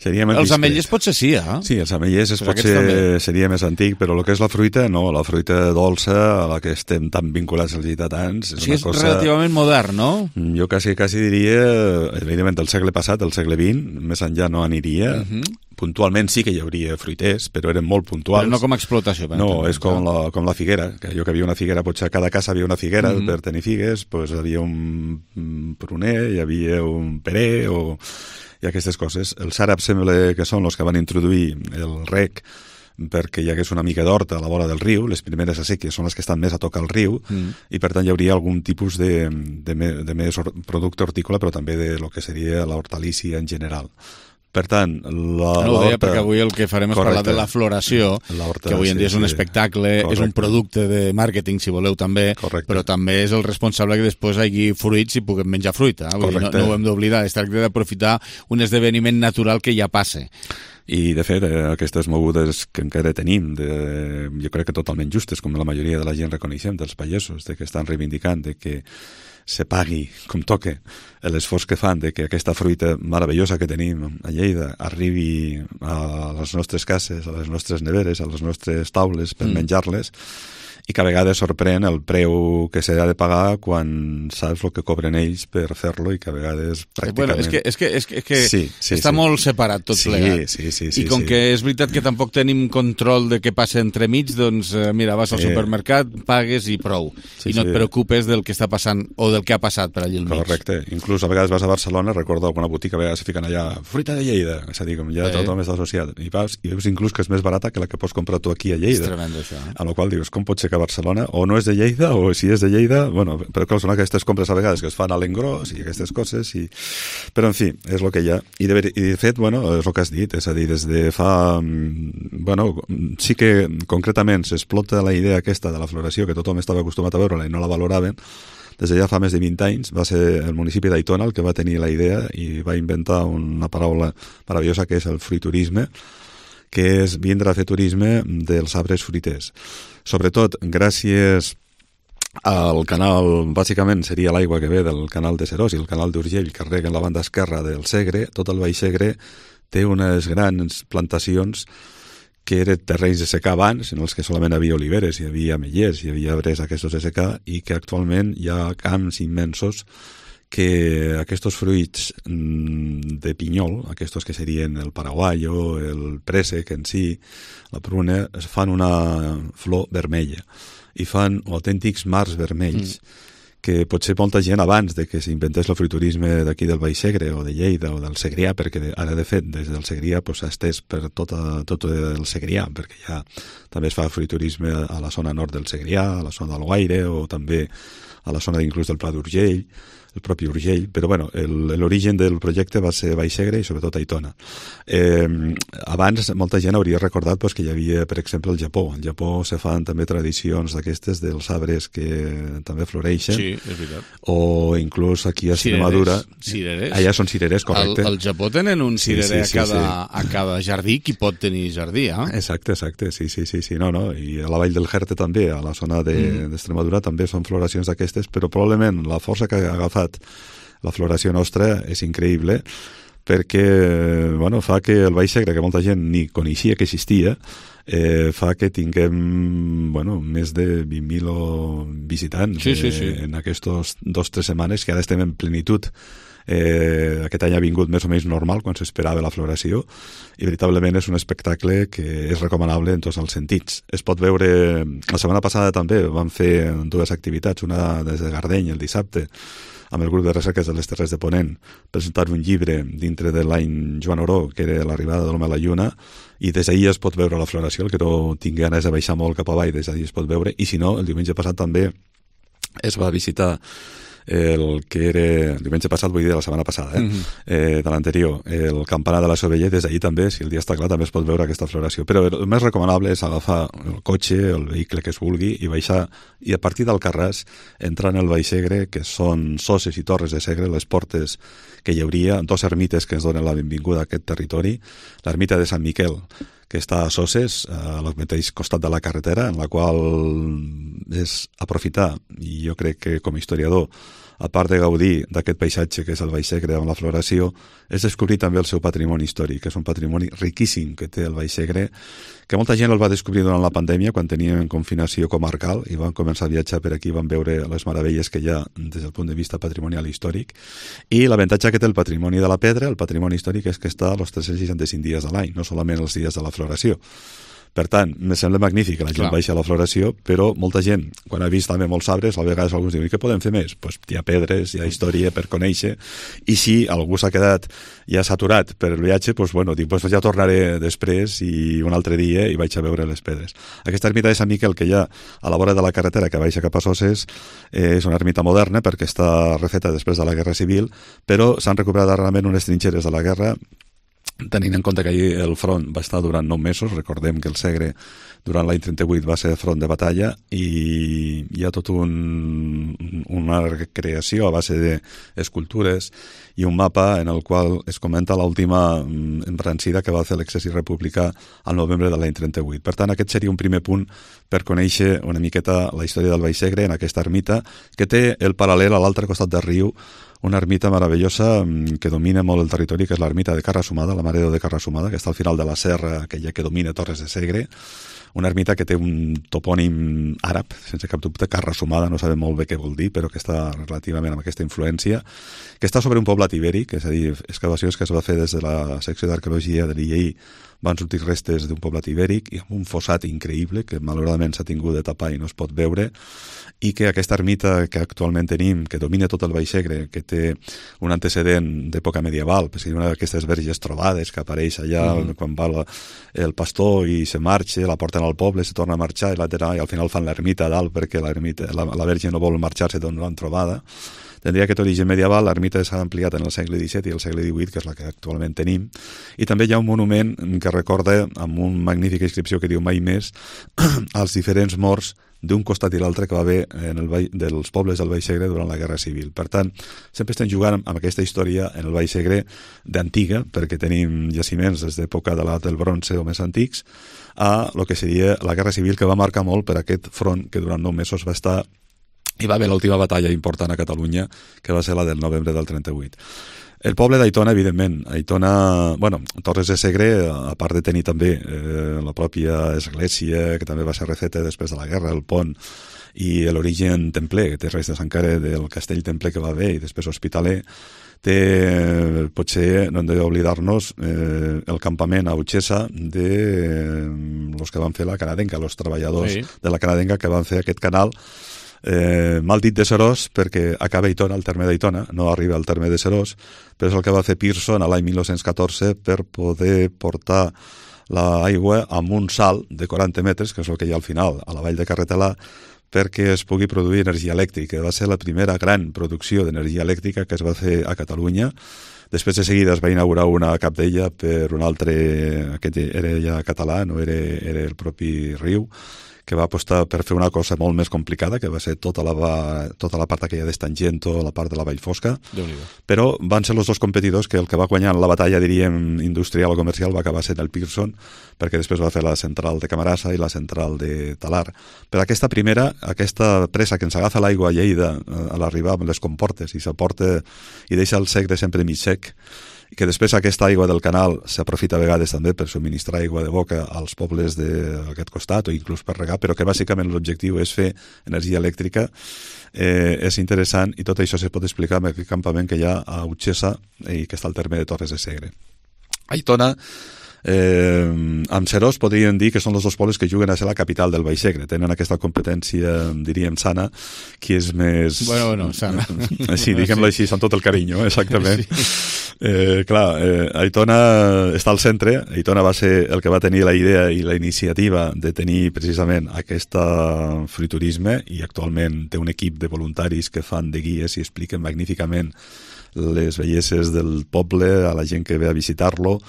Seria més els discret. ametllers potser sí, eh? Sí, els ametllers Però potser també. seria més antic, però el que és la fruita, no, la fruita dolça, a la que estem tan vinculats els lleidatans, és Sí, una és cosa... relativament modern, no? Jo quasi, quasi diria, evidentment, del segle passat, del segle vint, més enllà no aniria. Uh -huh. Puntualment sí que hi hauria fruiters, però eren molt puntuals. Però no com a explotació. No, és com la, com la figuera, que jo que havia una figuera, potser a cada casa havia una figuera, Mhm. per tenir figues, pues havia un un pruner, hi havia un perer, o... i aquestes coses. Els àrabs sembla que són els que van introduir el rec perquè hi hagués una mica d'horta a la vora del riu, les primeres acèquies són les que estan més a tocar el riu, Mm. i per tant hi hauria algun tipus de, de, me, de més or, producte hortícola, però també de lo que seria la hortalícia en general. Per tant, la, No ho deia perquè avui el que farem és correcte, parlar de la floració, la horta, que avui en dia és un sí, espectacle, correcte. és un producte de màrqueting, si voleu, també, correcte. però també és el responsable que després hi hagi fruits i puguem menjar fruita. Eh? Vull dir, no, no ho hem d'oblidar, es tracta d'aprofitar un esdeveniment natural que ja passa. I, de fet, eh, aquestes mogudes que encara tenim, de, jo crec que totalment justes, com la majoria de la gent reconeixem, dels pagesos, de que estan reivindicant de que se pagui com toque l'esforç que fan de que aquesta fruita meravellosa que tenim a Lleida arribi a les nostres cases, a les nostres neveres, a les nostres taules per Mm. menjar-les, i que a vegades sorprèn el preu que s'ha de pagar quan saps el que cobren ells per fer-lo, i que a vegades pràcticament... Bueno, és que, és que, és que, és que sí, sí, està sí. molt separat tot sí, plegat. Sí, sí, sí, I com sí. que és veritat que tampoc tenim control de què passa entremig, doncs eh, mira, vas al Sí. supermercat, pagues i prou. Sí, I no sí. et preocupes del que està passant o del que ha passat per allà al mig. Correcte. Inclús a vegades vas a Barcelona, recordo alguna botiga, a vegades se fiquen allà fruita de Lleida, és a dir, com ja Eh. tothom està associat. I vas i veus inclús que és més barata que la que pots comprar tu aquí a Lleida. És tremendo, això. Eh? A la qual dius, com pot ser que a Barcelona o no és de Lleida, o si és de Lleida, bueno, però clar, són aquestes compres a vegades que es fan a l'engròs i aquestes coses, i... però en fi, és el que hi ha. I de, ver... I de fet, bueno, és el que has dit, és a dir, des de fa... Bueno, sí que concretament s'explota la idea aquesta de la floració, que tothom estava acostumat a veure-la i no la valoraven. Des de ja fa més de vint anys va ser el municipi d'Aitona el que va tenir la idea i va inventar una paraula meravellosa que és el fruiturisme, que és vindre a fer turisme dels arbres fruiters. Sobretot gràcies al canal, bàsicament seria l'aigua que ve del canal de Serós i el canal d'Urgell, que rega en la banda esquerra del Segre. Tot el Baix Segre té unes grans plantacions que eren terrenys de secà abans, en els que solament hi havia oliveres, hi havia ametllers, hi havia arbres aquests de secà, i que actualment hi ha camps immensos que aquests fruits de pinyol, aquests que serien el paraguayo, el préssec en si, la pruna, es fan una flor vermella i fan autèntics mars vermells, mm. que potser molta gent abans de que s'inventés el fruiturisme d'aquí del Baix Segre o de Lleida o del Segrià, perquè ara de fet des del Segrià s'ha estès per tota, tot el Segrià, perquè ja també es fa fruiturisme a la zona nord del Segrià, a la zona del Guaire o també a la zona inclús del Pla d'Urgell, el propi Urgell, però bueno, l'origen del projecte va ser Baix Segre i sobretot Aitona. Eh, abans molta gent hauria recordat pues, que hi havia, per exemple, el Japó. Al Japó se fan també tradicions d'aquestes dels arbres que també floreixen. Sí, és veritat. O inclús aquí a Extremadura. Cireres. Allà són cirerers, correcte. Al, al Japó tenen un cirerer sí, sí, sí, a, cada, sí. a cada jardí, qui pot tenir jardí, eh? Exacte, exacte, sí, sí, sí, sí, no, no, i a la vall del Jerte també, a la zona d'Extremadura de, mm. també són floracions d'aquestes, però probablement la força que ha agafat la floració nostra és increïble perquè bueno, fa que el Baix Segre, que molta gent ni coneixia que existia, eh, fa que tinguem bueno, més de vint mil visitants sí, sí, sí. Eh, en aquestes dos o tres setmanes, que ara estem en plenitud. Eh, aquest any ha vingut més o menys normal quan s'esperava la floració, i veritablement és un espectacle que és recomanable en tots els sentits. Es pot veure, la setmana passada també vam fer dues activitats, una des de Gardeny el dissabte amb el grup de recerques de les Terres de Ponent, presentar un llibre dintre de l'any Joan Oró, que era l'arribada de l'home a la lluna, i des d'ahir es pot veure la floració. El que no tingui ganes de baixar molt cap avall, des d'ahir es pot veure, i si no, el diumenge passat també es va visitar el que era, el diumenge passat, vull dir de la setmana passada, eh? Mm-hmm. eh, de l'anterior, el campanar de la Soveller. Des d'ahir també, si el dia està clar, també es pot veure aquesta floració. Però el més recomanable és agafar el cotxe, el vehicle que es vulgui, i baixar, i a partir del Carràs entrar en el Baix Segre, que són Soses i Torres de Segre, les portes que hi hauria, dos ermites que ens donen la benvinguda a aquest territori, l'ermita de Sant Miquel, que està a Soses, al mateix costat de la carretera, en la qual és aprofitar, i jo crec que com a historiador a part de gaudir d'aquest paisatge que és el Baix Segre amb la floració, és descobrir també el seu patrimoni històric, que és un patrimoni riquíssim que té el Baix Segre, que molta gent el va descobrir durant la pandèmia, quan teníem confinació comarcal, i van començar a viatjar per aquí, van veure les meravelles que hi ha des del punt de vista patrimonial i històric, i l'avantatge que té el patrimoni de la pedra, el patrimoni històric, és que està els tres-cents seixanta-cinc dies de l'any, no solament els dies de la floració. Per tant, me sembla magnífic que la gent baixa a la floració, però molta gent, quan ha vist també molts arbres, a vegades alguns diuen, i què podem fer més? Pues hi ha pedres, hi ha història per conèixer, i si algú s'ha quedat ja saturat per el viatge, pues, bueno, dic, pues ja tornaré després i un altre dia i vaig a veure les pedres. Aquesta ermita de Sant Miquel que hi ha a la vora de la carretera que baixa cap a Soses eh, és una ermita moderna perquè està refeta després de la Guerra Civil, però s'han recuperat realment unes trinxeres de la guerra, tenint en compte que ahir el front va estar durant nou mesos. Recordem que el Segre durant l'any trenta-vuit va ser front de batalla i hi ha tot un, una recreació a base d'escultures i un mapa en el qual es comenta l'última embrancida que va fer l'exèrcit republicà al novembre de l'any trenta-vuit. Per tant, aquest seria un primer punt per conèixer una miqueta la història del Baix Segre en aquesta ermita, que té el paral·lel a l'altre costat del riu, una ermita meravellosa que domina molt el territori, que és l'ermita de Carrasumada, la Mare de Déu de Carrasumada, que està al final de la serra, aquella que domina Torres de Segre, una ermita que té un topònim àrab, sense cap dubte, Carrasumada, no sabem molt bé què vol dir, però que està relativament amb aquesta influència, que està sobre un poblat ibèric, és a dir, excavacions que es va fer des de la secció d'arqueologia de l'I E I, van sortir restes d'un poblat ibèric i amb un fossat increïble que malauradament s'ha tingut de tapar i no es pot veure, i que aquesta ermita que actualment tenim, que domina tot el Baix Segre, que té un antecedent d'època medieval, és una d'aquestes verges trobades que apareix allà mm. quan va la, el pastor i se marxa, la porten al poble, se torna a marxar i, la, i al final fan l'ermita a dalt perquè la, la verge no vol marxar-se d'on l'han trobada. Tindria aquest origen medieval, l'ermita s'ha ampliat en el segle disset i el segle divuit, que és la que actualment tenim, i també hi ha un monument que recorda, amb una magnífica inscripció que diu mai més, als diferents morts d'un costat i l'altre que va haver en el Baix, dels pobles del Baix Segre durant la Guerra Civil. Per tant, sempre estem jugant amb aquesta història en el Baix Segre d'antiga, perquè tenim jaciments des d'època de l'edat del bronze o més antics, a el que seria la Guerra Civil, que va marcar molt per aquest front que durant nou mesos va estar i va haver l'última batalla important a Catalunya, que va ser la del novembre del trenta-vuit. El poble d'Aitona, evidentment. Aitona, bueno, Torres de Segre, a part de tenir també eh, la pròpia església, que també va ser refeta després de la guerra, el pont, i l'origen templer, que té restes encara del castell templer que va haver, i després hospitaler, té, potser, no hem d'oblidar-nos, eh, el campament a Utxessa de eh, los que van fer la canadenca, els treballadors sí. de la canadenca que van fer aquest canal, Eh, mal dit de Serós, perquè acaba a Aitona, el terme d'Aitona, no arriba al terme de Serós, però és el que va fer Pearson a l'any mil nou-cents catorze per poder portar l'aigua amb un salt de quaranta metres, que és el que hi ha al final, a la vall de Carretelà, perquè es pugui produir energia elèctrica. Va ser la primera gran producció d'energia elèctrica que es va fer a Catalunya. Després de seguida es va inaugurar una a Capdella per un altre, aquest era ja català, no era, era el propi riu, que va apostar per fer una cosa molt més complicada, que va ser tota la, tota la part aquella d'Estangento, la part de la Vall Fosca, però van ser els dos competidors que el que va guanyar la batalla, diríem, industrial o comercial va acabar sent el Pearson, perquè després va fer la central de Camarasa i la central de Talar. Però aquesta primera, aquesta presa que ens agafa l'aigua a Lleida a l'arribar amb les comportes i s'aporta i deixa el Segre sempre mig sec, i que després aquesta aigua del canal s'aprofita a vegades també per subministrar aigua de boca als pobles d'aquest costat o inclús per regar, però que bàsicament l'objectiu és fer energia elèctrica, eh, és interessant, i tot això se pot explicar amb aquest campament que hi ha a Utxessa i que està al terme de Torres de Segre. Aitona, Eh, amb Serós podríem dir que són els dos pobles que juguen a ser la capital del Baix Segre, tenen aquesta competència, diríem, sana, qui és més... Bueno, bueno, sana. Sí, diguem-lo així, amb tot el carinyo, exactament. Sí. Eh, clar, eh, Aitona està al centre. Aitona va ser el que va tenir la idea i la iniciativa de tenir precisament aquest fruiturisme, i actualment té un equip de voluntaris que fan de guies i expliquen magníficament les belleses del poble a la gent que ve a visitar-lo,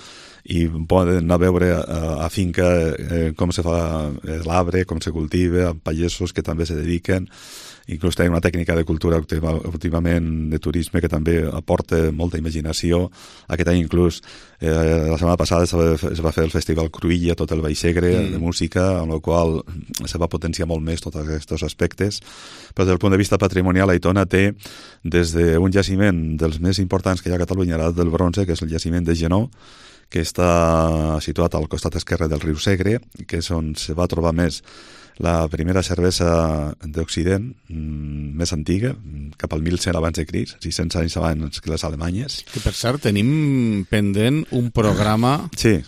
i poden anar a veure a, a finca eh, com se fa l'arbre, com se cultiva, amb pagesos que també se dediquen. Inclús tenim una tècnica de cultura últimament de turisme que també aporta molta imaginació. Aquest any inclús eh, la setmana passada es va, es va fer el Festival Cruïlla, tot el Baix Segre mm. de música, amb el qual se va potenciar molt més tots aquests aspectes. Però des del punt de vista patrimonial, Aitona té des d'un jaciment dels més importants que hi ha a Catalunya, l'edat del bronze, que és el jaciment de Genó, que està situat al costat esquerre del riu Segre, que és on se va trobar més la primera cervesa d'Occident mmm, més antiga, cap al mil cent abans de Crist, sis-cents anys abans que les alemanyes. Que per cert, tenim pendent un programa sí.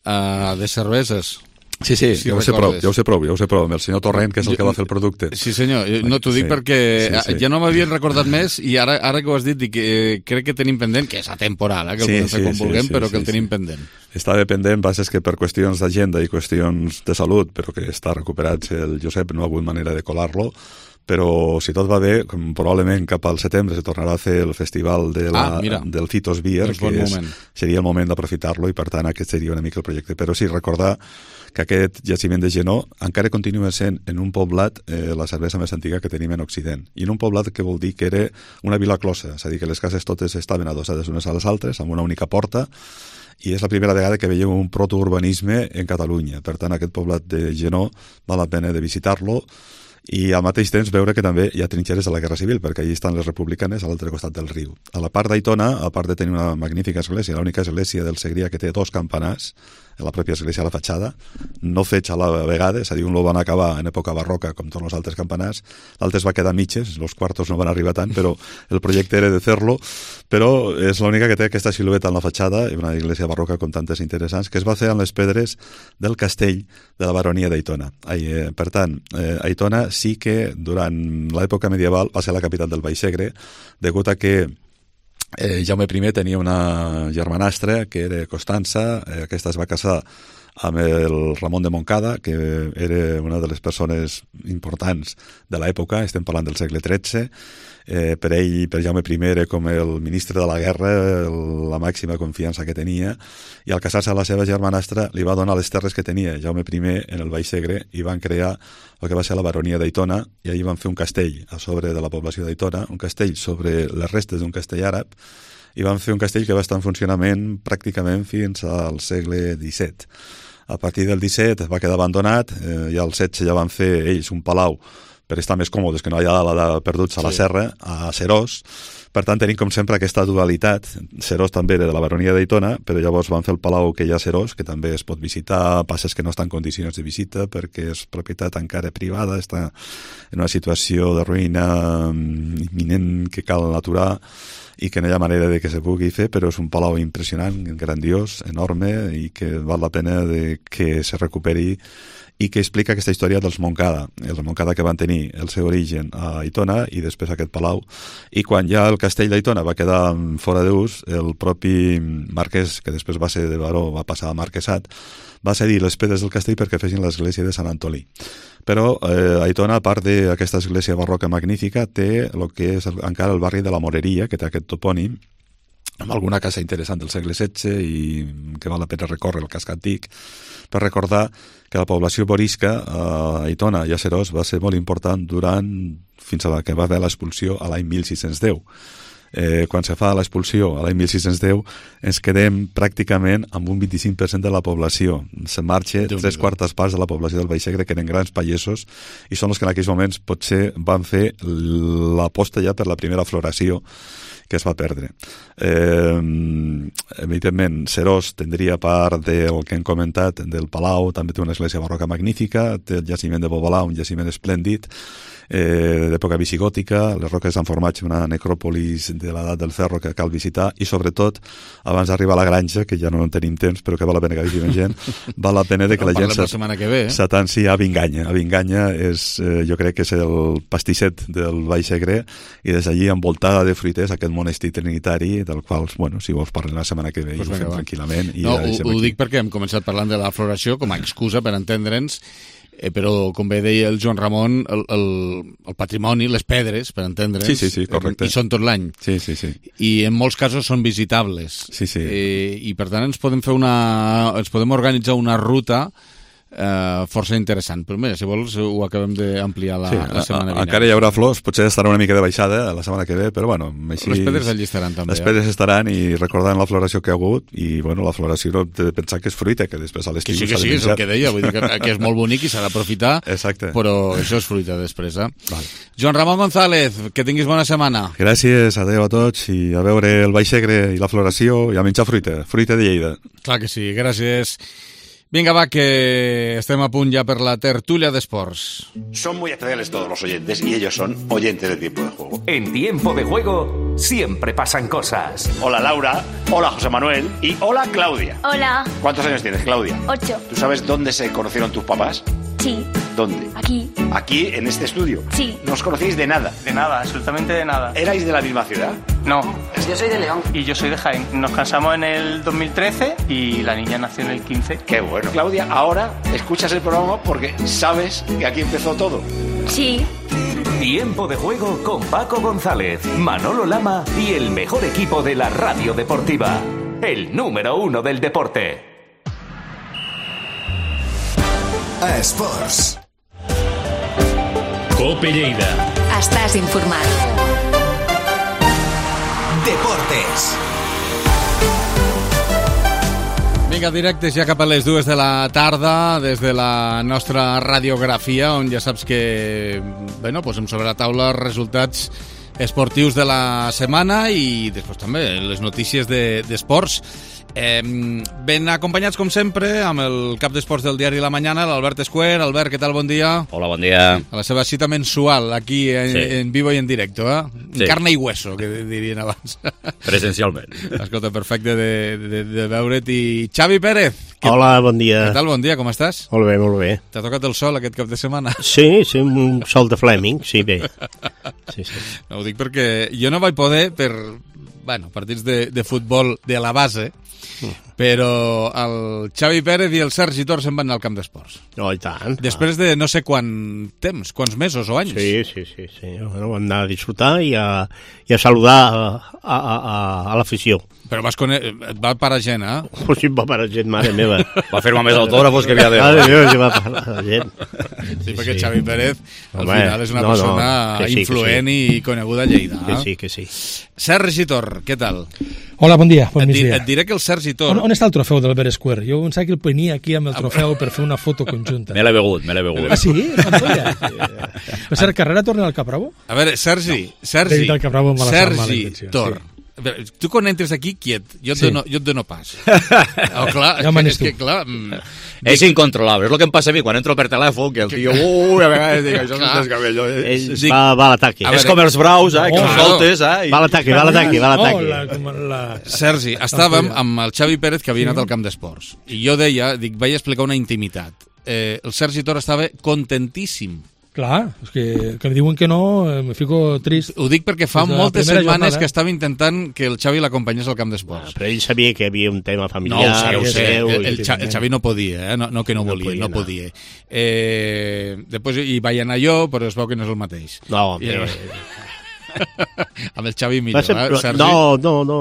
uh, de cerveses. Sí, sí, si ja, ho sé prou, ja ho sé prou, ja ho sé prou, amb el senyor Torrent, que és el que va fer el producte. Sí, senyor, no t'ho dic sí, perquè sí, sí. ja no m'havien recordat més i ara, ara que ho has dit, dic, eh, crec que tenim pendent, que és atemporal, eh, que el sí, podem fer sí, com sí, vulguem, sí, però que sí, el tenim sí. pendent. Està dependent, bases que per qüestions d'agenda i qüestions de salut, però que està recuperat el Josep, no ha hagut manera de colar-lo, però si tot va bé, probablement cap al setembre se tornarà a fer el festival de la, ah, del Citos Beer, és que és, seria el moment d'aprofitar-lo i per tant aquest seria una mica el projecte. Però sí, recordar que aquest jaciment de Genó encara continua sent en un poblat eh, la cervesa més antiga que tenim en Occident. I en un poblat que vol dir que era una vila closa, és a dir, que les cases totes estaven adossades unes a les altres, amb una única porta, i és la primera vegada que veiem un protourbanisme en Catalunya. Per tant, aquest poblat de Genó val la pena de visitar-lo, i al mateix temps veure que també hi ha trinxeres de la Guerra Civil, perquè allí estan les republicanes a l'altre costat del riu. A la part d'Aitona, a part de tenir una magnífica església, l'única església del Segrià que té dos campanars, en la pròpia església a la fatxada, no fets a la vegada, és a dir, un lo van acabar en època barroca, com tots els altres campanars, l'altre es va quedar mitges, els quartos no van arribar tant, però el projecte era de fer-lo, però és l'única que té aquesta silueta en la fatxada, una església barroca com tantes interessants, que es va fer amb les pedres del castell de la baronia d'Aitona. Eh, per tant, eh, Aitona sí que durant l'època medieval va ser la capital del Baix Segre, degut a que Eh, Jaume I tenia una germanastra que era Constança, eh, aquesta es va casar amb el Ramon de Montcada, que era una de les persones importants de l'època, estem parlant del segle tretze, eh, per ell, per Jaume I, era com el ministre de la guerra, el, la màxima confiança que tenia, i al casar-se amb la seva germanastra li va donar les terres que tenia Jaume I en el Baix Segre i van crear el que va ser la baronia d'Aitona, i allí van fer un castell a sobre de la població d'Aitona, un castell sobre les restes d'un castell àrab, i van fer un castell que va estar en funcionament pràcticament fins al segle disset. A partir del disset va quedar abandonat, eh, i al setze ja van fer ells un palau per estar més còmodes, que no hi ha la de perduts a la sí. serra, a Serós. Per tant, tenim com sempre aquesta dualitat. Serós també era de la baronia d'Aitona, però llavors van fer el palau que hi ha a Serós, que també es pot visitar, passes que no estan en condicions de visita perquè és propietat encara privada, està en una situació de ruïna imminent que cal aturar i que no hi ha manera de que se pugui fer, però és un palau impressionant, grandiós, enorme, i que val la pena de que se recuperi i que explica aquesta història dels Montcada, els Montcada que van tenir el seu origen a Aitona i després aquest palau, i quan ja el castell d'Aitona va quedar fora d'ús, el propi marquès, que després va ser de baró, va passar a marquesat, va cedir les pedres del castell perquè fessin l'església de Sant Antolí. Però eh, Aitona, a part d'aquesta església barroca magnífica, té el que és el, encara el barri de la Moreria, que té aquest topònim, amb alguna casa interessant del segle setze i que val la pena recórrer el casc antic, per recordar que la població borisca a Aitona i a Serós va ser molt important durant, fins a la que va haver l'expulsió a l'any mil sis-cents deu. Eh, quan se fa l'expulsió a l'any mil sis-cents deu ens quedem pràcticament amb un vint-i-cinc per cent de la població. Se marxa tres quartes parts de la població del Baix Segre, que eren grans pagesos, i són els que en aquells moments potser van fer l'aposta ja per la primera floració que es va perdre. Eh, evidentment, Serós tindria part del que hem comentat del Palau, també té una església barroca magnífica, té el jaciment de Bobolà, un jaciment esplèndid, eh, d'època visigòtica, les roques han format una necròpolis de l'edat del ferro que cal visitar, i sobretot, abans d'arribar a la granja, que ja no en tenim temps, però que val la pena que vagi la gent, val la pena de que la gent s'atansi a Vinganya. A Vinganya és, eh, jo crec que és el pastisset del Baix Segre, i des d'allí envoltada de fruiters, aquest monestir trinitari, del qual, bueno, si vols parlar la setmana que ve, pues ho fem tranquil·lament. I no, ho, ho dic perquè hem començat parlant de la floració com a excusa per entendre'ns, Eh, però, com bé deia el Joan Ramon, el, el, el patrimoni, les pedres, per entendre'ns, sí, sí, sí, correcte. hi són tot l'any. Sí, sí, sí. I en molts casos són visitables. Sí, sí. Eh, I, per tant, ens podem fer una... ens podem organitzar una ruta Uh, força interessant, però mira, si vols ho acabem d'ampliar la, sí, la setmana vinent. Encara hi haurà flors, potser estarà una mica de baixada la setmana que ve, però bueno, així... Les pedres allí estaran també. Les pedres eh? estaran i recordant la floració que ha hagut i bueno, la floració no de pensar que és fruita, que després a l'estiu s'ha de menjar. Que sí, que sí, és el que deia, vull dir que, que és molt bonic i s'ha d'aprofitar, però això és fruita després, eh? Val. Joan Ramon González, que tinguis bona setmana. Gràcies, adeu a tots i a veure el Baix Segre i la floració i a menjar fruita, fruita de Lleida. Clar que sí, gràcies. Venga, va, que estem a punt ja per la tertulia d'esports. Son muy especiales todos los oyentes y ellos son oyentes de Tiempo de Juego. En Tiempo de Juego siempre pasan cosas. Hola Laura, hola José Manuel y hola Claudia. Hola. ¿Cuántos años tienes, Claudia? Ocho. ¿Tú sabes dónde se conocieron tus papás? Sí. ¿Dónde? Aquí. ¿Aquí, en este estudio? Sí. ¿No os conocéis de nada? De nada, absolutamente de nada. ¿Erais de la misma ciudad? No. Yo soy de León. Y yo soy de Jaén. Nos casamos en el dos mil trece y la niña nació en el quince. Qué bueno. Claudia, ahora escuchas el programa porque sabes que aquí empezó todo. Sí. Tiempo de Juego con Paco González, Manolo Lama y el mejor equipo de la radio deportiva. El número uno del deporte. A Esports. Cope Lleida. Estàs informat. Deportes. Vinga, directes ja cap a les dues de la tarda des de la nostra radiografia, on ja saps que bueno, posem sobre la taula els resultats esportius de la setmana i després també les notícies d'esports. De, Eh, ben acompanyats, com sempre, amb el cap d'esports del diari La Mañana, l'Albert Escuer. Albert, què tal? Bon dia. Hola, bon dia. A la seva cita mensual, aquí en, sí. en vivo i en directo, eh? Sí. En carne i hueso, que dirien abans. Presencialment. Escolta, perfecte de, de, de veure't. I Xavi Pérez. Que, Hola, bon dia. Què tal? Bon dia, com estàs? Molt bé, molt bé. T'ha tocat el sol aquest cap de setmana? Sí, sí, un sol de Fleming, sí, bé. Sí, sí. No, ho dic perquè jo no vaig poder per, bueno, partits de, de futbol de la base, però el Xavi Pérez i el Sergi Tor se'n van anar al camp d'esports. Oh, i tant. Després de no sé quant temps, quants mesos o anys. Sí, sí, sí. sí. Bueno, vam anar a disfrutar i a, i a saludar a, a, a, a l'afició. Però vas cone... et va parar gent, eh? Pues sí, va parar gent, mare meva. Va firmar més autògrafos que havia de... Mare meva, sí, va parar gent. Sí, perquè Xavi Pérez al Home, final és una no, persona no, sí, influent sí. i coneguda a Lleida. Que eh? sí, que sí. Sergi Tor, què tal? Hola, bon dia, bon et, migdia. Et diré que el Sergi Tor... On, on està el trofeu del Albert Escuer? Jo pensava que el venia aquí amb el trofeu per fer una foto conjunta. Me l'he begut, me l'he begut. Ah, sí? Per ser carrera torna al Capravo? A veure, Sergi, no. Sergi, Sergi Tor... Sí. Tu quan entres aquí quiet, jo et, sí. dono, jo et dono pas. Oh, clar, ja és que, clar... Mm, és dic... incontrolable, és el que em passa a mi quan entro per telèfon, que el tio, ui, a vegades dic, això no és cabello. Ell va, va a l'ataque. És com els braus, eh, que oh, els soltes, eh. Va a l'ataque, va a l'ataque, va a l'ataque. Oh, la, la... Sergi, estàvem amb el Xavi Pérez, que havia anat al camp d'esports, i jo deia, dic, vaig explicar una intimitat. Eh, el Sergi Tor estava contentíssim. Clar, és que, que em diuen que no, me fico trist. Ho dic perquè fa moltes setmanes que estava intentant que el Xavi l'acompanyés al camp d'esports. Ah, però ell sabia que hi havia un tema familiar. No, ho sé, ho sé. El, el, el, el Xavi no podia, eh? no, no que no, no volia, podia, no podia. Eh, després hi vaig anar jo, però es veu que no és el mateix. No, I, però... amb el Xavi millor, ser, eh, Sergi? No, no, no.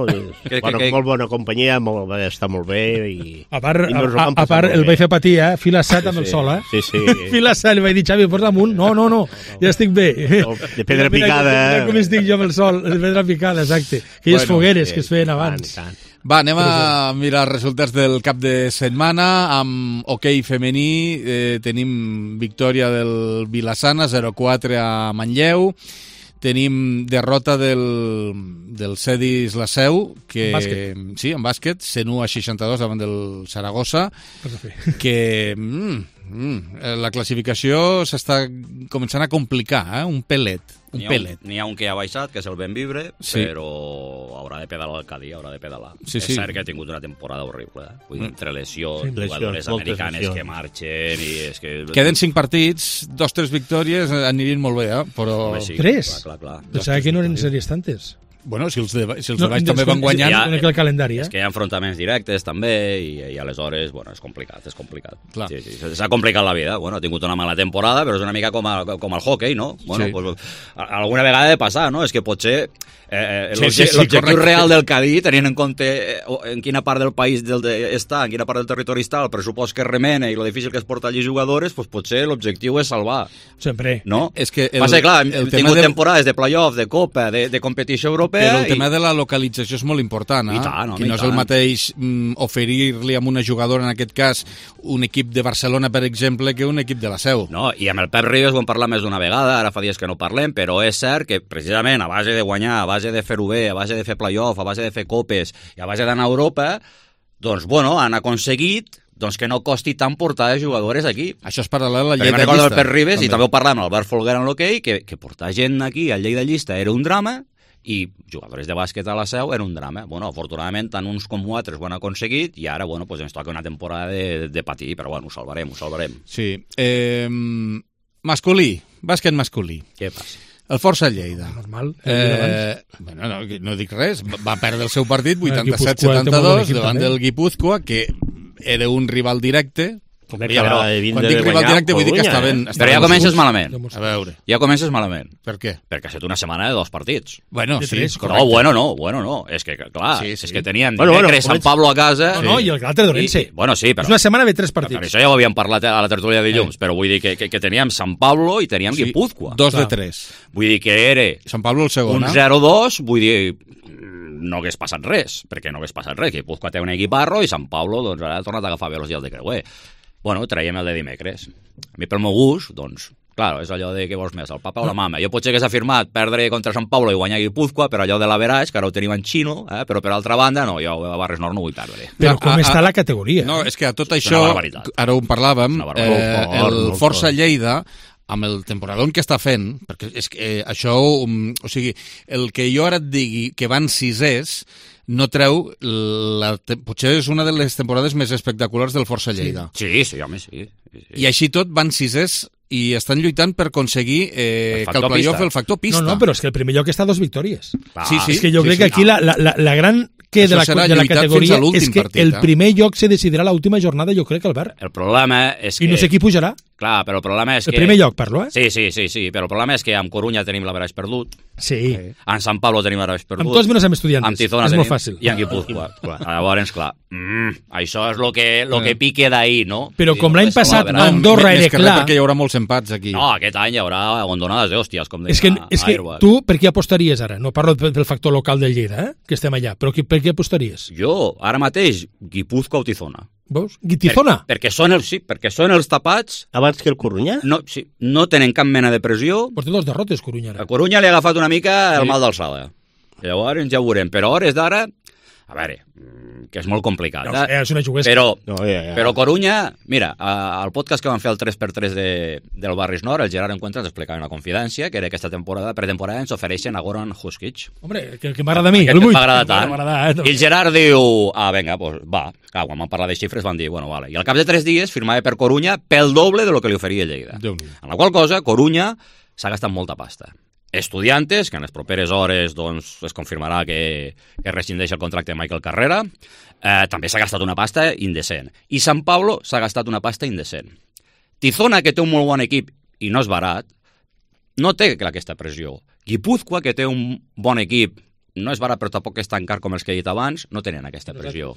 Que, bueno, que, que... Molt bona companyia, molt, va estar molt bé. I, a part, i a, a part el vaig fer patir, eh? Fila set amb sí, el sol, eh? Sí, sí. Fila set, li vaig dir, Xavi, posa damunt. No, no, no, ja estic bé. No, de pedra mira, picada, mira, eh? Mira com estic jo amb el sol, de pedra picada, exacte. Aquelles bueno, fogueres sí, que es feien abans. Tant, tant. Va, anem a mirar els resultats del cap de setmana. Amb hoquei femení eh, tenim victòria del Vilassana, zero quatre a Manlleu. Tenim derrota del, del Cedis La Seu, que, en sí, en bàsquet, cent u a seixanta-dos davant del Saragossa, que mm, mm, la classificació s'està començant a complicar, eh? un pelet. Un n'hi, ha pelet. un, n'hi ha un que ha baixat, que és el Benvibre, sí. però haurà de pedalar el Cadí, haurà de pedalar. Sí, és sí. cert que ha tingut una temporada horrible. Eh? Vull dir, entre lesions, sí, jugadores lesions, americanes lesions. que marxen... I és que... Queden cinc partits, dos, tres victòries, anirien molt bé, eh? Però... Sí, tres? Clar, clar, clar. Pensava que no eren sèries tantes. Bueno, si els de, si els de baix no, també van guanyant... Ja, el calendari, eh? És que hi ha enfrontaments directes també i, i aleshores, bueno, és complicat, és complicat. Clar. Sí, sí, s'ha complicat la vida. Bueno, ha tingut una mala temporada, però és una mica com, a, com el hockey, no? Bueno, sí. Pues, alguna vegada ha de passar, no? És que potser eh, sí, sí, sí, l'objectiu real del Cadí, tenint en compte en quina part del país del de, està, en quina part del territori està, el pressupost que remena i lo difícil que és portar allí jugadores, pues potser l'objectiu és salvar. Sempre. No? És que el, Passa, clar, hem tingut del... temporades de playoff, de copa, de, de competició europea... Però el i... tema de la localització és molt important, eh? I tant, home, que no és el mateix mm, oferir-li a una jugadora, en aquest cas, un equip de Barcelona, per exemple, que un equip de la Seu. No, i amb el Pep Ribes ho hem parlat més d'una vegada, ara fa dies que no parlem, però és cert que precisament a base de guanyar, a base de fer-ho bé, a base de fer playoff, a base de fer copes i a base d'anar a Europa, doncs, bueno, han aconseguit doncs que no costi tant portar jugadores aquí. Això és paral·lel a la Lleida Llista. Recordo el Pep Ribes, també. I també ho parlàvem amb Albert Folguera en l'hoquei, que, que portar gent aquí al Lleida Llista era un drama i jugadors de bàsquet a la Seu era un drama. Bueno, afortunadament, tant uns com altres ho han aconseguit i ara, bueno, pues ens toca una temporada de, de patir, però bueno, ho salvarem, ho salvarem. Sí. Eh, masculí, bàsquet masculí. Què passa? El Força Lleida. Normal. Eh, bueno, no, no dic res. Va perdre el seu partit vuitanta-set setanta-dos davant del Guipúzcoa, que era un rival directe. Home, ja, però, quan dic rival directe vull dir que estaven... Eh? Però ja comences malament. A veure. Ja comences malament. Per què? Perquè ha estat una setmana de dos partits. Bueno, sí, correcte. No, bueno, no, bueno, no. És que, clar, sí, sí. és que tenien bueno, dimecres bueno, Sant Pablo a casa... No, no, i el altre d'Orense. Bueno, sí, però... És una setmana de tres partits. Per això ja ho havíem parlat a la tertúlia de dilluns, sí. Però vull dir que, que, que teníem Sant Pablo i teníem sí, Guipúzcoa. Dos de tres. Vull dir que era... Sant Pablo el segon, un zero dos, vull dir... no hagués passat res, perquè no hagués passat res. Guipúzcoa té un equiparro i Sant Pablo doncs, ara ha tornat a agafar bé els dies de creuer. Bueno, traiem el de dimecres. A mi, pel meu gust, doncs, clar, és allò de què vols més, el papa o la mama. Jo potser hagués afirmat perdre contra Sant Pablo i guanyar Guipúzcoa, però allò de l'average, que ara ho tenim en xino, eh? Però per altra banda, no, jo a Barres Nord no vull perdre. Però com a, a, està la categoria? No, és que a tot això, ara ho parlàvem, eh, el Força Lleida, amb el temporadón que està fent, perquè és que eh, això, um, o sigui, el que jo ara et digui que van sisers, no treu, la, potser és una de les temporades més espectaculars del Força Lleida. Sí, sí, sí home, sí. sí. I així tot van sisers i estan lluitant per aconseguir eh, que el playoff el factor pista. No, no, però és que el primer lloc està a dos victòries. Ah, sí, sí. És que jo sí, crec sí, que aquí no. la, la, la gran que de la, de la categoria és que partit, el eh? primer lloc se decidirà l'última jornada, jo crec, Albert. El problema és que... I no sé qui pujarà. Clar, però el problema és el que... El primer lloc, parlo, eh? Sí, sí, sí, sí, però el problema és que amb Corunya tenim l'averaix perdut. Sí. En Sant Pablo tenim l'averaix perdut. Amb tots menys amb Estudiantes. Amb Tizona és tenim... molt fàcil. I amb Guipúzcoa. Llavors, clar, mm, això és el que, lo que pique d'ahir, no? Però com l'any passat Andorra era clar... perquè hi haurà molts empats aquí. No, aquest any hi haurà abandonades d'hòsties, com deia és que, és que Airbus. tu, per què apostaries ara? No parlo del factor local del Lleida, eh? Que estem allà, però per què apostaries? Jo, ara mateix, Guipúzcoa o Tizona. Veus? Tizona? Per, perquè, són els, sí, perquè són els tapats... Abans que el Corunya? No, sí, no tenen cap mena de pressió. Però té dos derrotes, Corunya. A Corunya li ha agafat una mica el sí. mal d'alçada. Llavors ja ho veurem. Però a hores d'ara, a veure, que és molt complicat. No, eh? És una juguesca. Però, no, ja, ja. però Corunya, mira, al podcast que van fer el tres per tres de, del Barris Nord, el Gerard Encuentra ens explicava una confidència, que era aquesta temporada, pretemporada ens ofereixen a Goran Huskic. Hombre, que, que m'agrada a mi, el vull. M'agrada tant. Eh, no. I el Gerard diu, ah, vinga, pues, va. Clar, quan van parlar de xifres van dir, bueno, vale. I al cap de tres dies firmava per Corunya pel doble de lo que li oferia Lleida. En la qual cosa, Corunya s'ha gastat molta pasta. Estudiantes, que en les properes hores doncs, es confirmarà que, que rescindeix el contracte de Michael Carrera, eh, també s'ha gastat una pasta indecent. I Sant Pablo s'ha gastat una pasta indecent. Tizona, que té un molt bon equip i no és barat, no té aquesta pressió. Guipúzcoa, que té un bon equip, no és barat però tampoc és tan car com els que he dit abans, no tenen aquesta pressió.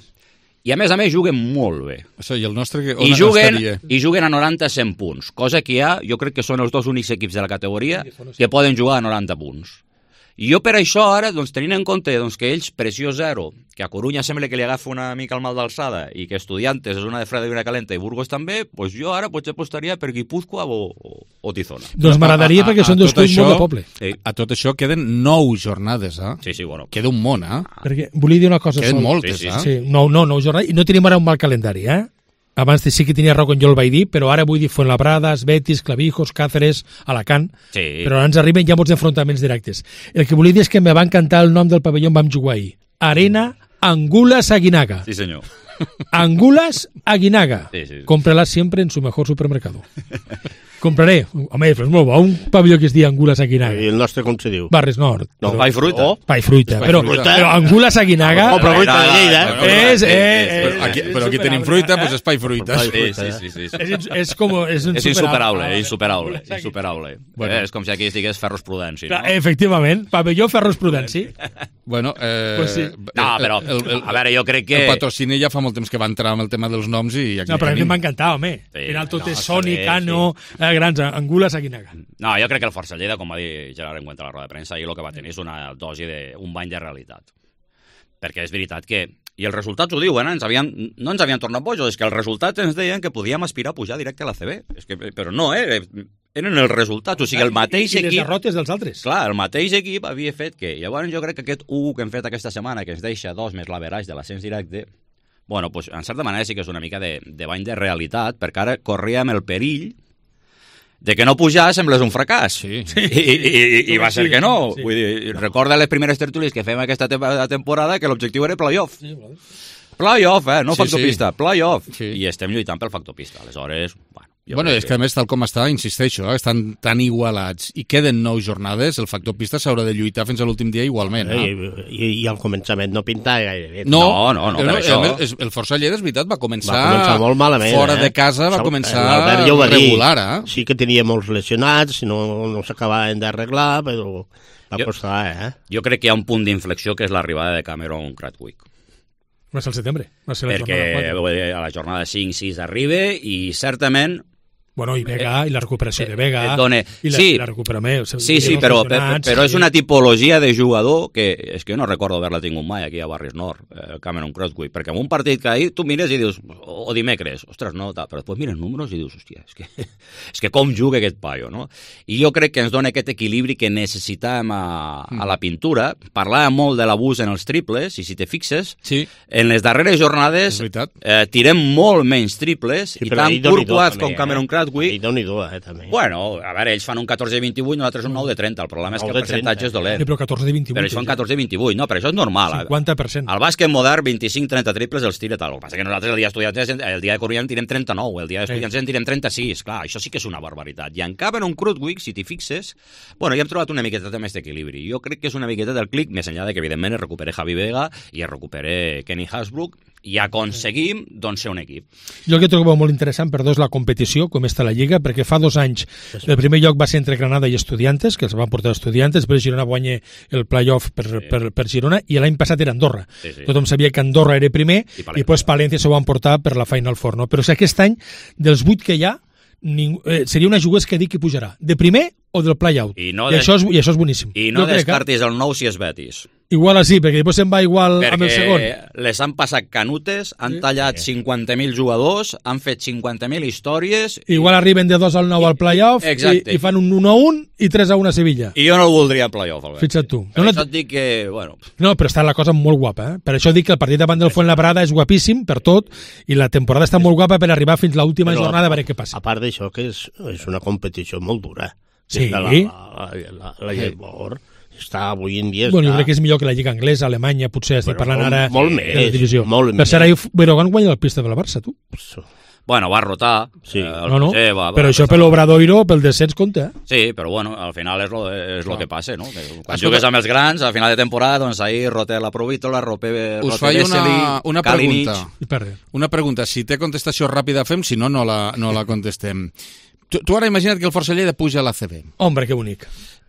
I a més a més juguen molt bé. Això, i el nostre que, I, juguen, I juguen a noranta a cent punts, cosa que hi ha, jo crec que són els dos únics equips de la categoria que poden jugar a noranta punts. I jo per això ara, doncs, tenint en compte doncs, que ells pressió zero, que a Corunya sembla que li agafa una mica el mal d'alçada i que Estudiantes és una de freda i una calenta i Burgos també, doncs jo ara potser apostaria per Guipúzcoa o, o, o Tizona. Doncs m'agradaria perquè són dos clubs molt de poble. Sí. A tot això queden nou jornades, eh? Sí, sí, bueno. Queda un món, eh? Perquè volia dir una cosa. Queden sol. moltes, sí, sí, eh? Sí, no, no, nou jornades. I no tenim ara un mal calendari, eh? Abans sí que tenia raó quan jo el vaig dir, però ara vull dir Fuenlabradas, Betis, Clavijos, Cáceres, Alacant, sí. Però ara ens arriben ja molts enfrontaments directes. El que volia dir és que me va encantar el nom del pavelló on vam jugar ahir. Arena Angulas Aguinaga. Sí, senyor. Angulas Aguinaga. Sí, sí. Cómprala siempre en su mejor supermercado. Compraré. Home, és molt bo. Un pavelló que es diu Angulas Aguinaga. I el nostre com se diu? Barris Nord. No, Pa i fruita. Oh. Pa i fruita. Però, però Angulas Aguinaga... Oh, però fruita de Lleida. És... Però aquí, però aquí tenim fruita, doncs és pa i fruita. Sí, sí, sí. sí, sí. És, és com... És, és insuperable, insuperable. insuperable. Bueno. És com si aquí estigués Ferros Prudenci. No? Efectivament, pavelló Ferros Prudenci. Bueno, eh... Pues sí. No, però, el, el, a veure, jo crec que... El patrocini ja fa molt temps que va entrar amb el tema dels noms i... No, però a mi m'ha encantat, home. Sí, al final tot no, és Sony, Cano, sí. eh, grans, Angulas Aguinaga. No, jo crec que el Força Lleida, com va dir Gerard en cuenta a la roda de premsa, ahir el que va tenir és una dosi d'un bany de realitat. Perquè és veritat que... I els resultats ho diuen, eh? ens havien, no ens havien tornat bojos, és que els resultats ens deien que podíem aspirar a pujar directe a la C B. És que, però no, eh? Eren els resultats, o sigui, el mateix I, i equip... I les derrotes dels altres. Clar, el mateix equip havia fet que... Llavors jo crec que aquest u que hem fet aquesta setmana, que ens deixa dos més l'average de l'ascens directe, bueno, pues, en certa manera sí que és una mica de, de bany de realitat, perquè ara corríem el perill de que no pujar sembles un fracàs. Sí. I, i, i, i va ser sí, que no. sí. Vull dir, recorda les primeres tertúlies que fem aquesta temporada que l'objectiu era playoff. Sí, playoff, eh? No sí, factor sí. pista, playoff. Sí. I estem lluitant pel factor pista. Aleshores, bueno... Bueno, és que a més, tal com està, insisteixo, eh, estan tan igualats i queden nou jornades, el factor pista s'haurà de lluitar fins a l'últim dia igualment. Eh? I, i, I al començament no pintava gaire bé. No, no, no, no per no, això. El, el Força Lleida, és veritat, va començar, va començar molt malament, fora eh? de casa, va començar ja regular. Eh? Sí que tenia molts lesionats, no, no s'acabaven d'arreglar, però va jo, costar, eh? Jo crec que hi ha un punt d'inflexió que és l'arribada de Cameron Cradwick. Va ser el setembre. Va ser la perquè jornada a la jornada cinc sis arriba i certament... Bueno, i Vega, i la recuperació de Vega, done... i la, sí, i la recuperació... O sigui, sí, sí, però, però, però és una tipologia de jugador que és que jo no recordo haver-la tingut mai aquí a Barris Nord, eh, Cameron Cradwick, perquè en un partit que ahir tu mires i dius, o dimecres, ostres, no, tal, però després mires números i dius, hòstia, és que, és que com juga aquest paio, no? I jo crec que ens dona aquest equilibri que necessitàvem a, a la pintura. Parlàvem molt de l'abús en els triples, i si te fixes, sí. en les darreres jornades eh, tirem molt menys triples, sí, i tant Courtois com Cameron Cradwick I Déu-n'hi-do, eh, també. Bueno, a veure, ells fan un catorze de vint-i-vuit, nosaltres un nou de trenta. El problema és que el percentatge és dolent. Sí, però catorze de vint-i-vuit. Però ells fan catorze de vint-i-vuit, no, però això és normal. cinquanta per cent. Al bàsquet modern, vint-i-cinc trenta triples els tira tal. El que passa que nosaltres el dia d'estudiants, el dia de Corunya en tirem trenta-nou, el dia d'estudiants en tirem trenta-sis. Clar, això sí que és una barbaritat. I en Cameron Cradwick, si t'hi fixes, bueno, ja hem trobat una miqueta més d'equilibri. Jo crec que és una miqueta del clic, més enllà de que, evidentment, es recupere Javi Vega i es recupere Kenny Hasbrook, i aconseguim, doncs, ser un equip. Jo el que trobo molt interessant, perdó, és la competició, com està la Lliga, perquè fa dos anys el primer lloc va ser entre Granada i Estudiantes, que els van portar Estudiantes, després Girona guanya el playoff per, sí. per, per Girona, i l'any passat era Andorra. Sí, sí. Tothom sabia que Andorra era primer, i, i després Palència s'ho van portar per la Final Four. No? Però si aquest any, dels vuit que hi ha, ningú, eh, seria una jugués que dic que pujarà. De primer o del play-out. I, no I, això és, I això és boníssim. I no descartis que... el nou si és Betis. Igual així, perquè després se'n va igual perquè amb el segon. Perquè les han passat canutes, han sí. tallat cinquanta mil jugadors, han fet cinquanta mil històries... Igual i... arriben de dos al nou al playoff i, i fan un un a un i tres a un a Sevilla. I jo no el voldria en playoff. Fixa't tu. Per no, això no... et dic que... Bueno. No, però està la cosa molt guapa. Eh? Per això dic que el partit davant del Fuenlabrada és guapíssim per tot i la temporada està molt guapa per arribar fins a l'última jornada a veure què passa. A part d'això, que és, és una competició molt dura. Sí. La, la, la, la Llebor està avui en dia... Bueno, està... jo crec que és millor que la Lliga Anglesa, Alemanya, potser estic bueno, parlant ara molt més, de la divisió. Molt per ser, ahir Berogán guanya la pista de la Barça, tu. Bueno, va rotar. Sí. Eh, no, no, José, va, va, però va, això va, per l'Obradoiro, pel descens compta. Eh? Sí, però bueno, al final és lo, és lo que passa, no? Que quan jugues amb els grans, al final de temporada, doncs ahir roté la Provítola, roté Us faig una, una pregunta. Una pregunta. Si té contestació ràpida fem, si no, no la, no la contestem. Tu, tu ara imagina't que el Força Lleida puja a l'A C B. Hombre, que bonic.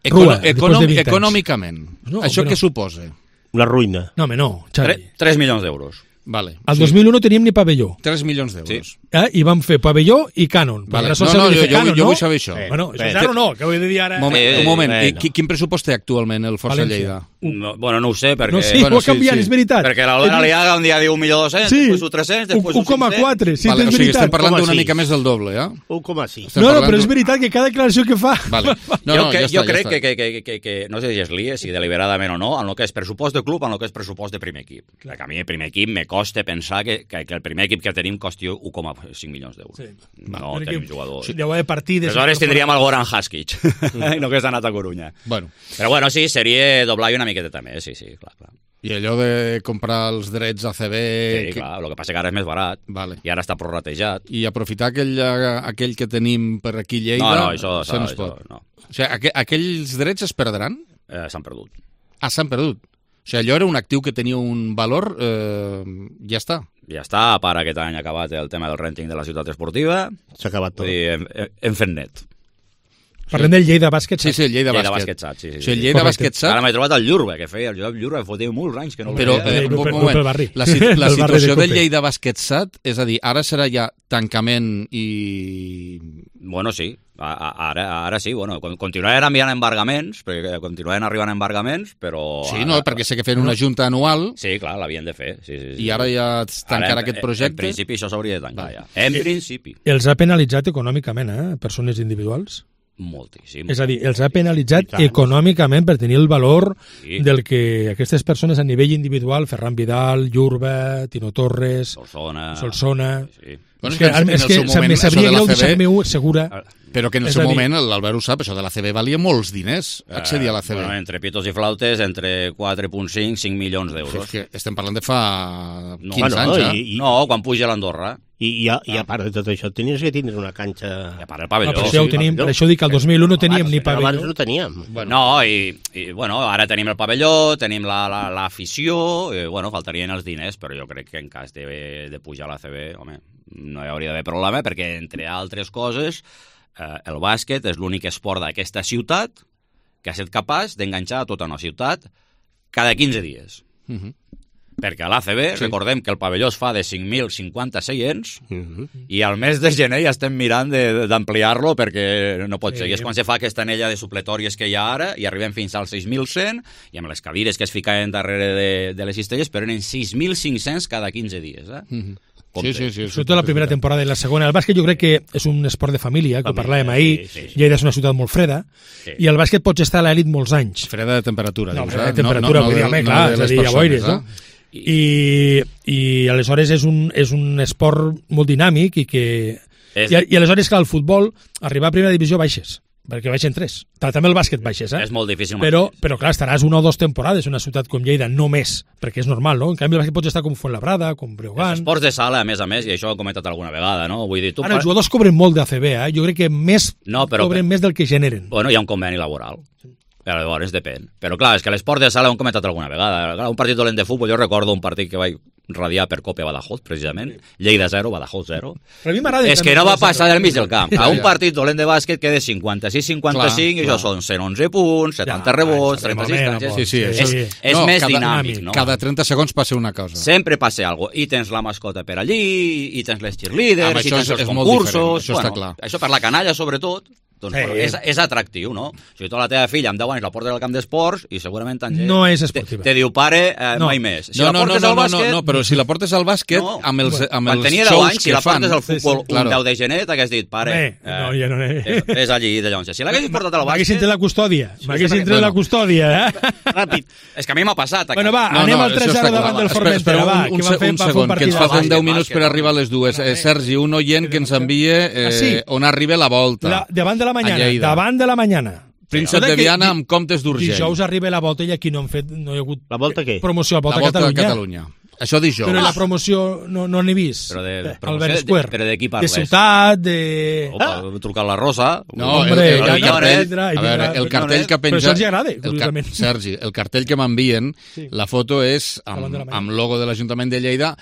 Econo econom econòmicament, no, això què no. suposa? La ruïna. No, home, no, Xavi. tres milions d'euros. Vale. Al sí. dos mil un no teníem ni pavelló. tres milions d'euros. Sí. Eh? I vam fer pavelló i cànon. Vale. No, no, jo, cànon, jo, jo no? vull saber això. Eh, bueno, això és ara o no? Que ho he de dir ara... Moment, eh, un moment, eh, no. quin pressupost té actualment el Força València. Lleida? No, bueno, no ho sé, perquè... No, sí, bueno, ho ha canviat, sí, sí. és veritat. Perquè l'Albert Aliaga un dia diu un milió dos-cents, sí. després un tres-cents, després un u coma quatre, sí, vale, és o sigui, veritat. estem parlant d'una mica més del doble, eh? u coma sis. No, no, però és veritat que cada declaració que fa... Vale. No, jo no, que, ja jo està, crec ja que, que, que, que, que, no sé si es lia, si deliberadament o no, en el que és pressupost de club, en el que és pressupost de primer equip. Clar. Que a mi el primer equip me costa pensar que, que, que el primer equip que tenim costi u coma cinc milions d'euros. Sí. No perquè tenim jugadors. Deu haver partides... Aleshores tindríem el Goran Haskic, i no que és anat a Corunya. Bueno. Però bueno, sí, seria doblar una miqueta també, sí, sí, clar, clar. I allò de comprar els drets A C B... Sí, que... clar, el que passa que ara és més barat. Vale. I ara està prorratejat. I aprofitar aquell, aquell que tenim per aquí a Lleida... No, no, això, això no es pot. No. O sigui, aqu aquells drets es perdran? Eh, s'han perdut. Ah, s'han perdut. O sigui, allò era un actiu que tenia un valor... Eh, ja està. Ja està, a part aquest any ha acabat el tema del renting de la ciutat esportiva. S'ha acabat tot. Vull dir, hem, hem fet net. Parlem del Lleida Bàsquet Sí, sí, el Lleida, Lleida Bàsquet. Bàsquet sí, sí, o sigui, el Lleida Bàsquet Ara m'he trobat el Llurbe, que feia el Llurbe, fotia molts anys que no el Però, veia. eh, un moment, la, la situació del Lleida Bàsquet Sat, és a dir, ara serà ja tancament i... Bueno, sí, ara, ara sí, bueno, continuaran enviant embargaments, perquè continuaran arribant embargaments, però... Sí, no, perquè sé que feien una junta anual... Sí, clar, l'havien de fer. Sí, sí, sí. I ara ja tancarà aquest projecte... En principi això s'hauria de tancar, ja. En principi. Els ha penalitzat econòmicament, eh, persones individuals? Moltíssim. És a dir, els ha penalitzat econòmicament per tenir el valor sí. del que aquestes persones a nivell individual, Ferran Vidal, Llurbe, Tino Torres, Solsona... Solsona... Sí. Bueno, és que, en, és que moment, me sabria greu deixar-me segura... Però que en el seu moment, l'Albert ho sap, això de l'A C B valia molts diners, accedir a l'A C B. Uh, bueno, entre pitos i flautes, entre quatre coma cinc i cinc milions d'euros. És que estem parlant de fa quinze no, anys, no, eh? I, i... No, quan puja l'Andorra. I, i, a, I a part de tot això, tenies que tindre una canxa... I a part el pavelló. No, per, això sí, tenim, per això dic que el dos mil u no teníem abans, ni pavelló. Abans no teníem. Bueno. No, i, i bueno, ara tenim el pavelló, tenim l'afició, la, la, i, bueno, faltarien els diners, però jo crec que en cas de, de pujar a l'A C B, home, no hi hauria d'haver problema, perquè, entre altres coses, eh, el bàsquet és l'únic esport d'aquesta ciutat que ha estat capaç d'enganxar a tota una ciutat cada quinze dies. Uh -huh. Perquè a l'A C B, sí. recordem que el pavelló es fa de cinc mil cinquanta seients uh -huh. i al mes de gener ja estem mirant d'ampliar-lo perquè no pot sí. ser. I és quan se fa aquesta anella de supletòries que hi ha ara i arribem fins als sis mil cent i amb les cadires que es ficaven darrere de, de les cistelles, però eren sis mil cinc-cents cada quinze dies. Eh? Uh -huh. Sí, sí, sí. Sobretot la primera temporada i la segona. El bàsquet jo crec que és un esport de família, que ho parlàvem ahir. Sí, sí, sí. Lleida és una ciutat molt freda, sí. i el bàsquet pots estar a l'elit molts anys. Freda de temperatura, no, dius, freda eh? de temperatura, no, no, no, no, clar, és a dir, ja boires, no? I, i aleshores és un, és un esport molt dinàmic i que... És... I, I aleshores, clar, el futbol, arribar a primera divisió baixes, perquè baixen tres. També el bàsquet baixes, eh? És molt difícil. Però, però clar, estaràs una o dues temporades en una ciutat com Lleida, no més, perquè és normal, no? En canvi, el bàsquet pots estar com Fuenlabrada, com Breogán... Els esports de sala, a més a més, i això ho he comentat alguna vegada, no? Vull dir, tu... Ara, els jugadors cobren molt d'A C B, eh? Jo crec que més no, però... cobren més del que generen. Bueno, hi ha un conveni laboral. Però llavors depèn. Però clar, és que l'esport de sala ho hem comentat alguna vegada. Clar, un partit dolent de futbol, jo recordo un partit que vaig radiar per Copa Badajoz, precisament. Lleida zero, Badajoz zero. Però a mi m'agrada... És que no va passar del mig del camp. A un partit dolent de bàsquet que de cinquanta-sis cinquanta-cinc, i això són cent onze punts, setanta rebots, trenta-sis canxes... Sí, sí, és, és més dinàmic, no? Cada trenta segons passa una cosa. Sempre passa alguna cosa. I tens la mascota per allí, i tens les cheerleaders, i tens els concursos... Això està clar. Això per la canalla, sobretot... Doncs, sí. és, és atractiu, no? Si tu la teva filla amb deu anys la portes al camp d'esports i segurament tant no és esportiva. Te, te diu pare, eh, no. mai més. Si no, la no, portes no, al bàsquet... no, no, però si la portes al bàsquet no. amb els, amb els tenia shows anys, que si la fan... portes al futbol sí, sí, claro. un deu de gener, t'hagués dit, pare, eh, no, ja no eh, és allí de llavors. Si l'haguessis portat al bàsquet... M'haguessin tret la custòdia, m'haguessin tret la custòdia, eh? Ràpid. És que a mi m'ha passat. Bueno, va, no, anem no, al tres zero davant del Formentera, va, un, un, un segon, que ens falten deu minuts per arribar a les dues. Sergi, un oient que ens envia on arriba la volta. Davant de la mañana, davant de la mañana. Príncep de Viana amb comptes d'Urgell. Dijous arriba la volta i aquí no han fet, no hi ha hagut la volta què? promoció, la volta, la volta a Catalunya. Catalunya. Això dijous. Però la promoció no no n'he vist. Però de, Albert Square. Però de qui parles? De ciutat, de... Opa, ah. trucar a la Rosa. No, Hombre, el, el, el, cartell, a veure, el cartell que ha penjat... Però això els agrada, curiosament. El, Sergi, el cartell que m'envien, sí. la foto és amb, amb logo de l'Ajuntament de Lleida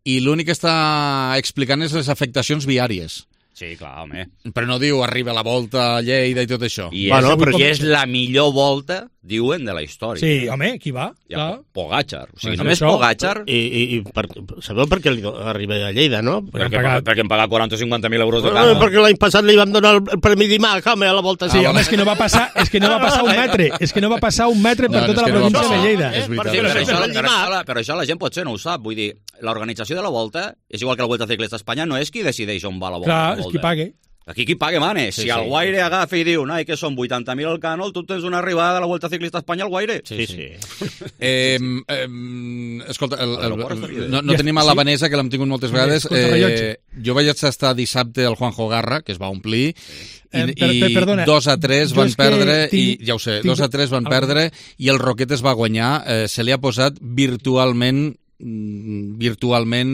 i l'únic que està explicant és les afectacions viàries. Sí, clar, home. Però no diu arriba la volta a Lleida i tot això. I és, bueno, però i és la millor volta, diuen, de la història. Sí, home, qui va? Ja, Pogačar. O sigui, només Pogačar... I, i, i per, sabeu per què li arriba a Lleida, no? Perquè, pagat... perquè em paga quaranta o cinquanta mil euros de no, no, perquè l'any passat li vam donar el Premi Dimac, home, a la volta. Sí, ah, home, és que no va passar, és que no va passar un metre, és que no va passar un metre per no, tota la província no de Lleida. És veritat. Sí, però, això, però, això, però això la gent potser no ho sap. Vull dir, l'organització de la volta, és igual que la Vuelta Ciclista a Espanya, no és qui decideix on va la volta. Clar, és qui pague. Aquí qui paga mane. Sí, si sí, el Guaire sí. agafa i diu, noi, que són vuitanta mil al Cànol, tu tens una arribada a la Vuelta Ciclista a Espanya al Guaire. Sí, sí. sí. Eh, eh, escolta, el, el, el, no, no tenim a la Vanessa, que l'hem tingut moltes vegades. Eh, jo vaig estar dissabte al Juanjo Garra, que es va omplir, i, Eh, per- per- i perdona, dos a tres jo van és que perdre, tinc- i ja ho sé, tinc- dos a tres van Algun- perdre, i el Roquet es va guanyar. Eh, se li ha posat virtualment mm, virtualment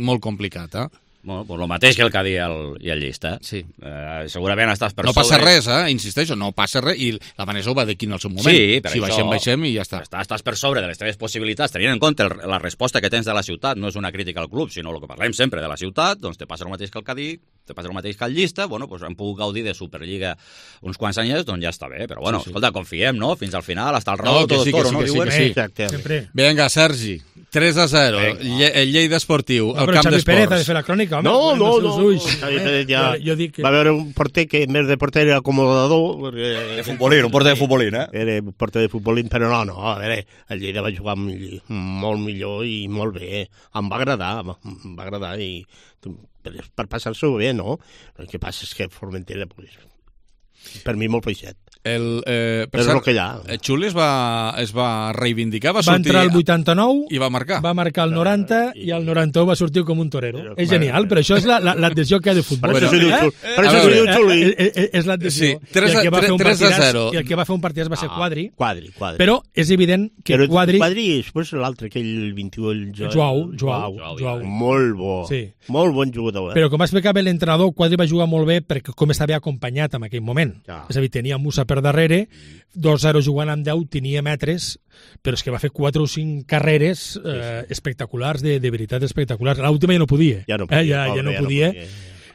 molt complicat, eh? Bueno, pues el mateix que el Cadí i el, i el Llista. Sí. Eh, segurament estàs per No passa sobre... res, eh? Insisteixo, no passa res, i la Vanessa ho va dir aquí en el seu moment. Sí, per si això... baixem, baixem i ja està. Estàs, estàs per sobre de les teves possibilitats, tenint en compte el, la resposta que tens de la ciutat, no és una crítica al club, sinó el que parlem sempre de la ciutat, doncs te passa el mateix que el Cadí, te passa el mateix que el Llista, bueno, doncs hem pogut gaudir de Superliga uns quants anyets, doncs ja està bé, però bueno, Sí, sí. escolta, confiem, no? Fins al final, hasta el No, raó, que tot sí, que toro, sí, no? que sí, Diuen. que sí. Sempre. Vinga, Sergi, tres a zero, Lle el Lleida Esportiu, No, el però camp Xavi Pérez ha de d'esports. fer la crònica, home. No, amb no, els no, seus ulls. Xavi Eh, Pérez ja jo, jo dic que... va veure un porter que en vez de porter era acomodador. Perquè... De futbolín, un porter de futbolín, eh? Era un porter de futbolín, però no, no, a veure, el Lleida va jugar mill- molt millor i molt bé. Em va agradar, em va agradar i per, per passar-s'ho bé, no? El que passa és que Formentera, pues, per mi molt feixet. El, eh, per És cert, el que hi ha. eh, Xuli es va, es va reivindicar, va, Va sortir entrar al vuitanta-nou, i va marcar. va marcar el noranta i el noranta-u va sortir com un torero. És genial, però això és l'adhesió que ha de futbol. Per això s'ho diu Xuli. Eh? Per això A s'ho veure, diu Xuli. eh, eh, eh, És l'adhesió. Sí, tres I el a- que va fer un tres a partidàs- zero. I el que va fer un partidàs va ser Ah, Quadri. Quadri, Quadri. Però és evident que Però Quadri... Quadri i després l'altre, aquell vint-i-u, el jo... Joao, Joao, Joao. Molt bo. Sí. Molt bon jugador. Eh? Però com explicava l'entrenador, Quadri va jugar molt bé perquè com estava acompanyat en aquell moment. Ja. És a dir, tenia Musa per darrere, dos zero jugant amb deu, tenia metres, però és que va fer quatre o cinc carreres eh, espectaculars, de, de veritat espectaculars. L'última ja no podia. Ja no podia, Eh, ja, ja pobre, no ja no podia. podia.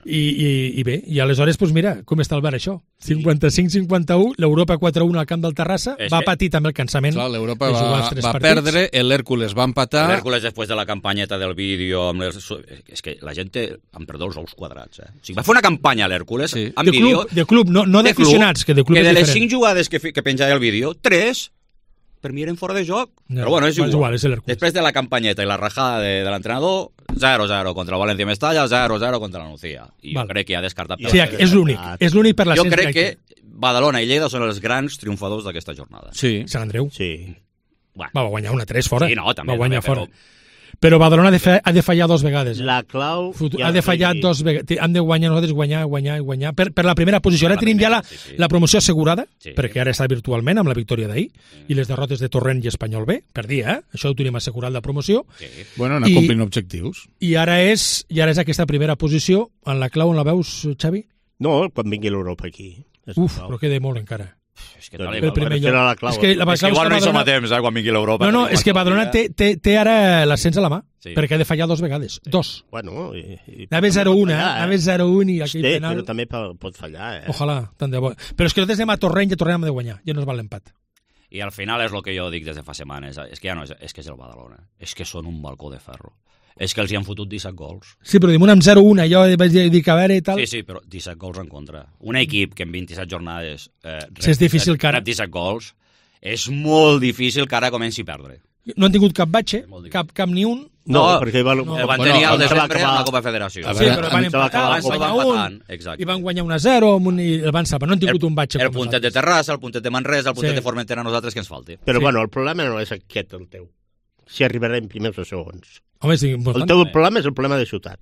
I, i, I bé, i aleshores, doncs mira, com està el bar això? cinquanta-cinc cinquanta-u, l'Europa quatre a un al camp del Terrassa, És va que- patir també el cansament. Clar, l'Europa de jugar va, els tres va partits. perdre, l'Hèrcules va empatar... L'Hèrcules, després de la campanyeta del vídeo, amb les... és que la gent té, em perdó, els ous quadrats. Eh? O sigui, va fer una campanya a l'Hèrcules, sí. amb De vídeo... club, de club, no, no d'aficionats, que de club que és de les diferent. cinc jugades que, fi- que penjava el vídeo, tres per mi eren fora de joc. Ja, Però bueno, és és igual. igual, és l'Hèrcules. Després de la campanyeta i la rajada de, de l'entrenador, zero zero contra el València Mestalla, zero zero contra la Nucía. I Val. jo crec que ja ha descartat... Sí, és l'únic, és l'únic per la Jo gent crec que... que Badalona i Lleida són els grans triomfadors d'aquesta jornada. Sí. Sant Andreu. Sí. Bueno. Va, va guanyar una tres fora. Sí, no, també, va guanyar també, fora. Però Badalona ha de, fa, ha de fallar dos vegades. La clau... Futur, ja ha de fallar sí. dos vegades. Hem de guanyar nosaltres, guanyar, guanyar, guanyar. Per, per la primera posició. Ara La tenim ja la, primera, sí, sí. la promoció assegurada, Sí. perquè ara està virtualment amb la victòria d'ahir, i les derrotes de Torrent i Espanyol B, per dia, eh? Això ho tenim assegurat, la promoció. Sí. Bueno, anar I- complint objectius. I ara és i ara és aquesta primera posició. En la clau on la veus, Xavi? No, quan vingui l'Europa aquí. És Uf, la clau. però queda molt encara. És que, Doncs El primer lloc. era la clau. És que la és que clau igual no hi som Badalona- a temps, eh, quan vingui l'Europa. No, no, tenim és que qualsevol Badalona dia. té, té, té ara l'ascens a la mà, Sí. perquè ha de fallar dos vegades. Dos. Bueno, i, i, Anava zero un, eh? fallar, Anava zero un i aquell Sí, penal... però també po- pot fallar, eh? Ojalà, tant de bo. Però és que nosaltres anem a Torrent i a Torrent hem de guanyar. Ja no es val l'empat. I al final és el que jo dic des de fa setmanes, és que ja no és, és que és el Badalona, és que són un balcó de ferro. És que els hi han fotut disset gols. Sí, però dimunt amb zero un, allò vaig dir que a veure i tal... Sí, sí, però disset gols en contra. Un equip que en vint-i-set jornades eh, Sí, és difícil que ara- rep disset gols, és molt difícil que ara comenci a perdre. No han tingut cap batxe, cap, cap ni un... No, No, perquè va, El van Bueno, tenir al abans va desembre acabar- amb la Copa Federació. A Sí, veure, però van abans se va empatar, acabar van la Copa. guanyar Van un, empatant, exacte. i van guanyar un a zero, amb un, i el van salvar. No han tingut el, un batxe. el com puntet de nosaltres. Terrassa, el puntet de Manresa, el puntet Sí. de Formentera, a nosaltres que ens falti. Però Sí. bueno, el problema no és aquest, el teu. Si arribarem primers o segons. Home, és El important. teu problema és el problema de ciutat.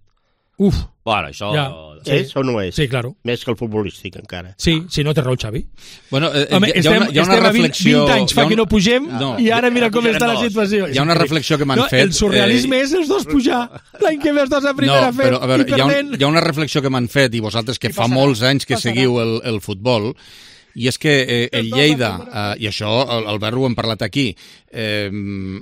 Uf, Bueno, això... Ja. Sí. És o no és? sí, claro. Més que el futbolístic, encara. Sí, sí, no té raó, Xavi. Bueno, eh, Home, hi, ha estem, una, hi ha una estem a vint, reflexió... vint anys hi ha fa que un- no pugem No. i ara mira com Pujarem està la dos. situació. Hi ha una reflexió que m'han no, fet, El surrealisme eh, és els dos pujar. L'any que ve els dos a primera no, fent però, a veure, i hi ha, un, perdent. hi ha una reflexió que m'han fet, i vosaltres que I fa passarà, molts anys que passarà. seguiu el, el futbol, i és que eh, el Lleida, eh, i això el, el Berro ho hem parlat aquí, eh,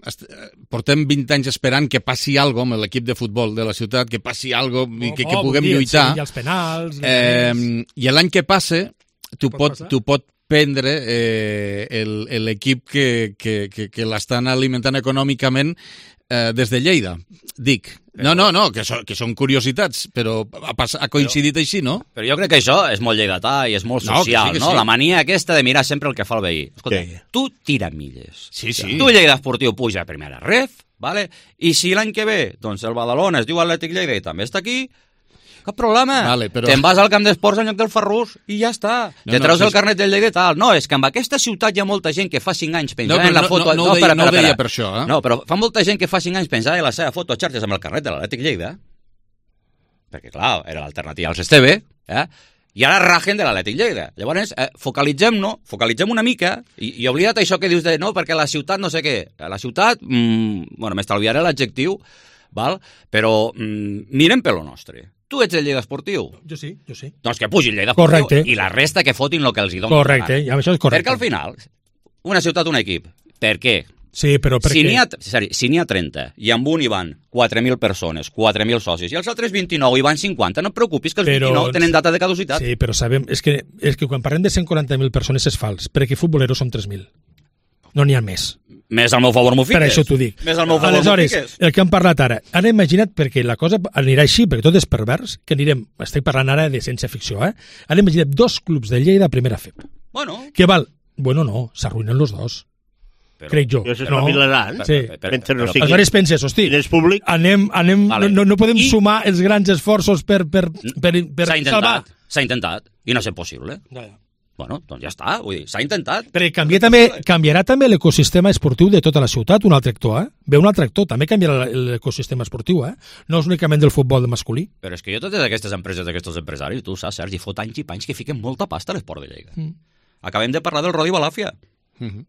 est- portem vint anys esperant que passi alguna cosa amb l'equip de futbol de la ciutat, que passi alguna cosa i que, que Oh, puguem bon dia, lluitar. Sí, i els penals... Eh, Eh, I l'any que passe, tu Pot pot, passar? tu pot prendre eh, el- l'equip que, que, que, que l'estan alimentant econòmicament eh, des de Lleida, dic. No, no, no, que, so, que són curiositats, però ha, pas, ha coincidit així, no? Però jo crec que això és molt lleidatà i és molt No, que social, sí, que no? sí. La mania aquesta de mirar sempre el que fa el veí. Escolta, Sí. tu tira milles. Sí, sí. Tu Lleida Esportiu puja a primera ref, vale? I si l'any que ve, doncs el Badalona es diu Atlètic Lleida i també està aquí, Cap problema. Vale, però... Te'n vas al camp d'esports en lloc del Ferrús i ja està. No, Te treus no, el és... carnet del Lleida i tal. No, és que en aquesta ciutat hi ha molta gent que fa cinc anys penjava no, en la foto... No, no, no, ho deia, no, no ho deia per això, eh? No, però fa molta gent que fa cinc anys penjava en la seva foto a xarxes amb el carnet de l'Atlètic Lleida. Perquè, clar, era l'alternativa als Esteve, eh? I ara rajen de l'Atlètic Lleida. Llavors, eh, focalitzem-no, focalitzem una mica i, i oblida't això que dius de no, perquè la ciutat no sé què. La ciutat, mmm, bueno, m'estalviaré l'adjectiu, val? Però mmm, mirem per lo nostre. Tu ets el Lleida Esportiu? Jo sí, jo sí. Doncs que pugi el Lleida Esportiu. Correcte. I la resta que fotin el que els hi donen. Correcte, ja, això és correcte. Perquè al final, una ciutat, un equip. Per què? Sí, però per si què? N'hi ha, si n'hi ha trenta i amb un hi van quatre mil persones, quatre mil socis, i els altres vint-i-nou hi van cinquanta, no et preocupis que els però, vint-i-nou tenen data de caducitat. Sí, però sabem, és que, és que quan parlem de cent quaranta mil persones és fals, perquè futboleros són tres mil. No n'hi ha més. Més al meu favor m'ho fiques. Per això t'ho dic. Més al meu favor Aleshores, m'ho fiques. el que hem parlat ara, ara imagina't, perquè la cosa anirà així, perquè tot és pervers, que anirem, estic parlant ara de ciència ficció, eh? Ara imagina't dos clubs de Lleida a primera F E P. Bueno. Que val? Bueno, no, s'arruïnen los dos. Però, crec jo. Jo s'espavilaran. No? Sí. Mentre no sigui... Aleshores penses, hosti, públic... anem, anem, vale. no, no podem I... sumar els grans esforços per, per, per, per s'ha intentat, salvar. S'ha intentat, i no ha estat possible. Ja, ja. Bueno, doncs ja està, vull dir, s'ha intentat. Però canvia també, canviarà també l'ecosistema esportiu de tota la ciutat, un altre actor, eh? Ve un altre actor, també canviarà l'ecosistema esportiu, eh? No és únicament del futbol masculí. Però és que jo totes aquestes empreses, aquests empresaris, tu saps, Sergi, fot anys i panys que fiquen molta pasta a l'esport de Lleida. Mm. Acabem de parlar del Rodi Balàfia. Mm-hmm.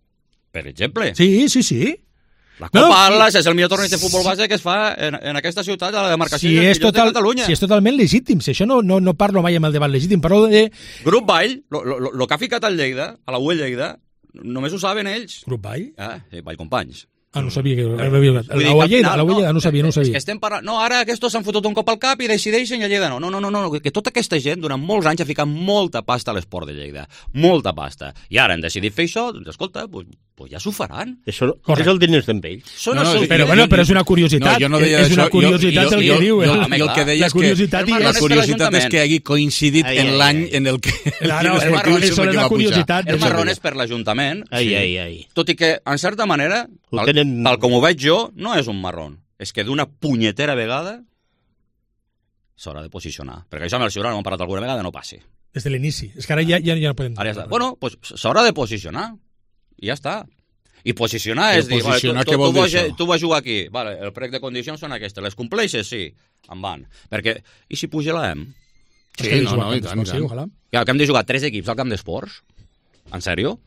Per exemple. Sí, sí, sí. La Copa no, Atlas és el millor torneig de futbol base que es fa en, en aquesta ciutat, a la demarcació si de total, de Catalunya. Si és totalment legítim, si això no, no, no parlo mai amb el debat legítim, parlo de... Grup Vall, el que ha ficat al Lleida, a la U E Lleida, només ho saben ells. Grup Vall? Ah, sí, Vall Companys. Ah, no sabia que... La U E Lleida, la U E Lleida, no sabia, no sabia. És que estem parlant... No, ara aquests s'han fotut un cop al cap i decideixen i a Lleida no. No, no, no, no, que tota aquesta gent durant molts anys ha ficat molta pasta a l'esport de Lleida. Molta pasta. I ara han decidit fer això, doncs escolta, pues, pues ja s'ho faran. Això és el diners d'en ells. No, no, sí, però, bueno, però és una curiositat. No, jo no deia és una curiositat jo, jo, el que diu. Jo, jo, jo el que deia és que la curiositat és que hagi coincidit ai, en l'any en el que el claro, el marrón és la curiositat. El marrón és per l'Ajuntament. Ai, ai, ai. Tot i que, en certa manera, tal, tenen... tal com ho veig jo, no és un marrón. És que d'una punyetera vegada s'haurà de posicionar. Perquè això amb el Ciurà no hem parlat alguna vegada, no passi. Des de l'inici. És que ara ja, ja, ja no podem... Ara ja està. Bueno, pues s'haurà de posicionar. I ja està. I posicionar és dir, posicionar, vale, tu, tu, tu, vas, tu vas jugar aquí, vale, el prec de condicions són aquestes, les compleixes? Sí, en van. Perquè, i si puja l'A E M? Sí, no, no, i tant, i tant. Ja, que hem de jugar tres equips al camp d'esports? En sèrio?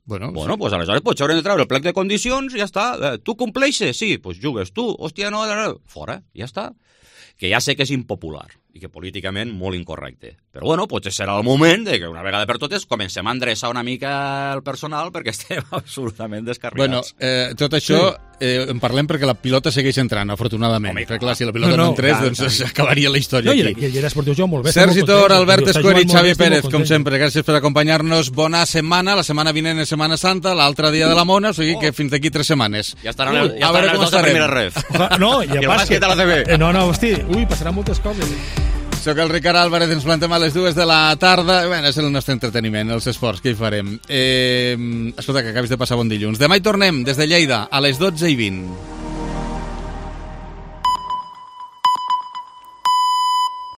Bueno, bueno sí. Pues aleshores potser haurem de treure el plec de condicions i ja està. Eh, tu compleixes? Sí, pues jugues tu. Hòstia, no, no, no. Fora, ja està. Que ja sé que és impopular i que políticament molt incorrecte. Però bueno, potser serà el moment de que una vegada per totes comencem a endreçar una mica el personal perquè estem absolutament descarregats. Bueno, eh, tot això sí. eh, en parlem perquè la pilota segueix entrant, afortunadament. Home, perquè clar, si la pilota no, no, no entrés, clar, doncs s'acabaria la història no, aquí. I el Lleida Esportiu juga molt bé. Sergi Tor, Albert Escuer i Xavi Pérez, com sempre, gràcies per acompanyar-nos. Bona setmana, la setmana vinent és Setmana Santa, l'altre dia de la Mona, o sigui oh. que fins d'aquí tres setmanes. Ja estaran, uh, ja estaran els dos a primera ref. No, i el bàsquet a la T V. Eh, no, no, hosti, ui, passaran moltes coses. Soc el Ricard Álvarez, ens plantem a les dues de la tarda. Bé, és el nostre entreteniment, els esports, què hi farem? Eh, escolta, que acabis de passar bon dilluns. Demà hi tornem, des de Lleida, a les dotze i vint.